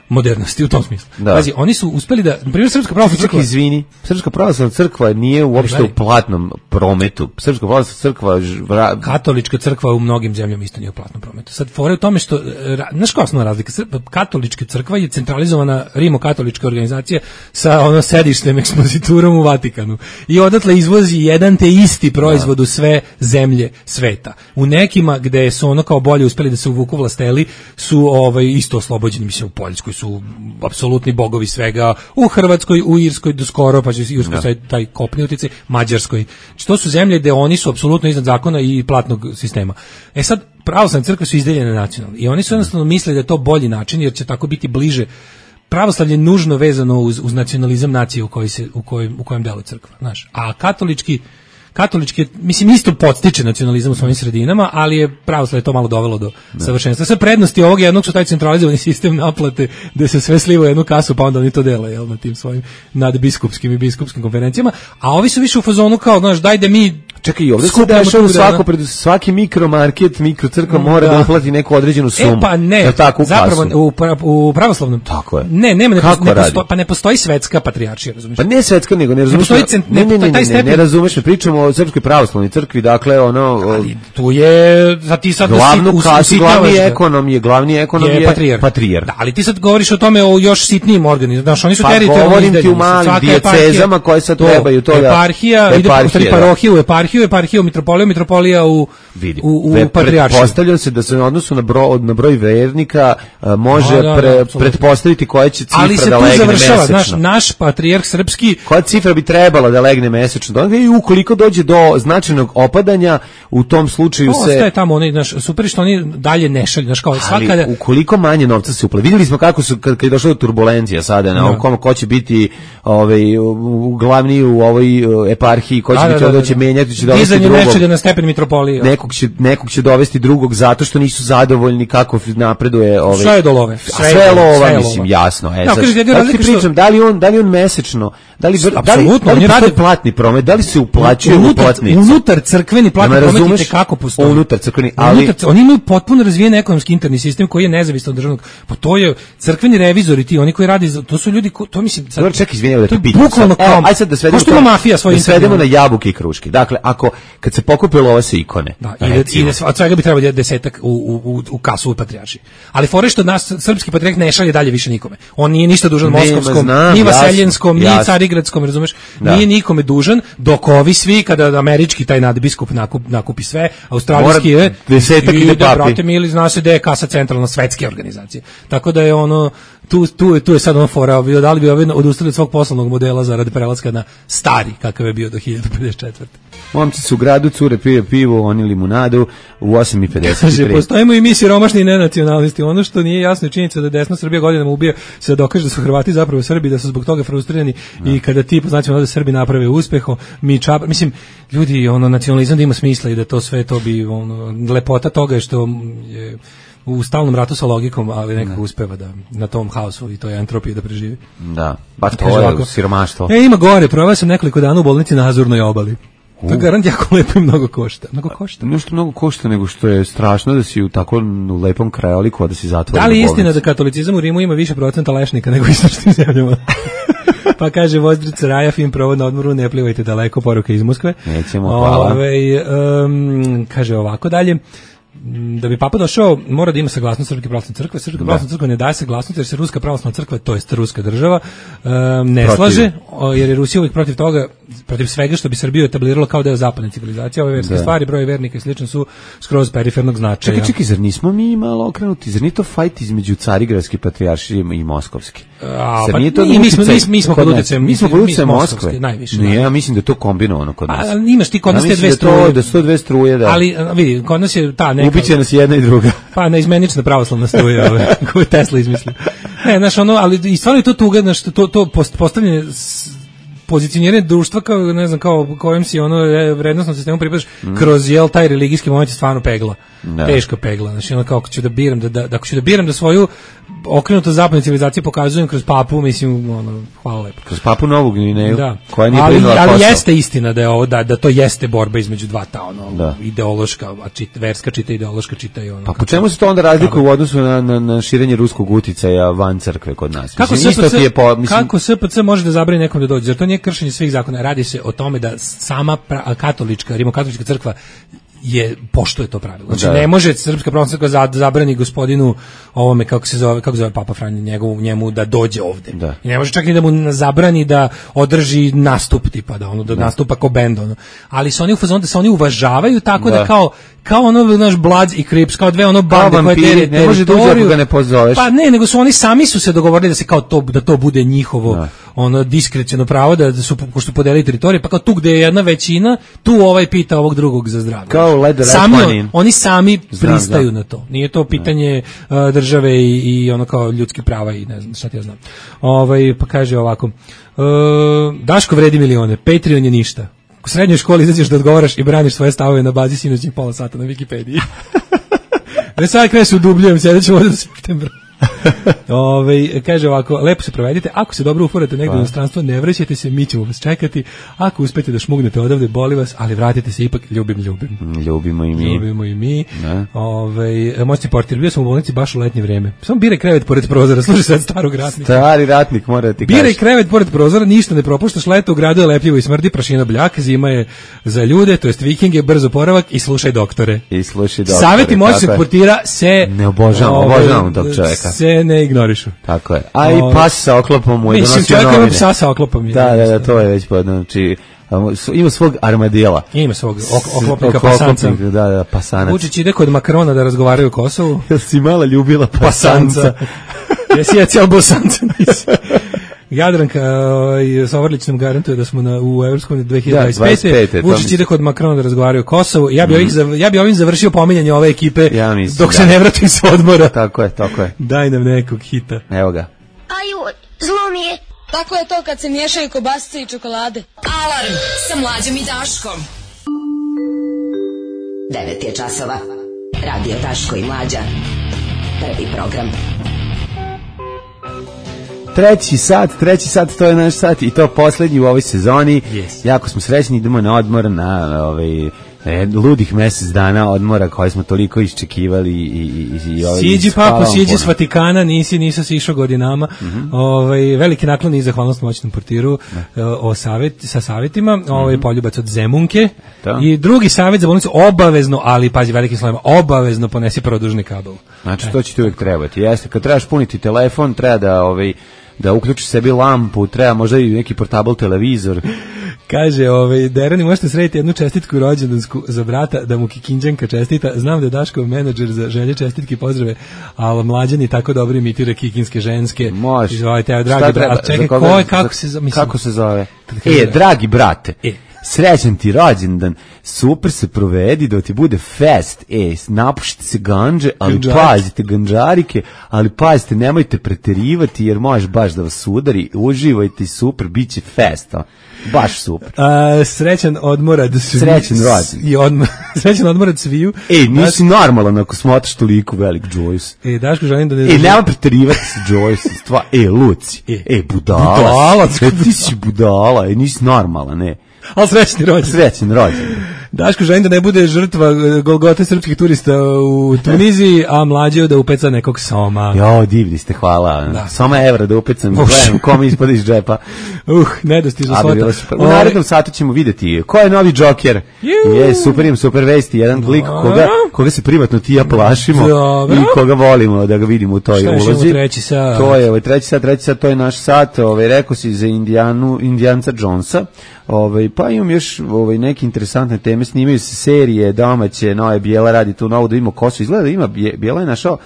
modernosti u tom smislu. Da. Pazi, oni su uspeli da, na primjer, Srpska pravoslavna crkva... Izvini, Srpska pravoslavna crkva nije uopšte u platnom prometu. Srpska pravoslavna crkva... Vra... Katolička crkva u mnogim zemljama isto nije u platnom prometu. Sad, fore u tome što... Znaš koja je osnovna razlika? Katolička crkva je centralizovana rimokatolička organizacija sa ono sedištem, ekspoziturom u Vatikanu. I odatle izvozi jedan te isti proizvod u sve zemlje sveta. U nekima gde su ono kao bolje uspeli da se uvuku vlasteli su ovaj, isto oslobođeni, mislim, u Poljskoj su apsolutni bogovi svega, u Hrvatskoj, u Irskoj do skoro, pa će Irskoj sad taj kopni uticaj, Mađarskoj. Znači, to su zemlje gde oni su apsolutno iznad zakona i platnog sistema. E sad, pravoslavne crkve su izdeljene nacionalno i oni su jednostavno misle da je to bolji način, jer će tako biti bliže. Pravoslavlje je nužno vezano uz, uz nacionalizam nacije u, koji se, u, kojem, u kojem deluje crkva. Znaš. A katolički katolički, mislim, isto podstiče nacionalizam u svojim sredinama, ali je pravoslavlje to malo dovelo do da. savršenstva. Sve prednosti ovog jednog su taj centralizovani sistem naplate, gde se sve sliva u jednu kasu, pa onda oni to dele, jel, na tim svojim nadbiskupskim i biskupskim konferencijama, a ovi su više u fazonu kao, znaš, daj da mi čekaj, ovdje se dešava svako pred svaki mikromarket, mikrocrkva mora da, da uplati neku određenu sumu. E pa ne, je tako, u zapravo u, u pravoslavnom. Tako je. Ne, nema, ne, ne postoji, pa ne postoji svetska patrijaršija, razumiješ? Pa ne svetska, nego ne razumiješ. Ne, cent, ne, ne, ne, ne, ne, ne razumiješ, ne pričamo o Srpskoj pravoslavnoj crkvi, dakle, ono... Ali tu je, za ti sad... Glavnu kasu, glavni ekonom je, glavni ekonom je, je patrijar. patrijar. Da, ali ti sad govoriš o tome o još sitnijim organizama, znaš, oni su teritorijalni. Pa govorim ti u malim dijecezama koje sad trebaju to da... Eparhija, ide u parohiju, eparhiju, eparhiju, mitropoliju, mitropolija u, Vidi. u, u patrijaršiju. Pretpostavljam se da se na odnosu na broj, na broj vernika uh, može da, da, pre, da, pretpostaviti koja će cifra ali se da tu legne završava, mesečno. Naš, naš patrijarh srpski... Koja cifra bi trebala da legne mesečno? I ukoliko dođe do značajnog opadanja, u tom slučaju to se... Ostaje tamo, oni, naš, super što oni dalje ne šalju. Naš, kao, ali svakada... ukoliko manje novca se uplati. Vidjeli smo kako su, kad, kad je došlo do turbulencija sada, na ovom, ko će biti ovaj, u, u glavni u ovoj uh, eparhiji, ko će da, biti da, da, da, će menjati, će dovesti drugog. Dizanje nečega na stepen mitropolije. Nekog će, nekog će dovesti drugog zato što nisu zadovoljni kako napreduje ovaj. Sve je do love. Sve, sve je lova, sve mislim, lova. Jasno. E, no, sad, da ti pričam, što... da li on, da li on mesečno, da li, da li, da li radi platni promet, da li se uplaćuje u platnicu? Unutar crkveni platni promet i kako postoji. Unutar crkveni, ali unutar, oni imaju potpuno razvijen ekonomski interni sistem koji je nezavistan od državnog. Pa to je crkveni revizori, ti oni koji radi, to su ljudi, ko, to mislim, sad, dobro, čekaj, izvinjavam da te pitam. Bukvalno kao, aj sad da svedemo, to, mafija svoj da svedemo na jabuke i kruške. Dakle, ako kad se pokupilo ove se ikone, da, i, i od svega bi trebalo desetak u, u, u kasu u patrijaršiji. Ali fore što nas srpski patrijarh ne šalje dalje više nikome. On nije ništa dužan moskovskom, ni vaseljenskom, ni carigradskom, razumeš? Da. Nije nikome dužan, dok ovi svi, kada američki taj nadbiskup nakup, nakupi sve, australijski je, desetak ide papi. Brate mili, zna se da je kasa centralna svetske organizacije. Tako da je ono, tu, tu, tu je sad ono fora, da li bi ovi odustali od svog poslovnog modela zaradi prelaska na stari, kakav je bio do hiljadu pedeset četvrte. Momci su u gradu, cure pije pivo, oni limunadu u osam i pedeset tri. Postojimo i mi siromašni i nenacionalisti. Ono što nije jasno je činjenica da desna Srbija godinama ubija se da dokaže da su Hrvati zapravo Srbi, da su zbog toga frustrirani no. I kada ti, značimo da Srbi naprave uspeho, mi čapa, mislim, ljudi, ono, nacionalizam da ima smisla i da to sve to bi, ono, lepota toga je što je u stalnom ratu sa logikom, ali nekako uspeva da na tom haosu i toj entropiji da preživi. Da, ba to je ovako, siromaštvo. E, ima gore, proveo sam nekoliko dana u bolnici na Azurnoj obali. Uh. To garant jako lepo i mnogo košta. Mnogo košta. Nešto mnogo košta, nego što je strašno da si u tako lepom krajoliku, a da si zatvoren. Da li je istina da katolicizam u Rimu ima više procenta lešnika nego u istočnim zemljama? Pa kaže Vozdrica Raja, fin provod na odmoru, ne plivajte daleko, poruka iz Moskve. Nećemo, hvala. Ove, um, kaže ovako dalje. Da bi papa došao, mora da ima saglasnost Srpske pravoslavne crkve. Srpska pravoslavna crkva ne daje saglasnost jer se Ruska pravoslavna crkva, to jest ruska država, um, ne protiv. slaže, jer je Rusija uvijek protiv toga, protiv svega što bi Srbiju etabliralo kao deo zapadne civilizacije. Ove verske da. stvari, broj vernika i slično su skroz perifernog značaja. Čekaj, čekaj, zar nismo mi malo okrenuti? Zar nije to fajt između Carigradske patrijaršije i Moskovske? A, pa, nije to mi, mi smo, uticaj mi, mi smo kod pod nas. utjecajem, Mi smo pod utjecajem Moskovske, Moskve. najviše. Ne, ja mislim da je to kombinovano kod nas. A, imaš ti kod nas ja te dve da struje. To, da su to dve struje, da. Ali, vidi, kod nas je ta neka... Ubiće nas jedna i druga. Pa, neizmenična pravoslavna struja, ove, koju Tesla izmislio. Ne, znaš, ono, ali i stvarno je to tuga, znaš, to, to postavljanje pozicioniranje društva kao, ne znam, kao kojem si ono vrednostnom sistemu pripadaš mm. kroz jel taj religijski moment je stvarno pegla. Da. Teška pegla. Znači ono kao ako ću da biram da, da, da ako ću da biram da svoju okrenuto zapadnoj civilizaciji pokazujem kroz papu, mislim ono hvala lepo. Kroz papu Novu Gvineju, da. koja nije ali, priznala ali posao. jeste istina da je ovo da, da to jeste borba između dva ta ono da. ideološka, a čit, verska čita ideološka čita i ono. Pa po čemu se to onda razlikuje u odnosu na, na, na širenje ruskog uticaja van crkve kod nas? Kako mislim, S P C, je po, mislim... kako S P C može da zabrani nekom da dođe? Jer to nije kršenje svih zakona. Radi se o tome da sama pra, katolička, rimokatolička crkva je poštuje to pravilo. Znači da. Ne može Srpska pravoslavna crkva zabrani gospodinu ovome kako se zove, kako zove Papa Franjo njegovu njemu da dođe ovde. Da. I ne može čak ni da mu zabrani da održi nastup tipa da ono da, da. nastupa kao bend ono. Ali su oni u fazonu da se oni uvažavaju tako da, da kao kao ono naš Bloods i Crips, kao dve ono bande koje tere, ne može da uđe ga ne pozoveš. Pa ne, nego su oni sami su se dogovorili da se kao to da to bude njihovo da. ono diskreciono pravo da, da su ko što podelili teritorije, pa kao tu gde je jedna većina, tu ovaj pita ovog drugog za zdravlje. Kao sami on, oni sami znam, pristaju znam. na to. Nije to pitanje uh, države i, i ono kao ljudskih prava i ne znam šta ti ja znam. Ovaj pa kaže ovako. Uh, Daško vredi milione, Patreon je ništa. U srednjoj školi izađeš da odgovaraš i braniš svoje stavove na bazi sinoćnih pola sata na Wikipediji. Da sad krenem se udubljujem, sljedeće ovdje do septembra. Ove, kaže ovako, lepo se provedite, ako se dobro uforate negdje u inostranstvo, ne vraćajte se, mi ćemo vas čekati, ako uspete da šmugnete odavde, boli vas, ali vratite se ipak, ljubim, ljubim. Ljubimo i mi. Ljubimo i mi. Ove, moćni portir, bio sam u bolnici baš u letnje vreme. Samo biraj krevet pored prozora, služi sad starog ratnika. Stari ratnik, mora da ti kaži. Biraj krevet pored prozora, ništa ne propuštaš, leto u gradu je lepljivo i smrdi, prašina bljak, zima je za ljude, to jest vikinge, brzo poravak i slušaj doktore. I slušaj doktore. Savjeti moćnog portira se ne obožavam, obožavam tog čovjeka. Se ne ignorišu. Tako je. A i pas sa oklopom mu je donosio novine. Mislim, čovjek ima psa sa oklopom. Je, da, da, da, to je već podno. Znači, ima svog armadila. Ima svog ok, oklopnika pasanca. Da, da, pasanac. Vučić ide kod Makrona da razgovaraju o Kosovu. Jel si mala ljubila pasanca? pasanca. Jesi ja cijel bosanca, nisi. Jadranka uh, s Ovrlićnom garantuje da smo na, u Evropskom dve hiljade dvadeset pete. Da, Vučić ide kod Makrona da razgovaraju o Kosovu. Ja bi, mm. ovih, ja bi ovim završio pominjanje ove ekipe ja mislim, dok da. se ne vratim sa odmora. Tako je, tako je. Daj nam nekog hita. Evo ga. Aju, zlo mi je. Tako je to kad se miješaju kobasice i čokolade. Alarm sa Mlađom i Daškom. devet je časova. Radio Daško i Mlađa. Prvi program. Treći sat, treći sat, to je naš sat i to poslednji u ovoj sezoni. Yes. Jako smo srećni, idemo na odmor, na ovaj, e, ludih mesec dana odmora koje smo toliko iščekivali. I, i, i, ovaj, siđi papo, siđi s Vatikana, nisi, nisi si išao godinama. Mm-hmm. Ovaj, veliki naklon i zahvalnost moćnom portiru uh, o savjet, sa savjetima. Mm-hmm. Ovaj, poljubac od Zemunke. Da. I drugi savjet za bolnicu, obavezno, ali pazi velikim slovima, obavezno ponesi produžni kabel. Znači, to će ti uvijek trebati. Jeste, kad trebaš puniti telefon, treba da ovaj, da uključiš sebi lampu, treba možda i neki portable televizor. Kaže, ovaj, Derani, možete srediti jednu čestitku rođendansku za brata, da mu Kikinđanka čestita. Znam da je Daškov menadžer za želje čestitke i pozdrave, ali Mlađani tako dobro imitira kikinske ženske. Može. Izvolite, evo, dragi brate. Čekaj, ko je, kako se zove? Kako se zove? E, dragi brate. E. Srećan ti rođendan, super se provedi da ti bude fest, e, napušite se ganđe, ali Ganđarike. Pazite ganđarike, ali pazite, nemojte preterivati jer možeš baš da vas udari, uživajte super, bit će fest, a? Baš super. A, srećan odmorad sviju. Srećan rođendan. I odmor, srećan odmorad sviju. Ej, nisi Daš... normalan ako smotaš toliko velik Joyce. E, Daško, želim da ne... E, nema preterivati se Joyce, stva, e, Luci, e, e budala. Budala. E, ti si budala, e, nisi normalan, ne. Ali srećni rođendan. Srećni rođendan. Daško, želim da ne bude žrtva Golgote srpskih turista u Tuniziji, a Mlađo da upeca nekog soma. Jo, divni ste, hvala. Da. Soma evra da upecam, gledam kom ispod iz džepa. Uh, nedostižna svota. U narednom satu ćemo vidjeti ko je novi Džoker. Je, super im, super vesti. Jedan no. lik koga, koga se privatno ti ja plašimo Dobro. i koga volimo da ga vidimo u toj Šta ulozi. Treći sat? To je ovaj treći sat, treći sat, to je naš sat. Ovaj, rekao si za Indijanu, Indijanca Jonesa. Ovaj, pa imam još ovaj, neke interesantne teme, snimaju se serije domaće, nove, Bijela radi tu novo, da imamo Kosovo, izgleda da ima, Bijela je našao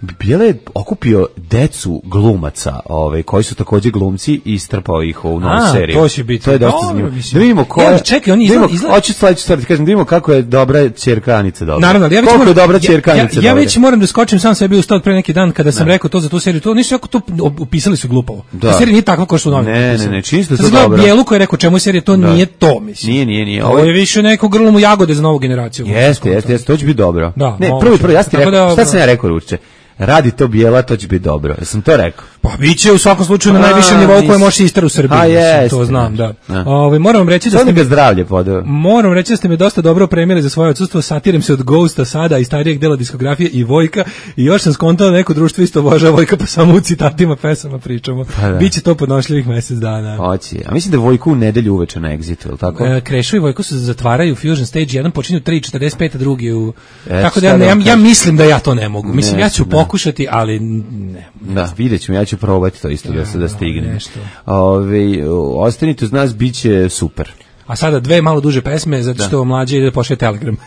Bijela je okupio decu glumaca, ovaj, koji su takođe glumci i strpao ih u novu A, seriju. to će biti. To je dosta Dobro, zanimljivo. mislim. Da vidimo ko je... Ja, čekaj, oni da vidimo- izgleda- izgleda- Hoću sledeću stvar ti kažem, da vidimo kako je dobra ćerka Anice dobra. Naravno, ali ja već Koliko moram, je dobra ja- ćerka ja, Anice ja, dobra. već moram da skočim sam sebi u stad pre neki dan kada sam rekao to za tu seriju. To nisu jako to upisali su glupovo. Da. Ta serija nije takva kao što u novinama Ne, ne, napisano. ne, čini se da je Sad to gledam dobro. Bijelu koji je rekao čemu je serija, to Da. nije to, mislim. Nije, nije, nije. Ovo je više neko grlo mu jagode za novu generaciju. Jeste, jeste, jeste, to će biti dobro. Da, ne, moguće. prvo, prvo, ja sam ti Tako rekao, da- šta sam ja rekao ruče? Radi to Bijela, to će biti dobro. Jesam to rekao? Pa biće u svakom slučaju na A, najvišem nivou koje nis- može ister u Srbiji. A, mislim, jeste, to znam, da. da. Ovaj moram vam reći da Sad ste mi ga me zdravlje podao. Moram reći da ste me dosta dobro opremili za svoje odsustvo. Satiram se od Ghosta sada i starijeg dela diskografije i Vojka i još sam skontao da neko društvo isto obožava Vojka pa samo u citatima pesama pričamo. Pa da. Biće to podnošljivih mesec dana. Hoće. A mislim da je Vojku u nedelju uveče na Exitu, je li tako? E, Krešo i Vojko se zatvaraju Fusion Stage, jedan počinju tri četrdeset pet, a drugi u... E, Tako da šta ja, da ne, ja, vam ja kažem? mislim da ja to ne mogu. Mislim, Ne, ja ću da. pokušati, ali ne. Da, vidjet ćemo, ja ću probati to isto da se da stignem. nešto. Ove, ostanite uz nas, bit će super. A sada dve malo duže pesme, zato što mlađe ide da pošalje telegram.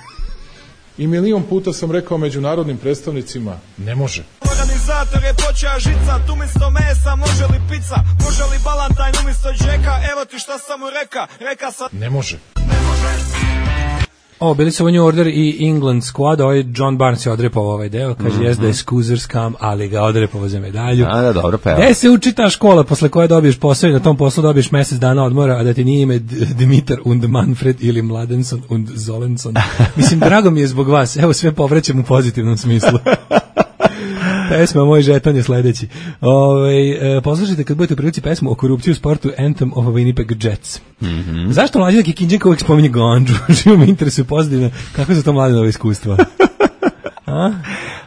I milion puta sam rekao međunarodnim predstavnicima, ne može. Organizator je počeo žicat, umjesto mesa može li pizza, može li balantajn umjesto džeka, evo ti šta sam mu reka, reka sam... Ne može. O, bili su u New Order i England Squad, ovaj John Barnes je odrepao ovaj deo, kaže Mhm. jes da je Scoozers kam, ali ga odrepao za medalju. A, da, dobro peva. Gde se uči ta škola posle koje dobiješ posao i na tom poslu dobiješ mesec dana odmora, a da ti nije ime D- Dimitar und Manfred ili Mladenson und Zolenson. Mislim, drago mi je zbog vas, evo sve povraćam u pozitivnom smislu. Pesma Moj žeton je sledeći. Ove, e, poslušajte kad budete u prilici pesmu o korupciji u sportu Anthem of Winnipeg Jets. Mhm. Zašto mlađi da Kikinđenka uvijek spominje Gondžu? Živo me interesuje pozitivno. Kako su to mlade nove iskustva? A?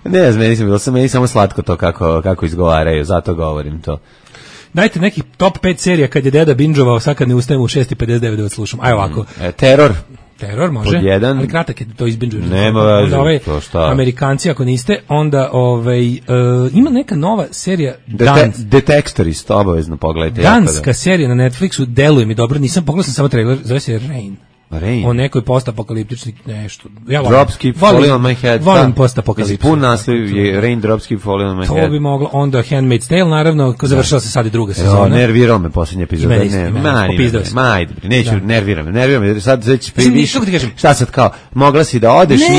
Ne znam, meni, sam, bilo sam, meni samo slatko to kako, kako izgovaraju, zato govorim to. Dajte neki top pet serija kad je deda binđovao, sad kad ne ustajem u šest i pedeset devet da vas slušam. Aj ovako. E, teror. Teror može, Pod jedan. ali kratak je to izbinđuješ. Nema Onda veze, ovaj, to šta. Amerikanci ako niste, onda ovaj, e, ima neka nova serija Dete, Dans. Detektorist, obavezno pogledajte. jako Danska dobro. serija na Netflixu, deluje mi dobro, nisam pogledao sam samo trailer, zove se Rain. Rain. O nekoj postapokaliptičnoj nešto. Ja volim- Drops keep volim- falling on my head. Volim Da. postapokalipsu. Mislim, pun naslov je Rain drops keep falling on my To head. bi moglo, onda Handmaid's Tale, naravno, ko završila se sad i druga Jo, sezona. nervirao me posljednja epizoda. I mene isto, Ne, i mene, ma, popizdao ne, si. ma, ajde, bre, neću, Da. nervira me, nervira me, jer sad već Mislim, priviš, kako ti kažem? šta sad kao, mogla si da odeš, nisi...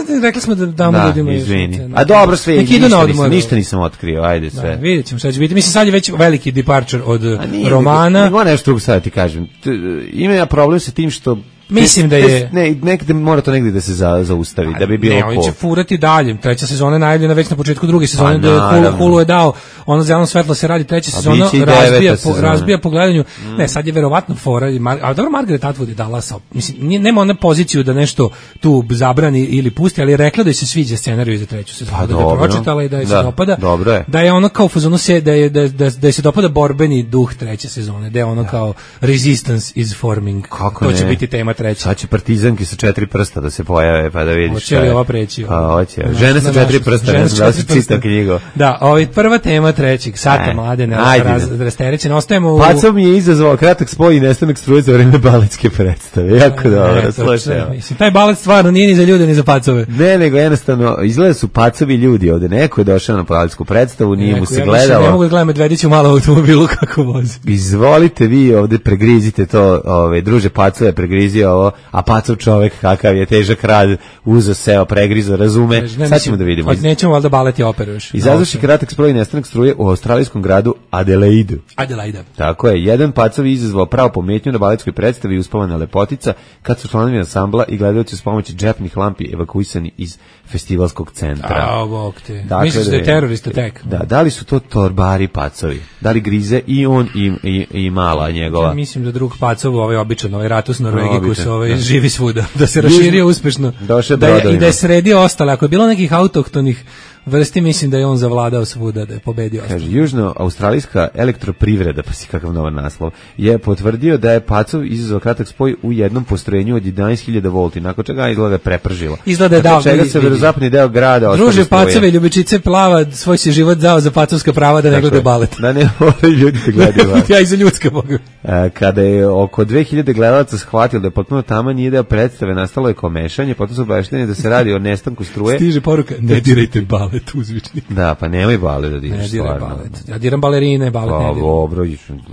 Ne, ne, rekli smo da damo Da, ljudima. još izvini. neke, A dobro, sve, neki idu na ništa, odmor. nisam, ništa nisam otkrio, ajde Da, sve. vidjet ćemo šta će biti. Mislim, sad je već veliki departure od A nije, romana. Nego nešto drugo sad da ti kažem. T- Ima ja problem sa tim što... Mislim da je- Ne, nekde mora to negde da se za, zaustavi, da bi bilo Ne, oni ko. će furati dalje. Treća sezona je najavljena već na početku druge sezone, Pa, da je Hulu, naravno. Hulu je dao ono zeleno svetlo se radi treća A sezona, biće i razbija deveta po, sezona. razbija po gledanju. Ne, sad je verovatno fora, i Mar, a dobro Margaret Atwood je dala sa, mislim, nije, nema ona poziciju da nešto tu zabrani ili pusti, ali je rekla da joj se sviđa scenarij za treću sezonu, Pa, da ga je dobro. pročitala i da je se Da, dopada. dobro je. Da je ono kao u fazonu se, da je, da, da, da je se dopada borbeni duh treće sezone, da je ono kao resistance is forming. Kako to će ne? biti tema treće. Sad će partizanki sa četiri prsta da se pojave, pa da vidiš Hoće šta li je. ova preći? Pa hoće. Na- Žene na sa četiri našu- prsta, žene ne sa znam da si četiri prsta. čitao knjigu. Da, ovaj prva tema trećeg sata E, mlade ajde. raz, rasterećena. Ostajemo u... Pacov mi je izazvao kratak spoj i nestanak struje za vreme baletske predstave. Jako dobro, Eto, slušaj. evo. Mislim, taj balet stvarno nije ni za ljude, ni za pacove. Ne, nego jednostavno, izgleda su pacovi ljudi ovde. Neko je došao na baletsku predstavu, nije mu Neko, se ja mislim, Ne gledalo. mogu da gledam Medvedića u malom automobilu kako vozi. Izvolite vi ovde, pregrizite to, ove, druže pacove, pregrizio ovo, a pacov čovek kakav je težak rad, uzo seo, pregrizo, razume. Ne, Sad mislim, ćemo da vidimo. od- Nećemo valjda balet i operu još. Izazvaši kratak sproj i nestanak struje u australijskom gradu Adelaidu. Adelaida. Tako je, jedan pacov je izazvao pravo pometnju na baletskoj predstavi Uspavana lepotica, kad su članovi ansambla i gledaoci s pomoći džepnih lampi evakuisani iz festivalskog centra. A, bog te. Dakle, Misliš da je da- terorist attack? Da, da li su to torbari pacovi? Da li grize i on i, i, i mala njegova? Ja mislim da drug pacov, ovaj običan, ovaj ratus Norvegije koji Običan, se ovaj da. živi svuda, da se raširio uspešno. Došao Da je, I brodovima. da je sredio ostale. Ako je bilo nekih autohtonih vrsti, mislim da je on zavladao svuda, da je pobedio ostale. Kaže, južno-australijska elektroprivreda, pa si kakav novan naslov, je potvrdio da je pacov izazvao kratak spoj u jednom postrojenju od jedanaest hiljada volti, nakon čega izgleda je prepržilo. Izgleda je Nakon dao, čega vidi, se vidi. verozapadni deo grada ostane Druže, struje. pacove i ljubičice plava, svoj si život dao za pacovska prava da ne Tako gleda je. balet. Da ne moraju ljudi da gledaju balet. Ja i za ljudska boga. E, Kada je oko dve hiljade gledalaca shvatilo da je potpuno tama nije deo predstave, nastalo je komešanje, potom su obavešteni da se radi o nestanku struje. Stiže poruka, ne dirajte balet. balet uzvičnik. Da, pa nemoj balet da diraš, ne, diram stvarno. balet. Ja diram balerine, balet pa, ne diram. Dobro,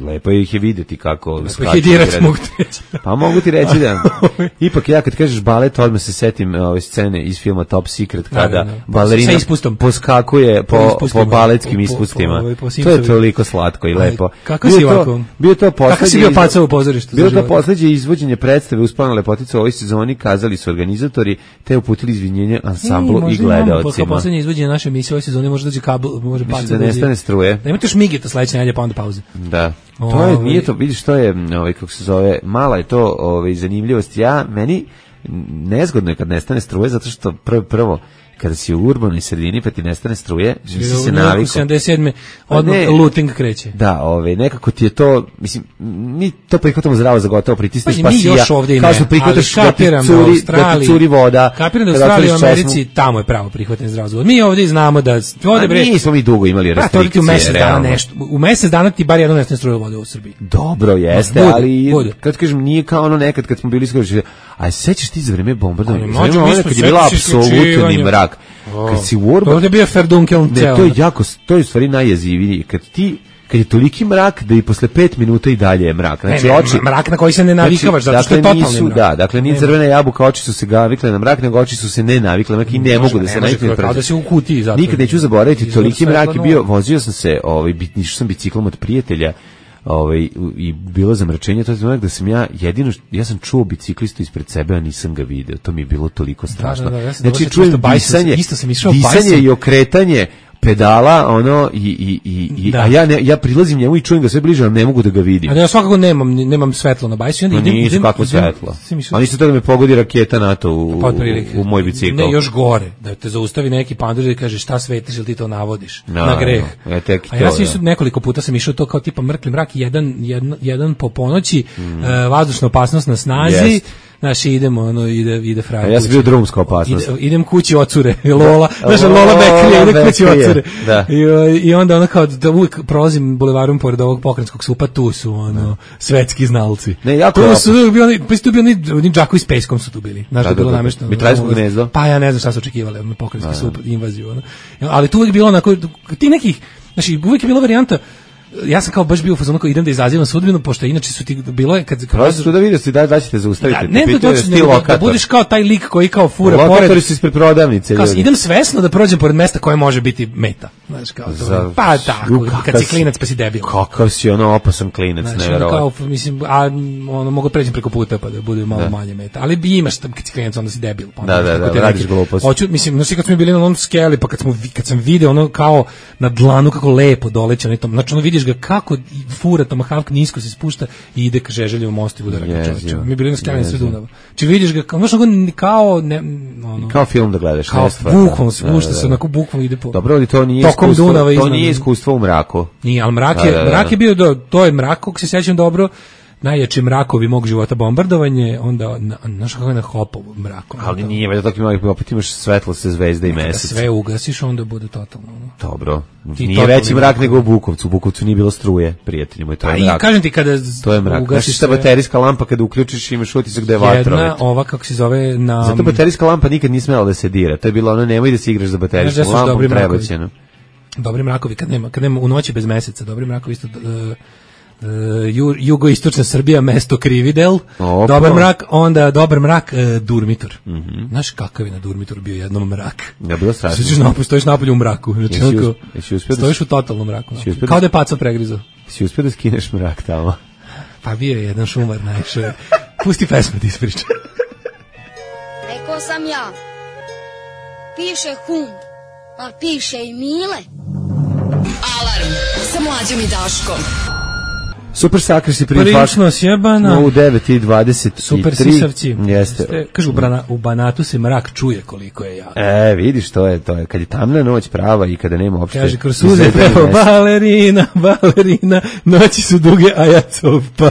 lepo ih je vidjeti kako lepo skaču. Lepo ih je dirati, mogu ti reći. Pa mogu ti reći da. Ipak ja kad kažeš balet, odmah se setim ove scene iz filma Top Secret, kada da, da, da. balerina poskakuje po, po, po baletskim ispustima. Po, po, po to je toliko slatko i lepo. Kako si ovako? Bio to poslednji. Kako si bio pacao u pozorištu? Bilo to poslednje izvođenje predstave Uspona lepotica u ovoj sezoni, kazali su organizatori, te uputili izvinjenje ansamblu i gledaocima. Kao poslednje izvođenje naše emisije u ovoj sezoni može doći kabel, može pacao. Da nestane struje. Da imate još migeta sledeće nedelje pa onda pauze. Da. To je, nije to, vidiš, to je, ovaj, kako se zove, mala je to ovaj, zanimljivost. Ja, meni nezgodno je kad nestane struje, zato što prvo, prvo kada si u urbanoj sredini pa ti nestane struje, nisi se navikao. sedamdeset sedme odmah looting kreće. Da, ove, nekako ti je to, mislim, mi to prihvatamo zdravo za gotovo, pritisneš pa, pa sija, kao što prihvataš da ti curi, da ti curi voda. Kapiram da u Australiji, u Americi, tamo je pravo prihvatanje zdravo za gotovo. Mi ovdje znamo da... Ovdje, bre, nismo mi dugo imali restrikcije, u mesec dana nešto. U mesec dana ti bar jedno nestane struje vode u Srbiji. Dobro, jeste, bude, ali bude. Kad kažem, nije kao ono nekad kad smo bili skoro, a sećaš ti za vreme bombardovanja, za vreme kad je bila apsolutni mrak. Kad si u Urban, to je bio Ferdunkel ceo. To je jako, to je u stvari najjeziviji. Kad ti, kad je toliki mrak da i posle pet minuta i dalje je mrak. Znači, ne, ne, oči, mrak na koji se ne navikavaš, znači, zato što dakle, je totalni mrak. Da, dakle, nije crvena jabuka, oči su se navikle na mrak, nego oči su se ne navikle na mrak i ne, ne mogu da se navikle. Kao da se u kutiji zato. Nikad neću zaboraviti, toliki mrak je bio, vozio sam se, ovaj, išao sam biciklom od prijatelja, ovaj, i bilo zamračenje, to je znači da sam ja jedino, ja sam čuo biciklistu ispred sebe, a nisam ga video, to mi je bilo toliko strašno. Da, da, da, ja znači, čujem disanje, isto sam išao disanje i okretanje pedala, ono, i, i, i, i a ja, ne, ja prilazim njemu i čujem ga sve bliže, ali ne mogu da ga vidim. A ja svakako nemam, nemam svetlo na bajsu. No idem, nisu, idem, kako idem, svetlo. A nisu to da me pogodi raketa NATO u, u, u moj bicikl. Ne, još gore, da te zaustavi neki pandur i kaže šta svetiš ili ti to navodiš no, na greh. No, ja tek a ja sam išao, nekoliko puta sam išao to kao tipa mrkli mrak, jedan, jedan, jedan po ponoći, mm. uh, vazdušna opasnost na snazi, yes. Znači idemo, ono, ide, ide frajer. A ja sam bio drumska opasnost. Ide, idem kući ocure, Lola, znaš, Lola Bekrije, ide kući ocure. Da. I, I onda ono kao da uvijek prolazim bulevarom pored ovog pokrenjskog supa, tu su, ono, svetski znalci. Ne, jako tu su bili, pa tu bili oni Đakovi s Peskom su tu bili. Znaš da, da je bilo namešteno. Mitraljsko gnezdo. Pa ja ne znam šta su očekivali, ono, pokrenjski sup, invaziju, ono. Ali tu uvijek bilo onako, ti nekih, znači, uvijek je bila varijanta, ja sam kao baš bio u fazonu kao idem da izazivam sudbinu, pošto inače su ti bilo je kad kad su da vidiš da da ćete zaustaviti. Ja, ne da doći da, da budeš kao taj lik koji kao fura pored. Lokatori su ispred prodavnice. Kao idem svesno da prođem pored mesta koje može biti meta. Znaš kao to. Za, pa tako, kad si klinac pa si debil. Kakav si ono opasan klinac, znači, neverovatno. Kao mislim, a ono mogu preći preko puta pa da bude malo da. Manje meta. Ali bi imaš tam kad si klinac onda si debil. Pa da, da, da, radiš glupost. Hoću, mislim, znači kad smo bili na onom skeli pa kad smo kad sam video ono kao na dlanu kako lepo doleće na tom. Znači ono vidiš ga kako fura Tomahawk nisko se spušta i ide ka Žeželjevom mostu i bude čovječe. Mi bili na skali sred Dunava. Či vidiš ga kao, kao ne, ono, kao film da gledaš, kao bukvalno spušta se, onako bukvalno ide po. Dobro, ali to nije iskustvo, to nije iskustvo u mraku. Nije, al mrak je, mrak je bio do, to je mrak, kako se sjećam dobro. Najjači mrakovi mog života, bombardovanje, onda znaš kako je na hopovu mraku. Ali nije, već tako ima, opet imaš svetlo se zvezde i mesec. Sve ugasiš, onda bude totalno. Dobro, nije veći mrak mrak nego u Bukovcu, u Bukovcu nije bilo struje, prijatelji moj, to je mrak. A i kažem ti kada to je mrak. Znaš šta baterijska lampa kada uključiš imaš utisak da je vatromet. Jedna, ova kako se zove na... Zato baterijska lampa nikad nije smela da se dira, to je bilo ono, nemoj da se igraš za baterijskom lampom, prebaćeno. Dobri mrakovi, kad nema, kad nema u noći bez meseca, dobri mrakovi isto... Uh, ju, jugoistočna Srbija, mesto Krividel, Opa. Dobar mrak, onda dobar mrak, uh, Durmitor. Mm -hmm. Znaš kakav je na Durmitor bio jednom mrak? Ja bilo strašno. Stojiš napolju, stojiš napolju u mraku. Znači, jesi uspio da stojiš u totalnom mraku. Kao da je paca pregrizao. Si uspio da skineš mrak tamo? Pa bio je jedan šumar najviše. Pusti pesmu ti ispriča. Rekao sam ja, piše hum, a piše i Mile. Alarm sa Mlađom i Daškom. Super sakrisi prilično sjebana. U devet i dvadeset tri. Super sisavci. Jeste. Kažu, u Banatu se mrak čuje koliko je jak. E, vidiš, to je, to je. Kad je tamna noć prava i kada nema uopšte... Kaže, kroz suze peva, balerina, balerina, noći su duge, a ja copa.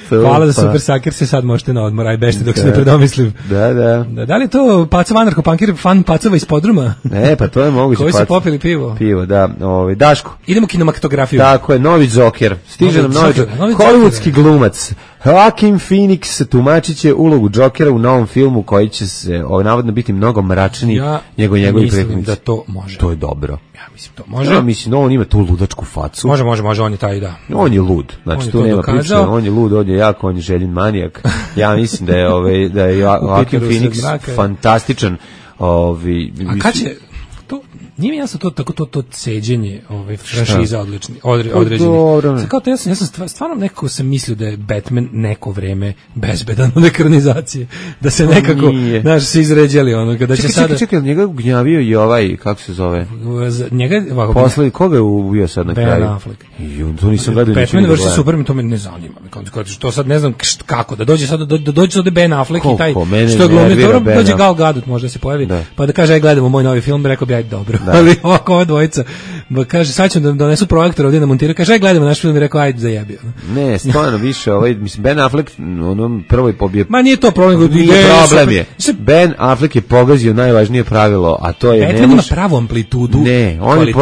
Hvala za super sakir, se sad možete na odmor, aj bešte dok da. Se ne predomislim. Da, da. Da, da li je to Pacov anarcho-punkir fan Pacova iz podruma? Ne, pa to je moguće. Koji su popili pivo? Pivo, da. Ovaj, Daško. Idemo kinematografiju. Tako je, novi Joker. Stiže nam novi Joker. Hollywoodski glumac. Joaquin Phoenix tumačit će ulogu Jokera u novom filmu koji će se ovaj, navodno biti mnogo mračniji ja nego njegovi mislim prethodnici. Da to može. To je dobro. Ja mislim to može. Ja mislim da on ima tu ludačku facu. Može, može, može, on je taj da. On je lud. Znači on tu nema priče, on je lud, on je jak, on je željen manijak. Ja mislim da je ovaj da je Joaquin Phoenix fantastičan. Ovaj A kad će to nije mi jasno to tako to to ceđenje, ovaj franšiza odlični, odre, određenih. Sad kao to ja sam, ja sam stvarno nekako sam mislio da je Batman neko vreme bezbedan od ekranizacije, da se nekako znaš se izređali ono kada će sada. Čekaj, čekaj, njega gnjavio i ovaj kako se zove? Njega ovako. Posle koga je ubio sad na kraju? Ben Affleck. I on to nisam gledao. Batman versus Superman, to me ne zanima. Kao to sad ne znam kako da dođe sad da dođe ovde Ben Affleck i taj što je glumio, dobro dođe Gal Gadot možda se pojavi, pa da kaže aj gledamo moj novi film, rekao bi aj dobro. Da. Ali ovako ova dvojica kaže sad ćemo da donesu projektor ovdje na montiraju, kaže aj gledamo naš film i rekao ajde zajebio. Ne, stvarno više ovaj mislim Ben Affleck onom prvoj pobije. Ma nije to problem, nije problem je. Ben Affleck je pogazio najvažnije pravilo, a to je ne može pravu amplitudu ne, on je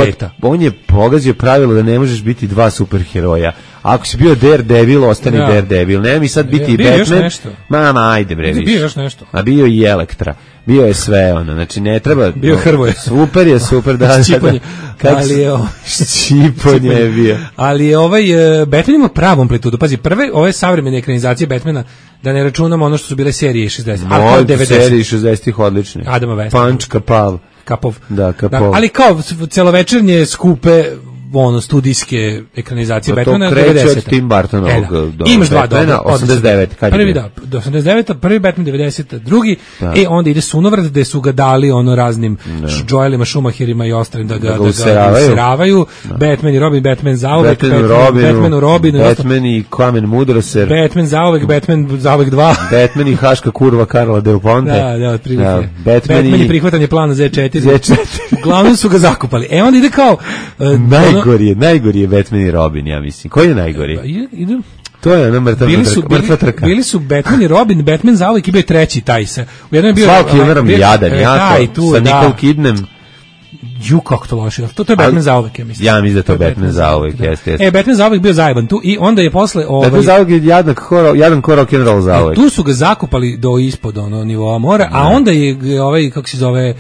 on je pogazio pravilo da ne možeš biti dva superheroja. Ako si bio Daredevil, ostani ja. Daredevil. Ne mi sad biti bio Batman. Mama, ajde bre. Bio još nešto. A bio i Elektra. Bio je sve ono. Znači ne treba. Bio Hrvoje. Super je, super da. Ščiponje. Ali je Ščiponje je bio. Ali je ovaj uh, Batman ima pravu amplitudu. Pazi, prve ove savremene ekranizacije Batmana, da ne računamo ono što su bile serije šezdesetih. A devedesetih. Serije šezdesetih odlične. Adama Westa. Punch, Kapav. Kapov. Da, Kapov. Da, ali kao celovečernje skupe ono studijske ekranizacije Batmana devedesete. To kreće od Tim Burtonovog e, da. do Imaš dva Batmana, osamdeset devet. Kad prvi da, do osamdeset devete. Prvi Batman devedesete. Drugi, da. E onda ide Sunovrat gde su ga dali ono raznim Joelima, Schumacherima i ostalim da ga, da ga useravaju. Batman i Robin, Batman zauvek, Batman, Batman, Robinu, Batman u Robinu. Batman i Kamen Mudroser. Batman zauvek, Batman zauvek dva. Batman i Haška kurva Karla Del Ponte. Da, da, otprilike. Da, Batman, Batman i prihvatanje plana Z četiri. Z četiri. Uglavnom su ga zakupali. E onda ide kao... Uh, najgori je, najgori je Batman i Robin, ja mislim. Koji je najgori? Idu. To je ona mrtva bili, trka. Bili su Batman i Robin, Batman zauvek i bio treći taj se. U jednom je bio... Svaki umeram jadan, jako, sa Nicole Kidnem. Ju, kako to loše. To, to je Batman zauvek, ja mislim. Ja mislim da to, to je Batman zauvek, jeste, jeste. E, Batman zauvek bio zajeban tu i onda je posle... Ovaj, Batman zauvek je jadan ko, jadan ko rock'n'roll zauvek. E, tu su ga zakupali do ispod ono, nivoa mora, a onda je ovaj, kako se zove...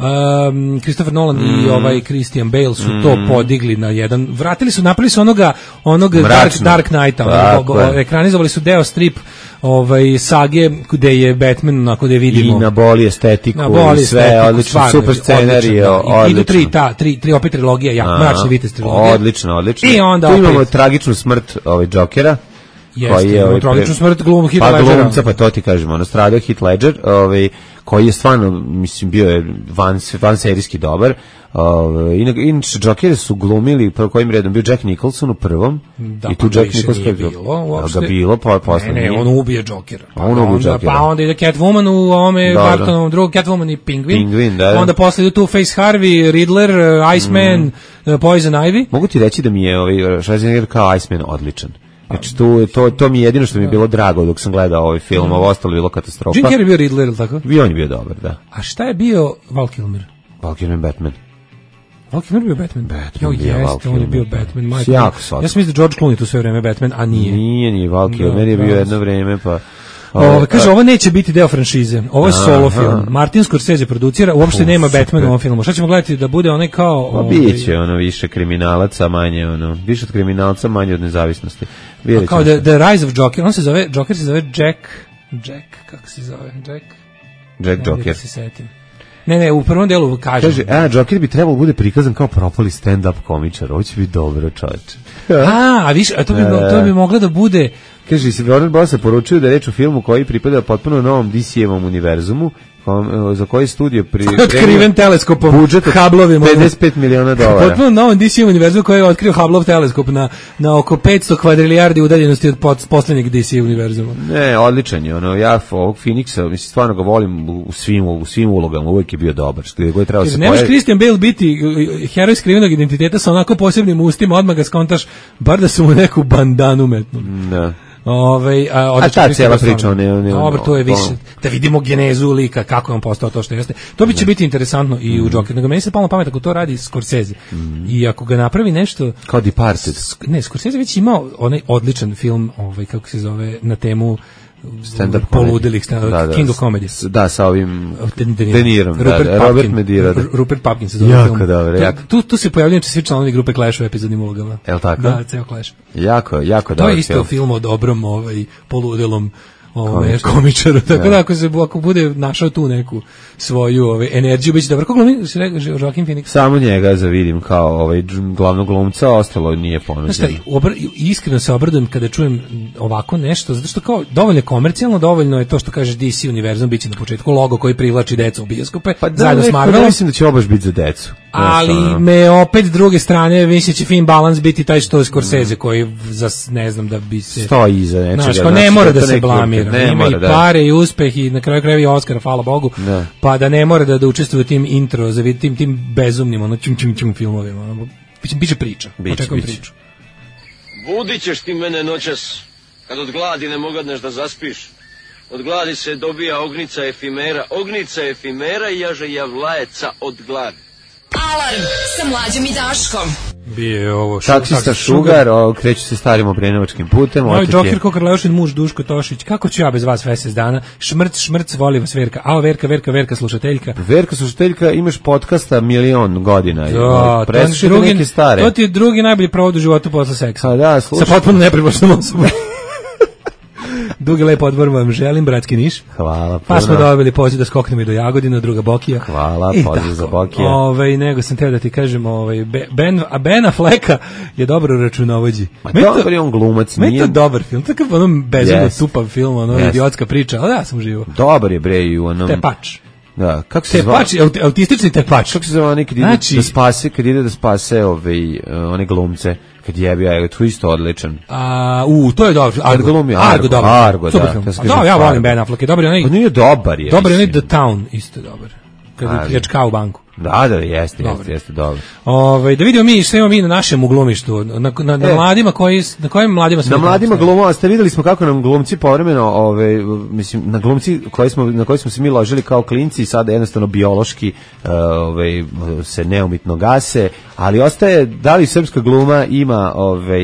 Um, Christopher Nolan mm. i ovaj Christian Bale su mm. to podigli na jedan, vratili su, napravili su onoga, onog Dark, Dark Knighta, ono, ekranizovali su deo strip ovaj sage gde je Batman onako da vidimo i na boli estetiku i sve estetiku, odlično, super scenarij, odlično. Idu tri, ta, tri, tri opet trilogija, ja, mračni vitez trilogija. Odlično, odlično. I onda tu opet imamo tragičnu smrt ovaj Jokera. Jeste, je ovaj tragičnu smrt glum Heath pa Ledgera. Glumca, pa to ti kažemo, ono stradao Heath Ledger, ovaj koji je stvarno, mislim, bio je van, van serijski dobar. Uh, inače, Jokere su glumili, prvo kojim redom bio Jack Nicholson u prvom. Da, i tu pa Jack Nicholson nije bilo uopšte. Da ga bilo, pa posle ne, ne, on ubije Jokera. Pa on ubije Jokera. Pa onda ide Catwoman u ovome Bartonovom drugom, Catwoman i Penguin. Penguin, da, da. Onda posle ide tu Face Harvey, Riddler, Iceman, mm. Poison Ivy. Mogu ti reći da mi je ovaj Schwarzenegger kao Iceman odličan. Znači, tu, to, to mi je jedino što mi je bilo drago dok sam gledao ovaj film, mm. ovo ostalo je bilo katastrofa. Jim Carrey je bio Riddler, ili tako? I on je bio dobar, da. A šta je bio Val Kilmer? Val Kilmer Batman. Val Kilmer bio Batman? Batman jo, bio jeste, Val Kilmer. On je bio Batman. Majko. Jako slatko. Ja sam mislio da George Clooney tu sve vreme Batman, a nije. Nije, nije, Val Kilmer je bio jedno vreme, pa... Ovo, kaže, ovo neće biti deo franšize. Ovo je solo aha. film. Martin Scorsese producira, uopšte nema Batman u ovom filmu. Šta ćemo gledati da bude onaj kao... Pa ovaj... biće ono više kriminalaca, manje ono, više od kriminalca, manje od nezavisnosti. A kao the, the Rise of Joker, on se zove, Joker se zove Jack, Jack, kako se zove, Jack? Jack ne, Joker. Se setim. Ne, ne, u prvom delu kažem. Kaže, a, Joker bi trebalo bude prikazan kao propali stand-up komičar, ovo će biti dobro, čovječe. a, a viš, a to bi, to bi moglo da bude... Kaže, si Warner Bros. Poručuju da je reč o filmu koji pripada potpuno novom D C-evom univerzumu, za koji studio pri otkriven teleskopom, budžet Hubbleovim pedeset pet miliona dolara. Potpuno novom D C univerzum koji je otkrio Hubbleov teleskop na na oko petsto kvadrilijardi udaljenosti od poslednjeg D C univerzuma. Ne, odličan je, ono ja ovog Phoenixa, mislim stvarno ga volim u svim u svim ulogama, uvek je bio dobar. Što je trebao se. Ne može Christian Bale biti heroj skrivenog identiteta sa onako posebnim ustima, odmah ga skontaš bar da su mu neku bandanu metnu. Da. Ovaj a, a ta cijela priča ne ne. Dobro, to je više da vidimo genezu lika kako je on postao to što jeste. To bi će biti interesantno i u Joker. Nego meni se palo na pamet ako to radi Scorsese. Mm. I ako ga napravi nešto kao Departed. Ne, Scorsese već imao onaj odličan film, ovaj kako se zove, na temu stand-up poludelih, stand-up, da, da, King of Comedy. S, da, sa ovim De Nirom, Robert, da, Robert Medira. Da. Rupert Pupkin se zove jako film. Dobro, tu, jako. Tu, tu se pojavljaju svi članovi grupe Clash u epizodnim ulogama. Je li tako? Da, ceo Clash. Jako, jako dobro. To je isto film, film o dobrom ovaj, poludelom ovaj, komičaru. Tako da, da ako, se, ako bude našao tu neku svoju ovaj, energiju, biće dobro. Kako glumi, se rekao, Joaquin Phoenix? Samo njega zavidim kao ovaj, glavnog glumca, ostalo nije ponuđeno. Obr, iskreno se obradujem kada čujem ovako nešto, zato što kao dovoljno je komercijalno, dovoljno je to što kaže D C univerzum, biće na početku logo koji privlači decu u bioskope, pa da, zajedno s Marvelom. Mislim da će obaš biti za decu. Ali ono. Me opet s druge strane mislim će fin balans biti taj što je Scorsese koji za ne znam da bi se stoji iza nečega. Znaš, pa ne mora da se blamira. Ima i pare i uspeh i na kraju krajeva i Oskara, hvala Bogu. Da. Pa da ne mora da, da učestvuje u tim intro, za tim, tim bezumnim ono čum čum čum filmovima. Ono, biće, biće priča. Očekujem priču. Budit ćeš ti mene noćas, kad od gladi ne mogadneš da zaspiš. Od gladi se dobija ognica efimera, ognica efimera i jaže javlajeca od gladi. Alarm sa Mlađom i Daškom. Bije ovo taksista Šugar, o, kreću se starim obrenovačkim putem. Moj Joker Kokar Leošin, muž Duško Tošić. Kako ću ja bez vas mesec dana? Šmrc, šmrc, voli vas Verka. Ao, Verka, Verka, Verka, slušateljka. Verka, slušateljka, imaš podcasta milion godina. Da, preslušajte neke stare. To ti je drugi najbolji provod u životu posle seksa. A da, slušaj. Sa potpuno nepribočnom osobom. Dugi lep odbor vam želim, bratski Niš. Hvala. Pa smo dobili poziv da skoknemo i do Jagodina, druga Bokija. Hvala, poziv za Bokija. Ovaj, nego sam teo da ti kažem, ovaj, Ben, a Bena Fleka je dobro u računovođi. Ma dobar je on glumac. Meni to dobar film, takav ono bezumno yes. tupav film, ono yes. idiotska priča, ali ja sam živo. Dobar je bre i u onom... Tepač. Da, kako se zove? Tepač, autistični tepač. Kako se zove onaj kad ide znači, da spase, kad ide da spase ove, one glumce, kad jebi, ja, to isto odličan. A, u, to je dobro. Argo, glumi, Argo, Argo, dobro. Argo, super da. Film. Da, ja volim Ben Affleck, je dobar onaj. Pa nije dobar je. Dobar je onaj The Town, isto dobar. Kad pljačka u banku. Da, da, jeste, jeste, jeste, dobro. Ovaj da vidimo mi što imamo mi na našem glumištu, na na, na e, mladima koji na kojim mladima smo. Na mladima glumova, ste videli smo kako nam glumci povremeno, ove mislim na glumci koji smo na koji smo se mi ložili kao klinci i sada jednostavno biološki ove se neumitno gase, ali ostaje da li srpska gluma ima ove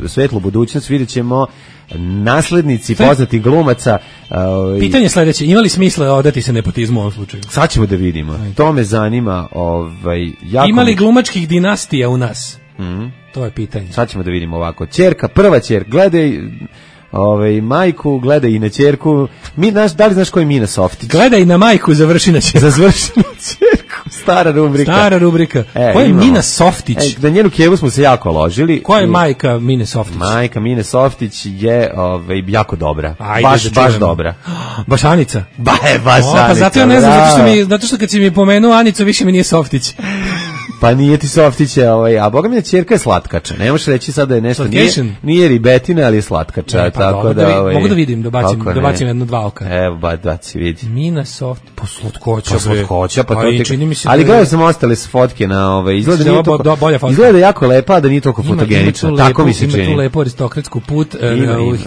svetlu budućnost, videćemo. Naslednici poznatih glumaca. Uh, Pitanje sledeće, ima li smisla odati se nepotizmu u ovom slučaju? Sad ćemo da vidimo. Ajde. To me zanima. Ovaj, jako ima li glumačkih dinastija u nas? Mm. To je pitanje. Sad ćemo da vidimo ovako. Ćerka, prva ćer, gledaj ovaj, majku, gledaj i na ćerku. Mi, naš, da li znaš ko je Mina Softić? Gledaj na majku, završi na ćerku. Završi na ćerku. Stara rubrika. Stara rubrika. E, ko je imamo. Mina Softić? E, na njenu kevu smo se jako ložili. Ko je majka Mine Softić? Majka Mine Softić je ovaj, jako dobra. Ajde, baš, baš dobra. Baš Anica? Ba, je, baš o, pa Anica. Zato ja ne znam, zato što, mi, zato što kad si mi pomenuo Anicu, više mi nije Softić. Pa nije ti Softiće, ovaj, a boga mi je ćerka je slatkača. Ne možeš reći sad da je nešto nije, nije ribetina, ali je slatkača. Ne, pa tako dobro, da, ovaj, mogu da vidim, da bacim, da bacim jedno dva oka. Evo, ba, baci, vidi. Mina Soft, po slatkoća. Po slatkoća, pa to ti... čini mi se ali da gledao sam ostale fotke na ove, izgleda, nije toliko, toliko, izgleda jako lepa, da nije toliko fotogenična. Ima, ima tako lepu, mi se čini. Ima tu lepu aristokratsku put,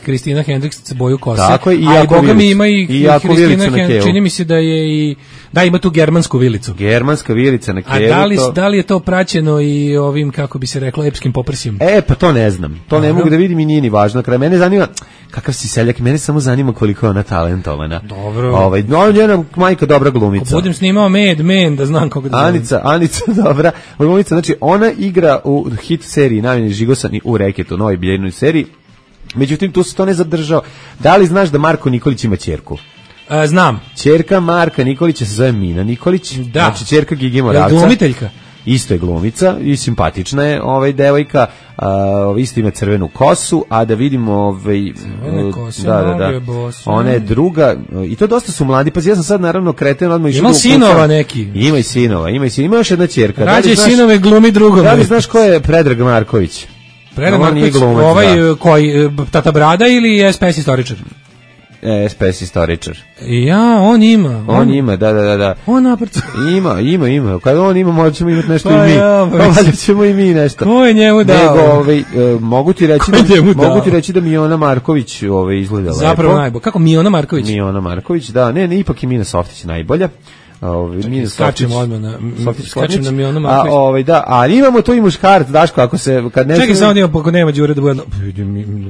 Kristina Hendriks boju kose. Tako je, i jako vilicu. Mi ima i, I jako vilicu na kevu. Čini mi se da je i... Da, ima tu germansku vilicu. Germanska vilica na kevu. A da li, to... da li je to praćeno i ovim, kako bi se reklo, epskim poprsjem? E, pa to ne znam. To ne mogu da vidim i nije ni važno. Kraj mene zanima, kakav si seljak, mene samo zanima koliko je ona talentovana. Dobro. Ovaj, no, njena majka dobra glumica. Ako budem snimao Mad Men, da znam kako da znam. Anica, Anica dobra glumica. Znači, ona igra u hit seriji Najmeni Žigosani u Reketu, novoj biljenoj seriji. Međutim, tu se to ne zadržao. Da li znaš da Marko Nikolić ima ćerku? A, znam. Ćerka Marka Nikolića se zove Mina Nikolić. Da. Znači, ćerka Gigi Moravca. Je glumiteljka? Isto je glumica i simpatična je ovaj devojka, uh, isto ima crvenu kosu, a da vidimo ovaj kose, da, da, da. Ona je druga i to dosta su mladi. Pa ja sam sad naravno kreten odmah išao. Ima sinova neki. Ima i sinova, ima i sinova. Ima još jedna ćerka. Rađe da sinove glumi drugome. Da li znaš ko je Predrag Marković? Predrag Marković, ovaj da. Koji Tata Brada ili je S P S istoričar? E, S P S istoričar. Ja, on ima. On, on ima, da, da, da. da. On napravo. Ima, ima, ima. Kad on ima, možemo imati nešto pa i mi. Ja, pa valjda ćemo i mi nešto. Ko je njemu dao? Nego, ovaj, uh, mogu ti reći da, mogu ti reći da Miona Marković ovaj, izgleda lepo. Zapravo najbolje. Kako Miona Marković? Miona Marković, da. Ne, ne, ipak i Mina Softić najbolja. Ovaj mi skačemo odmah na skačemo na Miona Marković. A ovaj da, a imamo to i muškarac, Daško, ako se kad ne čekaj samo da imamo, ako nema Đure da bude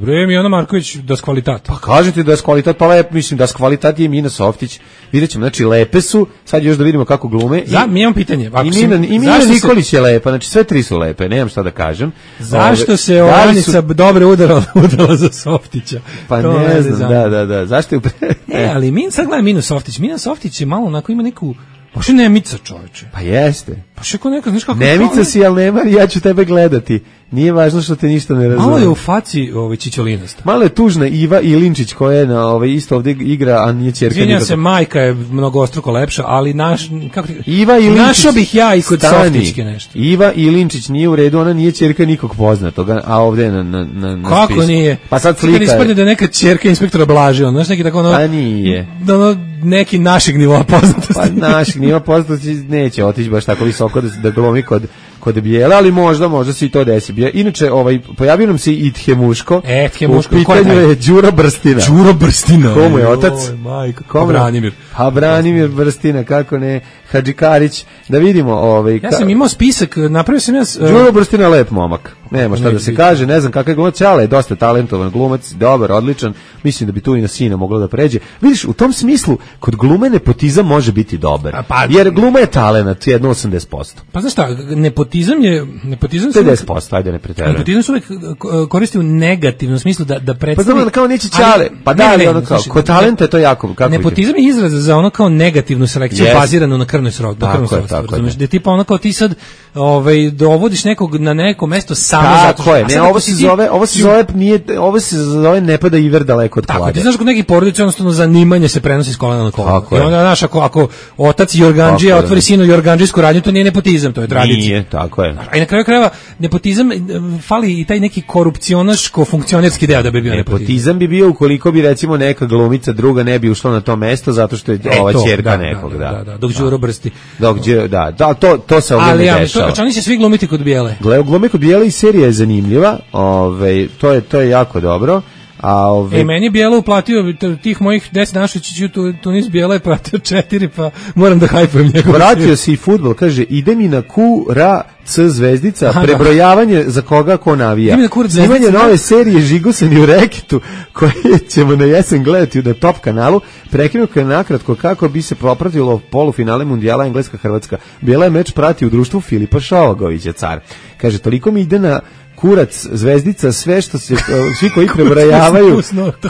bre Miona Marković das kvalitat. Pa kažete da kvalitat, pa lep, mislim da kvalitat je Mina Softić. Videćemo, znači lepe su. Sad još da vidimo kako glume. Ja mi imam pitanje. Ako i Mina, i Mina Nikolić se... je lepa, znači sve tri su lepe, nemam šta da kažem. Zašto ove, se Oranica su... dobro udarala, udarala za Softića? Pa to ne znam, da, da, da. Zašto je Ne, ali Min sad gleda Mina Softić. Mina Softić je malo onako ima neku pa što Nemica, čoveče? Pa jeste. Pa što ko neka, znaš kako... Nemica si, ali nema, ja ću tebe gledati. Nije važno što te ništa ne razume. Malo je u faci ovaj čičolinasta. Malo je tužna Iva Ilinčić koja je na ovaj isto ovdje igra, a nije ćerka. Izvinjam se, majka je mnogostruko lepša, ali naš kako Iva Ilinčić. Našao bih ja i kod Softićke nešto. Iva Ilinčić nije u redu, ona nije ćerka nikog poznatoga, a ovdje na na na na kako spisku. Nije? Pa sad slika. Kad ispadne da je neka ćerka inspektora Blaži, on, znaš neki tako ono. Pa nije. Da ono neki našeg nivoa poznatosti. Pa našeg nivoa poznatosti neće otići baš tako visoko da da glumi kod kod Bijela, ali možda, možda se i to desi. Inače, ovaj, pojavio nam se i Tjemuško. E, Tjemuško. U pitanju je Đuro Brstina. Đuro Brstina. Komu je otac? Oj, majko. Komu? Branimir. Pa Branimir Brstina, kako ne, Hadžikarić. Da vidimo. Ovaj, ja sam imao spisak, napravio sam ja... Uh... Đuro Brstina lep momak. Nema šta da se kaže, ne znam kakav je glumac, ali je dosta talentovan glumac, dobar, odličan. Mislim da bi tu i na sina moglo da pređe. Vidiš, u tom smislu, kod glume nepotizam može biti dobar. Pa, jer gluma je talenat, jedno osamdeset posto. Pa znaš šta, nepotizam je... Nepotizam pedeset posto, ajde ne preterujem. Nepotizam se uvek koristi u negativnom smislu da, da predstavi... Pa znam, kao neće čale, pa da, ali ono kao, kod talenta je to jako... Kako nepotizam je izraz za ono kao negativnu selekciju, yes. baziranu na krvnoj srodbi. Tako je, tako je. Da tipa ono kao ti sad ovaj, dovodiš nekog na neko mesto samo zato što... Ne, ovo se zove, ovo se zove, nije, ovo se zove ne pada iver daleko od klade. Tako, ti znaš kod nekih porodica jednostavno zanimanje se prenosi s kolena na kolena. I onda, znaš, ako, ako otac Jorgandžija otvori sinu jorgandžijsku radnju, to nije nepotizam, to je tradicija. Nije, tako je. A i na kraju krajeva, nepotizam, fali i taj neki korupcionaško-funkcionerski deo da bi bio nepotizam. Nepotizam bi bio ukoliko bi, recimo, neka glumica druga ne bi ušla na to mesto, zato što je e, ova ćerka nekog, da. Da, da, dok Đuro Brsti. Dok, da, da, to, to se ovdje ne dešava. Ali, oni će svi glumiti kod Bijele. Glumi kod Bijele i serija je zanimljiva. Ove, to je to je jako dobro. A ove... E, meni je Bijela uplatio tih mojih deset dana što ću tu, Tunis Bijela je platio četiri, pa moram da hajpujem njegov. Vratio se i fudbal, kaže, ide mi na Q, Ra, C zvezdica, aha, prebrojavanje za koga ko navija. Snimanje nove serije Žigosani u reketu, koje ćemo na jesen gledati na Top kanalu, prekinuo je nakratko kako bi se popratilo polufinale mundijala Engleska-Hrvatska. Bijela je meč prati u društvu Filipa Šovagovića, car. Kaže, toliko mi ide na kurac, zvezdica, sve što se, svi koji prebrojavaju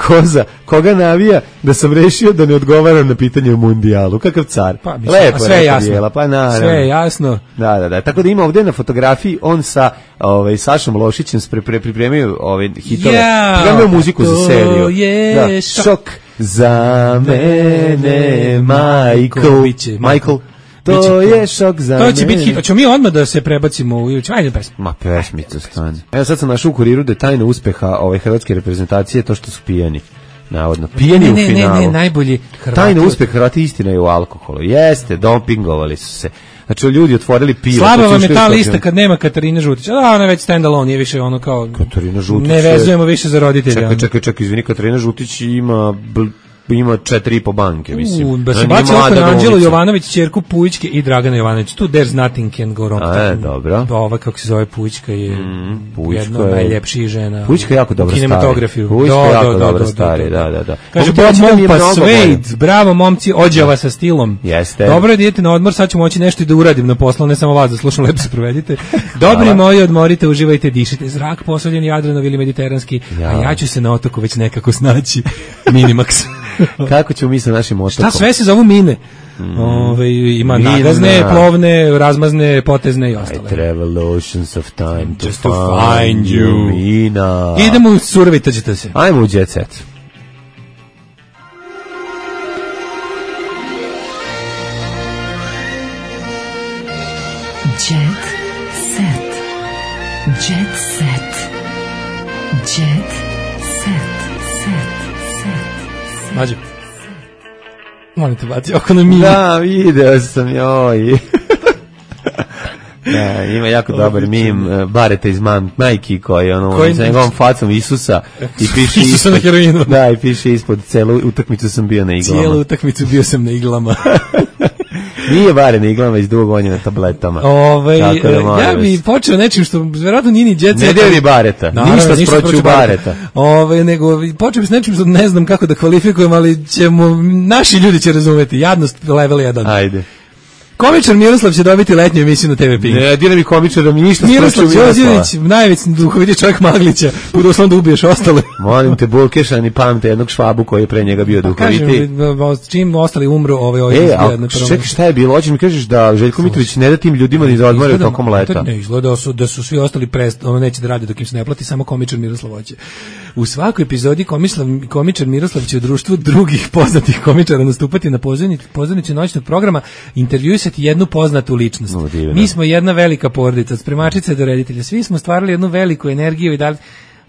koza, koga navija, da sam rešio da ne odgovaram na pitanje o mundijalu. Kakav car. Pa, lepo, sve je jasno. Bijela, pa naravno. Sve je jasno. Da, da, da. Tako da ima ovdje na fotografiji on sa ovaj, Sašom Lošićem pre, pre, pripremio ove hitove. Yeah, pripremio muziku za seriju. Je da, šok za mene, Michael. Michael. To je šok za mene. To će biti hit. Hoćemo mi odmah da se prebacimo u... Ajde pesmu. Ma pesmica stane. Evo sad sam našao u Kuriru da je tajna uspeha ove hrvatske reprezentacije to što su pijeni. Navodno. Pijeni ne, u ne, finalu. Ne, ne, najbolji Hrvati. Tajna uspeh Hrvati istina je u alkoholu. Jeste, dopingovali su se. Znači, ljudi otvorili pivo. Slaba vam je ta lista kad nema Katarine Žutić. Da, ona je već stand-alone, nije više ono kao... Katarina Žutić. Ne vezujemo više za roditelja. Čekaj, čekaj, čekaj, izvini, Katarina Žutić ima... Bl... ima četiri i po banke, mislim. U, da se baci oko na Anđelu Jovanović, ćerku Pujićke i Dragana Jovanović. Tu there's nothing can go wrong. A, je, dobro. Ova, kako se zove, Pujićka je mm, Pujićka jedna od najljepših žena. Pujićka je jako dobra kinematografiju. Pujićka je jako do, dobra do, stari, do, do, do. da, da, da. Kaže, Bob Mompa Suede, bravo momci, ođava sa stilom. Jeste. Dobro je da idete na odmor, sad ću moći nešto i da uradim na poslu, ne samo vas da slušam, lepo se provedite. Dobri moji, odmorite, uživajte, dišite. Zrak posoljen Jadranovi ili mediteranski, ja. A ja ću se na otoku već nekako snaći. Minimax. Kako ćemo mi sa našim otokom? Šta sve se zovu mine? Mm. Ove, ima Mina. Nagazne, plovne, razmazne, potezne i ostale. I travel oceans of time to, Just find, to find you. you. Mina. Idemo u surovi, tađite se. Ajmo u Jet Set. Jet Set. Jet Set. Jet Set. Set. Set. Set. Mađo. Molim te, baci oko na mimi. Da, video sam, joj. Da, ima jako dobar mim uh, Bareta iz mam, majki koji ono koji... sa njegovom facom Isusa i piše Isusa na heroinu. Da, i piše ispod celu utakmicu sam bio na iglama. Cijelu utakmicu bio sam na iglama. Nije bare na iglama iz dugog na tabletama. Ove, da ja bi počeo nečim što verovatno nije ni djeca. Ne deli Bareta, naravno, ništa, ništa proću Bareta. Ove, nego počeo bi s nečim što ne znam kako da kvalifikujem, ali ćemo, naši ljudi će razumeti. Jadnost level jedan. Ajde. Komičar Miroslav će dobiti letnju emisiju na te ve Pink. Ne, dira mi komičara, mi ništa Miroslav Đorđević, najveći duhoviti čovjek Maglića, budu osnovno da ubiješ ostale. Molim te, Bulkešan i pamte jednog švabu koji je pre njega bio duhoviti. Kažem, čim ostali umru, ovaj ovaj e, a čekaj, šta je bilo? Hoćeš mi kažeš da Željko Mitrović ne da tim ljudima ni da odmore tokom leta? Ne, izgleda su, da su svi ostali prest, ono neće da radi dok im se ne plati, samo komičar Miroslav hoće. U svakoj epizodi komičar, komičar Miroslav će u društvu drugih poznatih komičara nastupati na pozornici, pozornici noćnog programa, intervjuisati jednu poznatu ličnost. No, mi smo jedna velika porodica, od spremačice do reditelja. Svi smo stvarali jednu veliku energiju i dali...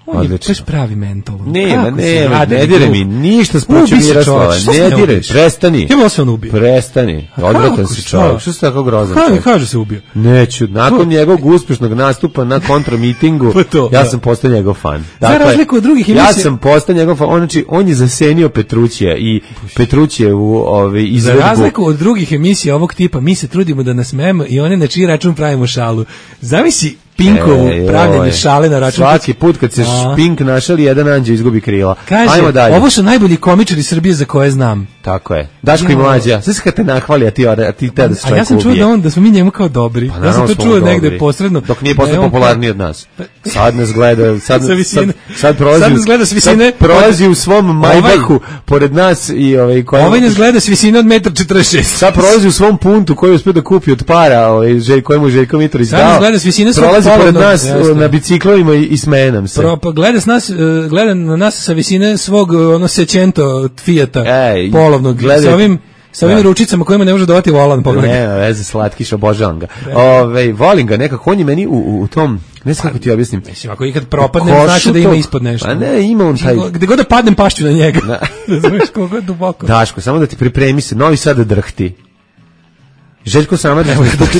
On je baš pravi mentol. Nema, nema, ne dire mi ništa spuću Miroslava, ne dire, prestani. Evo se on ubio. Prestani, odvratan si čovjek. Što si tako grozan? Kako kaže se ubio? Neću, nakon njegovog uspješnog nastupa na kontramitingu, ja sam postao njegov fan. Za razliku od drugih emisija. Ja sam postao njegov fan, znači on je zasenio Petrućija i Petrućijevu ovaj izvedbu. Za razliku od drugih emisija ovog tipa, mi se trudimo da nasmejemo i one na čiji račun pravimo šalu. Zamisli Pinkovu e, pravljenje šale na račun. Svaki put kad se Pink našali, jedan anđeo izgubi krila. Kaže, ajmo dalje. Ovo su najbolji komičari Srbije za koje znam. Tako je. Daško i Mlađa. Sve se kad te nahvali, a ti, a ti te da se čovjek ubije. A ja sam čuo da, on, da smo mi njemu kao dobri. Pa, ja sam to čuo negde posredno. Dok nije postao popularniji od nas. Sad nas gleda, sad, sad, sad prolazi, sad nas gleda s visine, sad prolazi u svom Majbahu ovaj, pored nas. I, ovaj, koja, ovaj nas gleda s visine od metar četrdeset šest. Sad prolazi u svom puntu koji uspio da kupi od para, ovaj, želj, kojemu Željko Mitrović dao. Sad nas gleda s visine svog prolazi pored nas na biciklovima i, i smeje nam se. Pro, pa gleda, s nas, gleda na nas sa visine svog ono Sećento Fijata Ej, polovnog. Gledaj, sa ovim sa ovim ručicama kojima ne može dovati volan, pogledaj. Ne, veze, slatkiš, obožavam ga. Ove, volim ga nekako, on je meni u, u tom, ne znam kako ti objasnim. Mislim, ako ikad propadnem, znači da ima ispod nešto. A ne, ima on taj... Gde god da padnem, pašću na njega. Ne znaš koliko je duboko. Daško, samo da ti pripremi se, Novi Sad drhti. Željko Samardžić, nastupi,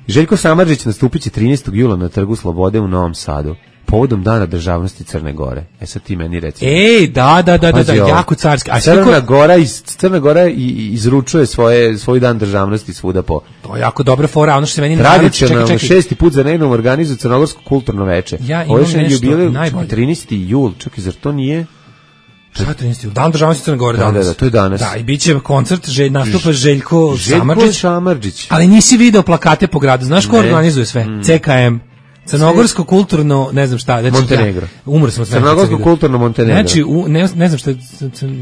Željko Samardžić nastupit će trinaestog jula na Trgu Slobode u Novom Sadu. Povodom Dana državnosti Crne Gore. E sad ti meni reci. Ej, da, da, da, da, da, jako carski. A Crna ko... Gora iz Crna Gora izručuje svoje svoj dan državnosti svuda po. To je jako dobra fora, ono što se meni tradicionalno šesti put za redom organizuje Crnogorsko kulturno veče. Ja imam nešto najbolje. trinaesti jul, čekaj, zar to nije? Šta trinaesti jul? Dan državnosti Crne Gore da, danas. Da, da, to je danas. Da, i biće koncert, že nastupa Željko, Željko Samardžić. Samardžić. Ali nisi video plakate po gradu. Znaš ko organizuje sve? Mm. C K M. Crnogorsko kulturno, ne znam šta, znači Montenegro. Ja, umro sam od Crnogorsko kulturno Montenegro. Znači, u, ne, ne znam šta je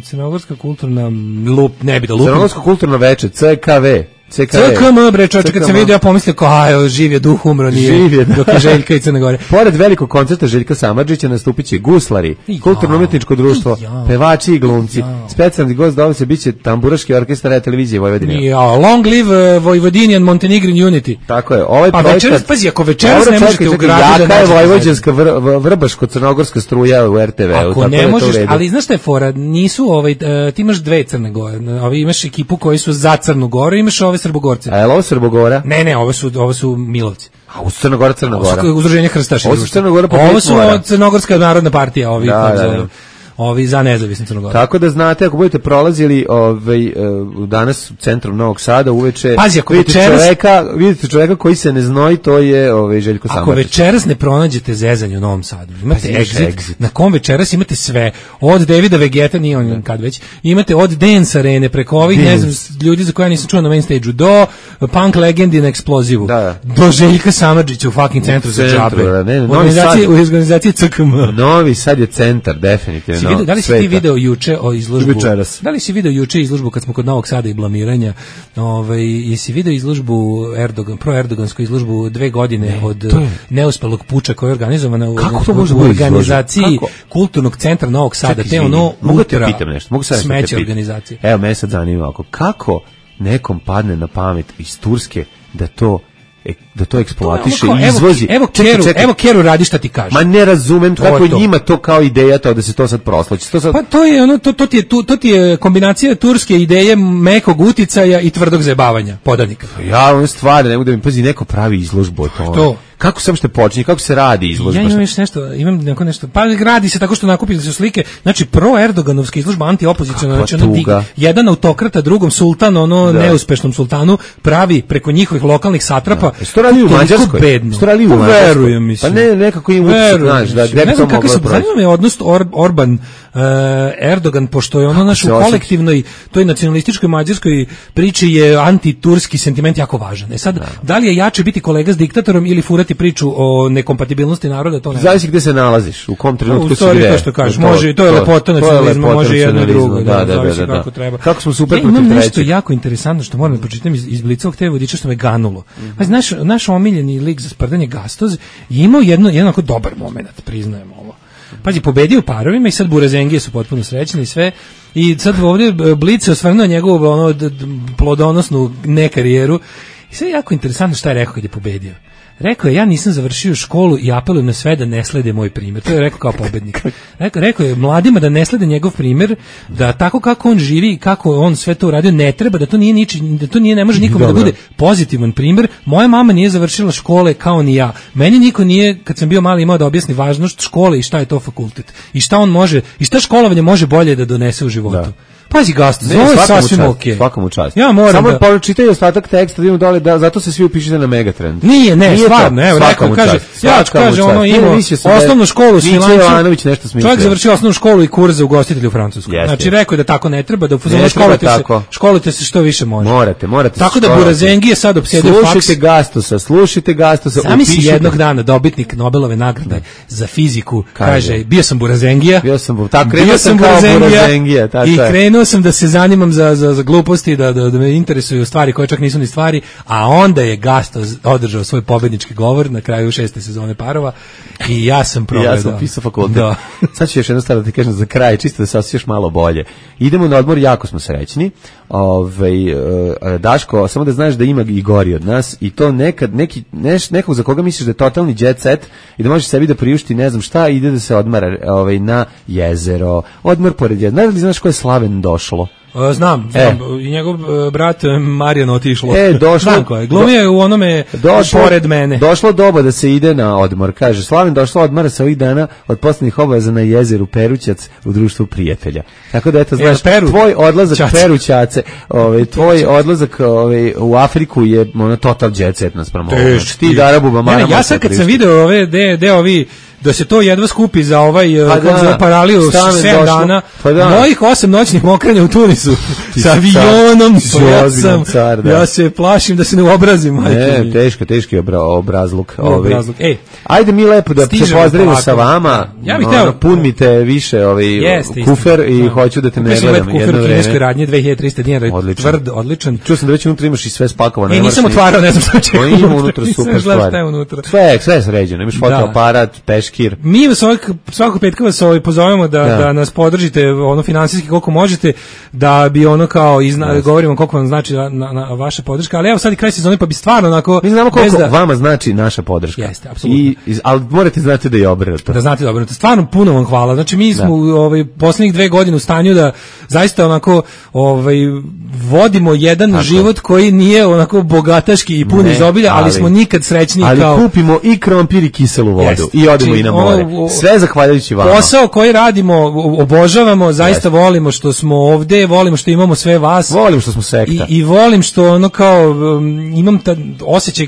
Crnogorska kulturna lup, ne bi da lupim. Crnogorsko kulturno veče, C K V. C K M, bre, čovječe, kad sam vidio, ja pomislio kao, aj, živ je duh, umro, nije, živ je, dok je Željka i Crne Gore. Pored velikog koncerta Željka Samardžića nastupit će guslari, ja, kulturno-umetničko društvo, ja, pevači i glumci. Ja. Specijalni gost dolazi se biće tamburaški orkestar Radio televizije Vojvodine. Ja, long live uh, Vojvodinian Montenegrin Unity. Tako je, ovaj pa projekat... večeras, pazi, ako večeras ne možete u gradu da nađete... Jaka je vojvođanska vr, vrbaško-crnogorska struja u R T V-u. Ako ne možeš, ali znaš šta je fora, nisu, ovaj, uh, ti imaš dve Crne Gore, ovi imaš ekipu koji su za Crnu Goru, imaš ove Srbogorce. Ovo Srbogora? Ne, ne, ovo su, ovo su Milovci. A u Crnogora, Crnogora. Ovo su udruženje Hrstaša. Ovo su Crnogora po Ovo su Crnogorska narodna partija, ovi, da, da, da. ovi za nezavisnu Crnogoru. Tako da znate, ako budete prolazili ovaj, danas u centru Novog Sada uveče, Pazi, ako vidite, večeras, čoveka, vidite čoveka koji se ne znoji, to je ovaj, Željko Samardžić. Ako večeras ne pronađete zezanje u Novom Sadu, imate pa, exit, exit, na kom večeras imate sve, od Davida Vegeta, nije on kad već, imate od Dance Arene, preko ovih, ne znam, ljudi za koja nisam čuo na main stage-u, do Punk Legendi na Eksplozivu, da, da. do Željka Samardžića u fucking centru za džabe, ne, u organizaciji, u organizaciji C K M. Novi Sad je centar, definitivno. Si vidio, da li si ti video juče o izložbu? Večeras. Da li si video juče izložbu kad smo kod Novog Sada i blamiranja? Ovaj, jesi video izložbu Erdogan, pro-erdogansku izložbu dve godine ne, od neuspelog puča koja je organizovana u, u organizaciji kulturnog centra Novog Sada. Čekaj, te ono mogu te pitam nešto, mogu sad smeće organizacije. Evo, mene sad zanima oko kako nekom padne na pamet iz Turske da to e, da to eksploatiše Evo, i izvozi. Evo, Čekaj, Keru, čekaj. evo Keru radi šta ti kaže. Ma ne razumem To kako je to. njima to kao ideja to da se to sad proslaći. To sad... Pa to je ono to to ti je tu to ti je kombinacija turske ideje mekog uticaja i tvrdog zajebavanja podanika. Ja on stvarno ne mogu da mi pazi neko pravi izložbu o tome. To. Kako se uopšte počinje, kako se radi izložba? Ja imam još nešto, imam neko nešto. Pa radi se tako što nakupili su slike, znači pro Erdoganovska izložba antiopoziciona, znači ono dig, jedan autokrata drugom sultan, ono da. neuspešnom sultanu pravi preko njihovih lokalnih satrapa. Da. Što radi u Mađarskoj? Što radi u Mađarskoj? Verujem, mislim. Pa ne, nekako im utisak, znaš, da gde ne znam kako se proći. zanima je odnos Or, Orban uh, Erdogan, pošto je ono naš u kolektivnoj, toj nacionalističkoj mađarskoj priči je antiturski sentiment jako važan. E sad, da. da li je jače biti kolega s diktatorom ili furati priču o nekompatibilnosti naroda, to ne. Zavisi gde se nalaziš, u kom trenutku si gde. gde. To što kažeš, može, to je lepota nacionalizma, može jedno i drugo, da, da, da, da, kako treba. Kako smo super ja protiv imam trećeg. nešto jako interesantno što moram da pročitam iz, iz Blicovog te vodiča što me ganulo. Mm -hmm. Pa naš, naš omiljeni lik za sprdanje Gastoz je imao jedno, jedan ako dobar moment, priznajem ovo. Pazi, pobedio u parovima i sad Burazengije su potpuno srećni i sve. I sad ovdje Blic se osvrnuo njegovu ono, d, d, plodonosnu ne karijeru. I sve je jako interesantno šta je rekao kad je pobedio. Rekao je, ja nisam završio školu i apelujem na sve da ne slede moj primjer. To je rekao kao pobednik. Rekao, rekao je mladima da ne slede njegov primjer, da tako kako on živi i kako on sve to uradio ne treba, da to nije niči, da to nije ne može nikome da bude pozitivan primjer. Moja mama nije završila škole kao ni ja. Meni niko nije, kad sam bio mali, imao da objasni važnost škole i šta je to fakultet. I šta on može, i šta školovanje može bolje da donese u životu. Da. Pazi Gastoz, ovo je sasvim okej. Svakom u čast. Ja moram Samo da... pa čitaj ostatak teksta, da idemo dole, da, zato se svi upišite na Megatrend. Nije, ne, Nije stvarno, evo, rekao, kaže, ja kaže, ono imao osnovnu školu u Smilancu, čovjek završio osnovnu školu i kurs za ugostitelj u Francuskoj. Yes, znači, yes. rekao je da tako ne treba, da ne školite se, školite se što više može. Morate, morate. Tako da Burazengije je sad opsjedio faks. Slušajte Gastosa, slušajte Gastosa, upišite. Zamisli jednog dana dobitnik Nobelove nagrade za fiziku, kaže, bio sam Burazengija. Bio sam, tako, krenuo sam kao Burazengija, tako i krenuo sam da se zanimam za, za, za gluposti, da, da, da me interesuju stvari koje čak nisu ni stvari, a onda je Gastoz održao svoj pobednički govor na kraju šeste sezone Parova i ja sam progledao. Ja sam pisao fakultet. Da. Sad ću još jedno stvar da ti kažem za kraj, čisto da se osjećaš malo bolje. Idemo na odmor, jako smo srećni. Ove, Daško, samo da znaš da ima i gori od nas i to nekad, neki, neš, nekog za koga misliš da je totalni jet set i da može sebi da priušti ne znam šta, ide da se odmara ovaj, na jezero, odmor pored jezera. Znaš li znaš ko je Slaven došlo? Znam, znam, e. i njegov uh, brat Marijan otišlo. E, došlo. Znam ko je, glumio u onome došlo, pored mene. Došlo doba da se ide na odmor, kaže. Slaven došlo odmara se ovih dana od poslednjih obaveza na jezeru Perućac u društvu prijatelja. Tako da eto, znaš, Peru. tvoj odlazak Čac. Perućace, ovaj, tvoj odlazak ovaj, u Afriku je ono total jet set nas pramo. Ti da Arabu Bamara. Ja sad kad sam video ove, de, de ovi da se to jedva skupi za ovaj pa da, za paraliju sedam dana, pa da. Mojih osam noćnih mokranja u Tunisu sa avionom, ja, sam, car, da. ja se plašim da se ne obrazim. Ne, teško, teški obra, obrazluk. obrazluk. Ej, ajde mi lepo da se pozdravimo sa vama, ja bih teo, pun mi te više ovaj jeste, kufer i da. hoću da te ne gledam jedno vreme. Kufer kineskoj radnje dve hiljade trista dinara, tvrd, odličan. Čuo sam da već unutra imaš i sve spakovano. E, nisam otvarao, ne znam šta će. Ima unutra super stvar. Sve, sve sređeno, imaš fotoaparat, peški. Mi svak, svakog petka vas ovaj pozovemo da, da. da nas podržite ono finansijski koliko možete, da bi ono kao izna, yes. govorimo koliko vam znači na, na, na vaša podrška, ali evo sad i kraj sezone pa bi stvarno onako mi znamo koliko da, vama znači naša podrška. Jeste, apsolutno. I ali morate znati da je obrnuto. Da znate da je obrnuto. Stvarno puno vam hvala. Znači mi smo da. ovaj poslednjih dve godine u stanju da zaista onako ovaj vodimo jedan Tako. život koji nije onako bogataški i pun izobilja, ali, ali smo nikad srećniji ali kao ali kupimo i krompir i kiselu vodu Jeste. i odemo znači, i na more. Sve zahvaljujući vama. Posao koji radimo, obožavamo, zaista yes. volimo što smo ovde, volimo što imamo sve vas. Volim što smo sekta. I, i volim što ono kao um, imam ta osjećaj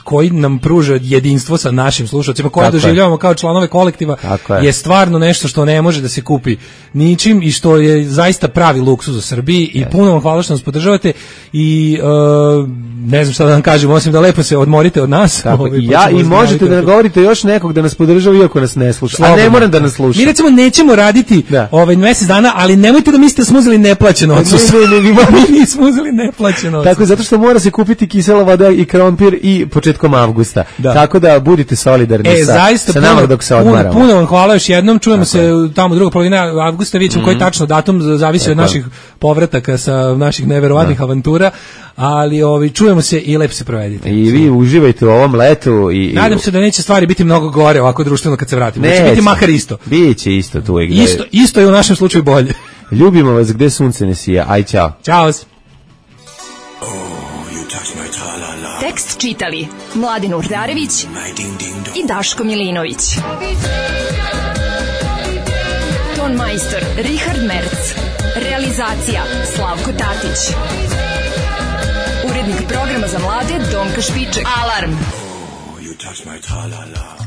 koji nam pruža jedinstvo sa našim slušalcima, koje doživljavamo kao članove kolektiva, je. je stvarno nešto što ne može da se kupi ničim i što je zaista pravi luksuz u Srbiji i yes. puno vam hvala što nas podržavate i uh, ne znam šta da vam kažem, osim da lepo se odmorite od nas. Ovaj, ja i možete da nagovorite još nekog da nas podržava iako nas ne sluša, Slobodno. a ne moram da nas sluša. Mi recimo nećemo raditi da. ovaj mesec dana, ali nemojte da mislite da smo uzeli neplaćeno odsustvo. Ne, ne, ne, mi nismo uzeli neplaćeno odsustvo. Tako, zato što mora se kupiti kisela voda i krompir i početak početkom avgusta. Da. Tako da budite solidarni e, sa, sa nama puno, dok se odmaramo. Puno, puno vam hvala još jednom, čujemo tako se tamo druga polovina avgusta, vidjet ćemo mm. koji tačno datum, zavisi tako od naših povrataka sa naših neverovatnih da. avantura, ali ovi, čujemo se i lepo se provedite. I vi uživajte u ovom letu. I, Nadam se da neće stvari biti mnogo gore ovako društveno kad se vratimo. Neće biti makar isto. Biće isto tu. Isto, isto je u našem slučaju bolje. Ljubimo vas gde sunce ne sija. Aj, čao. Ćao. Tekst čitali Mladin Urdarević i Daško Milinović. Ton majstor Richard Merc. Realizacija Slavko Tatić. Urednik programa za mlade Donka Špiček. Alarm! Oh, you touch my tra-la-la.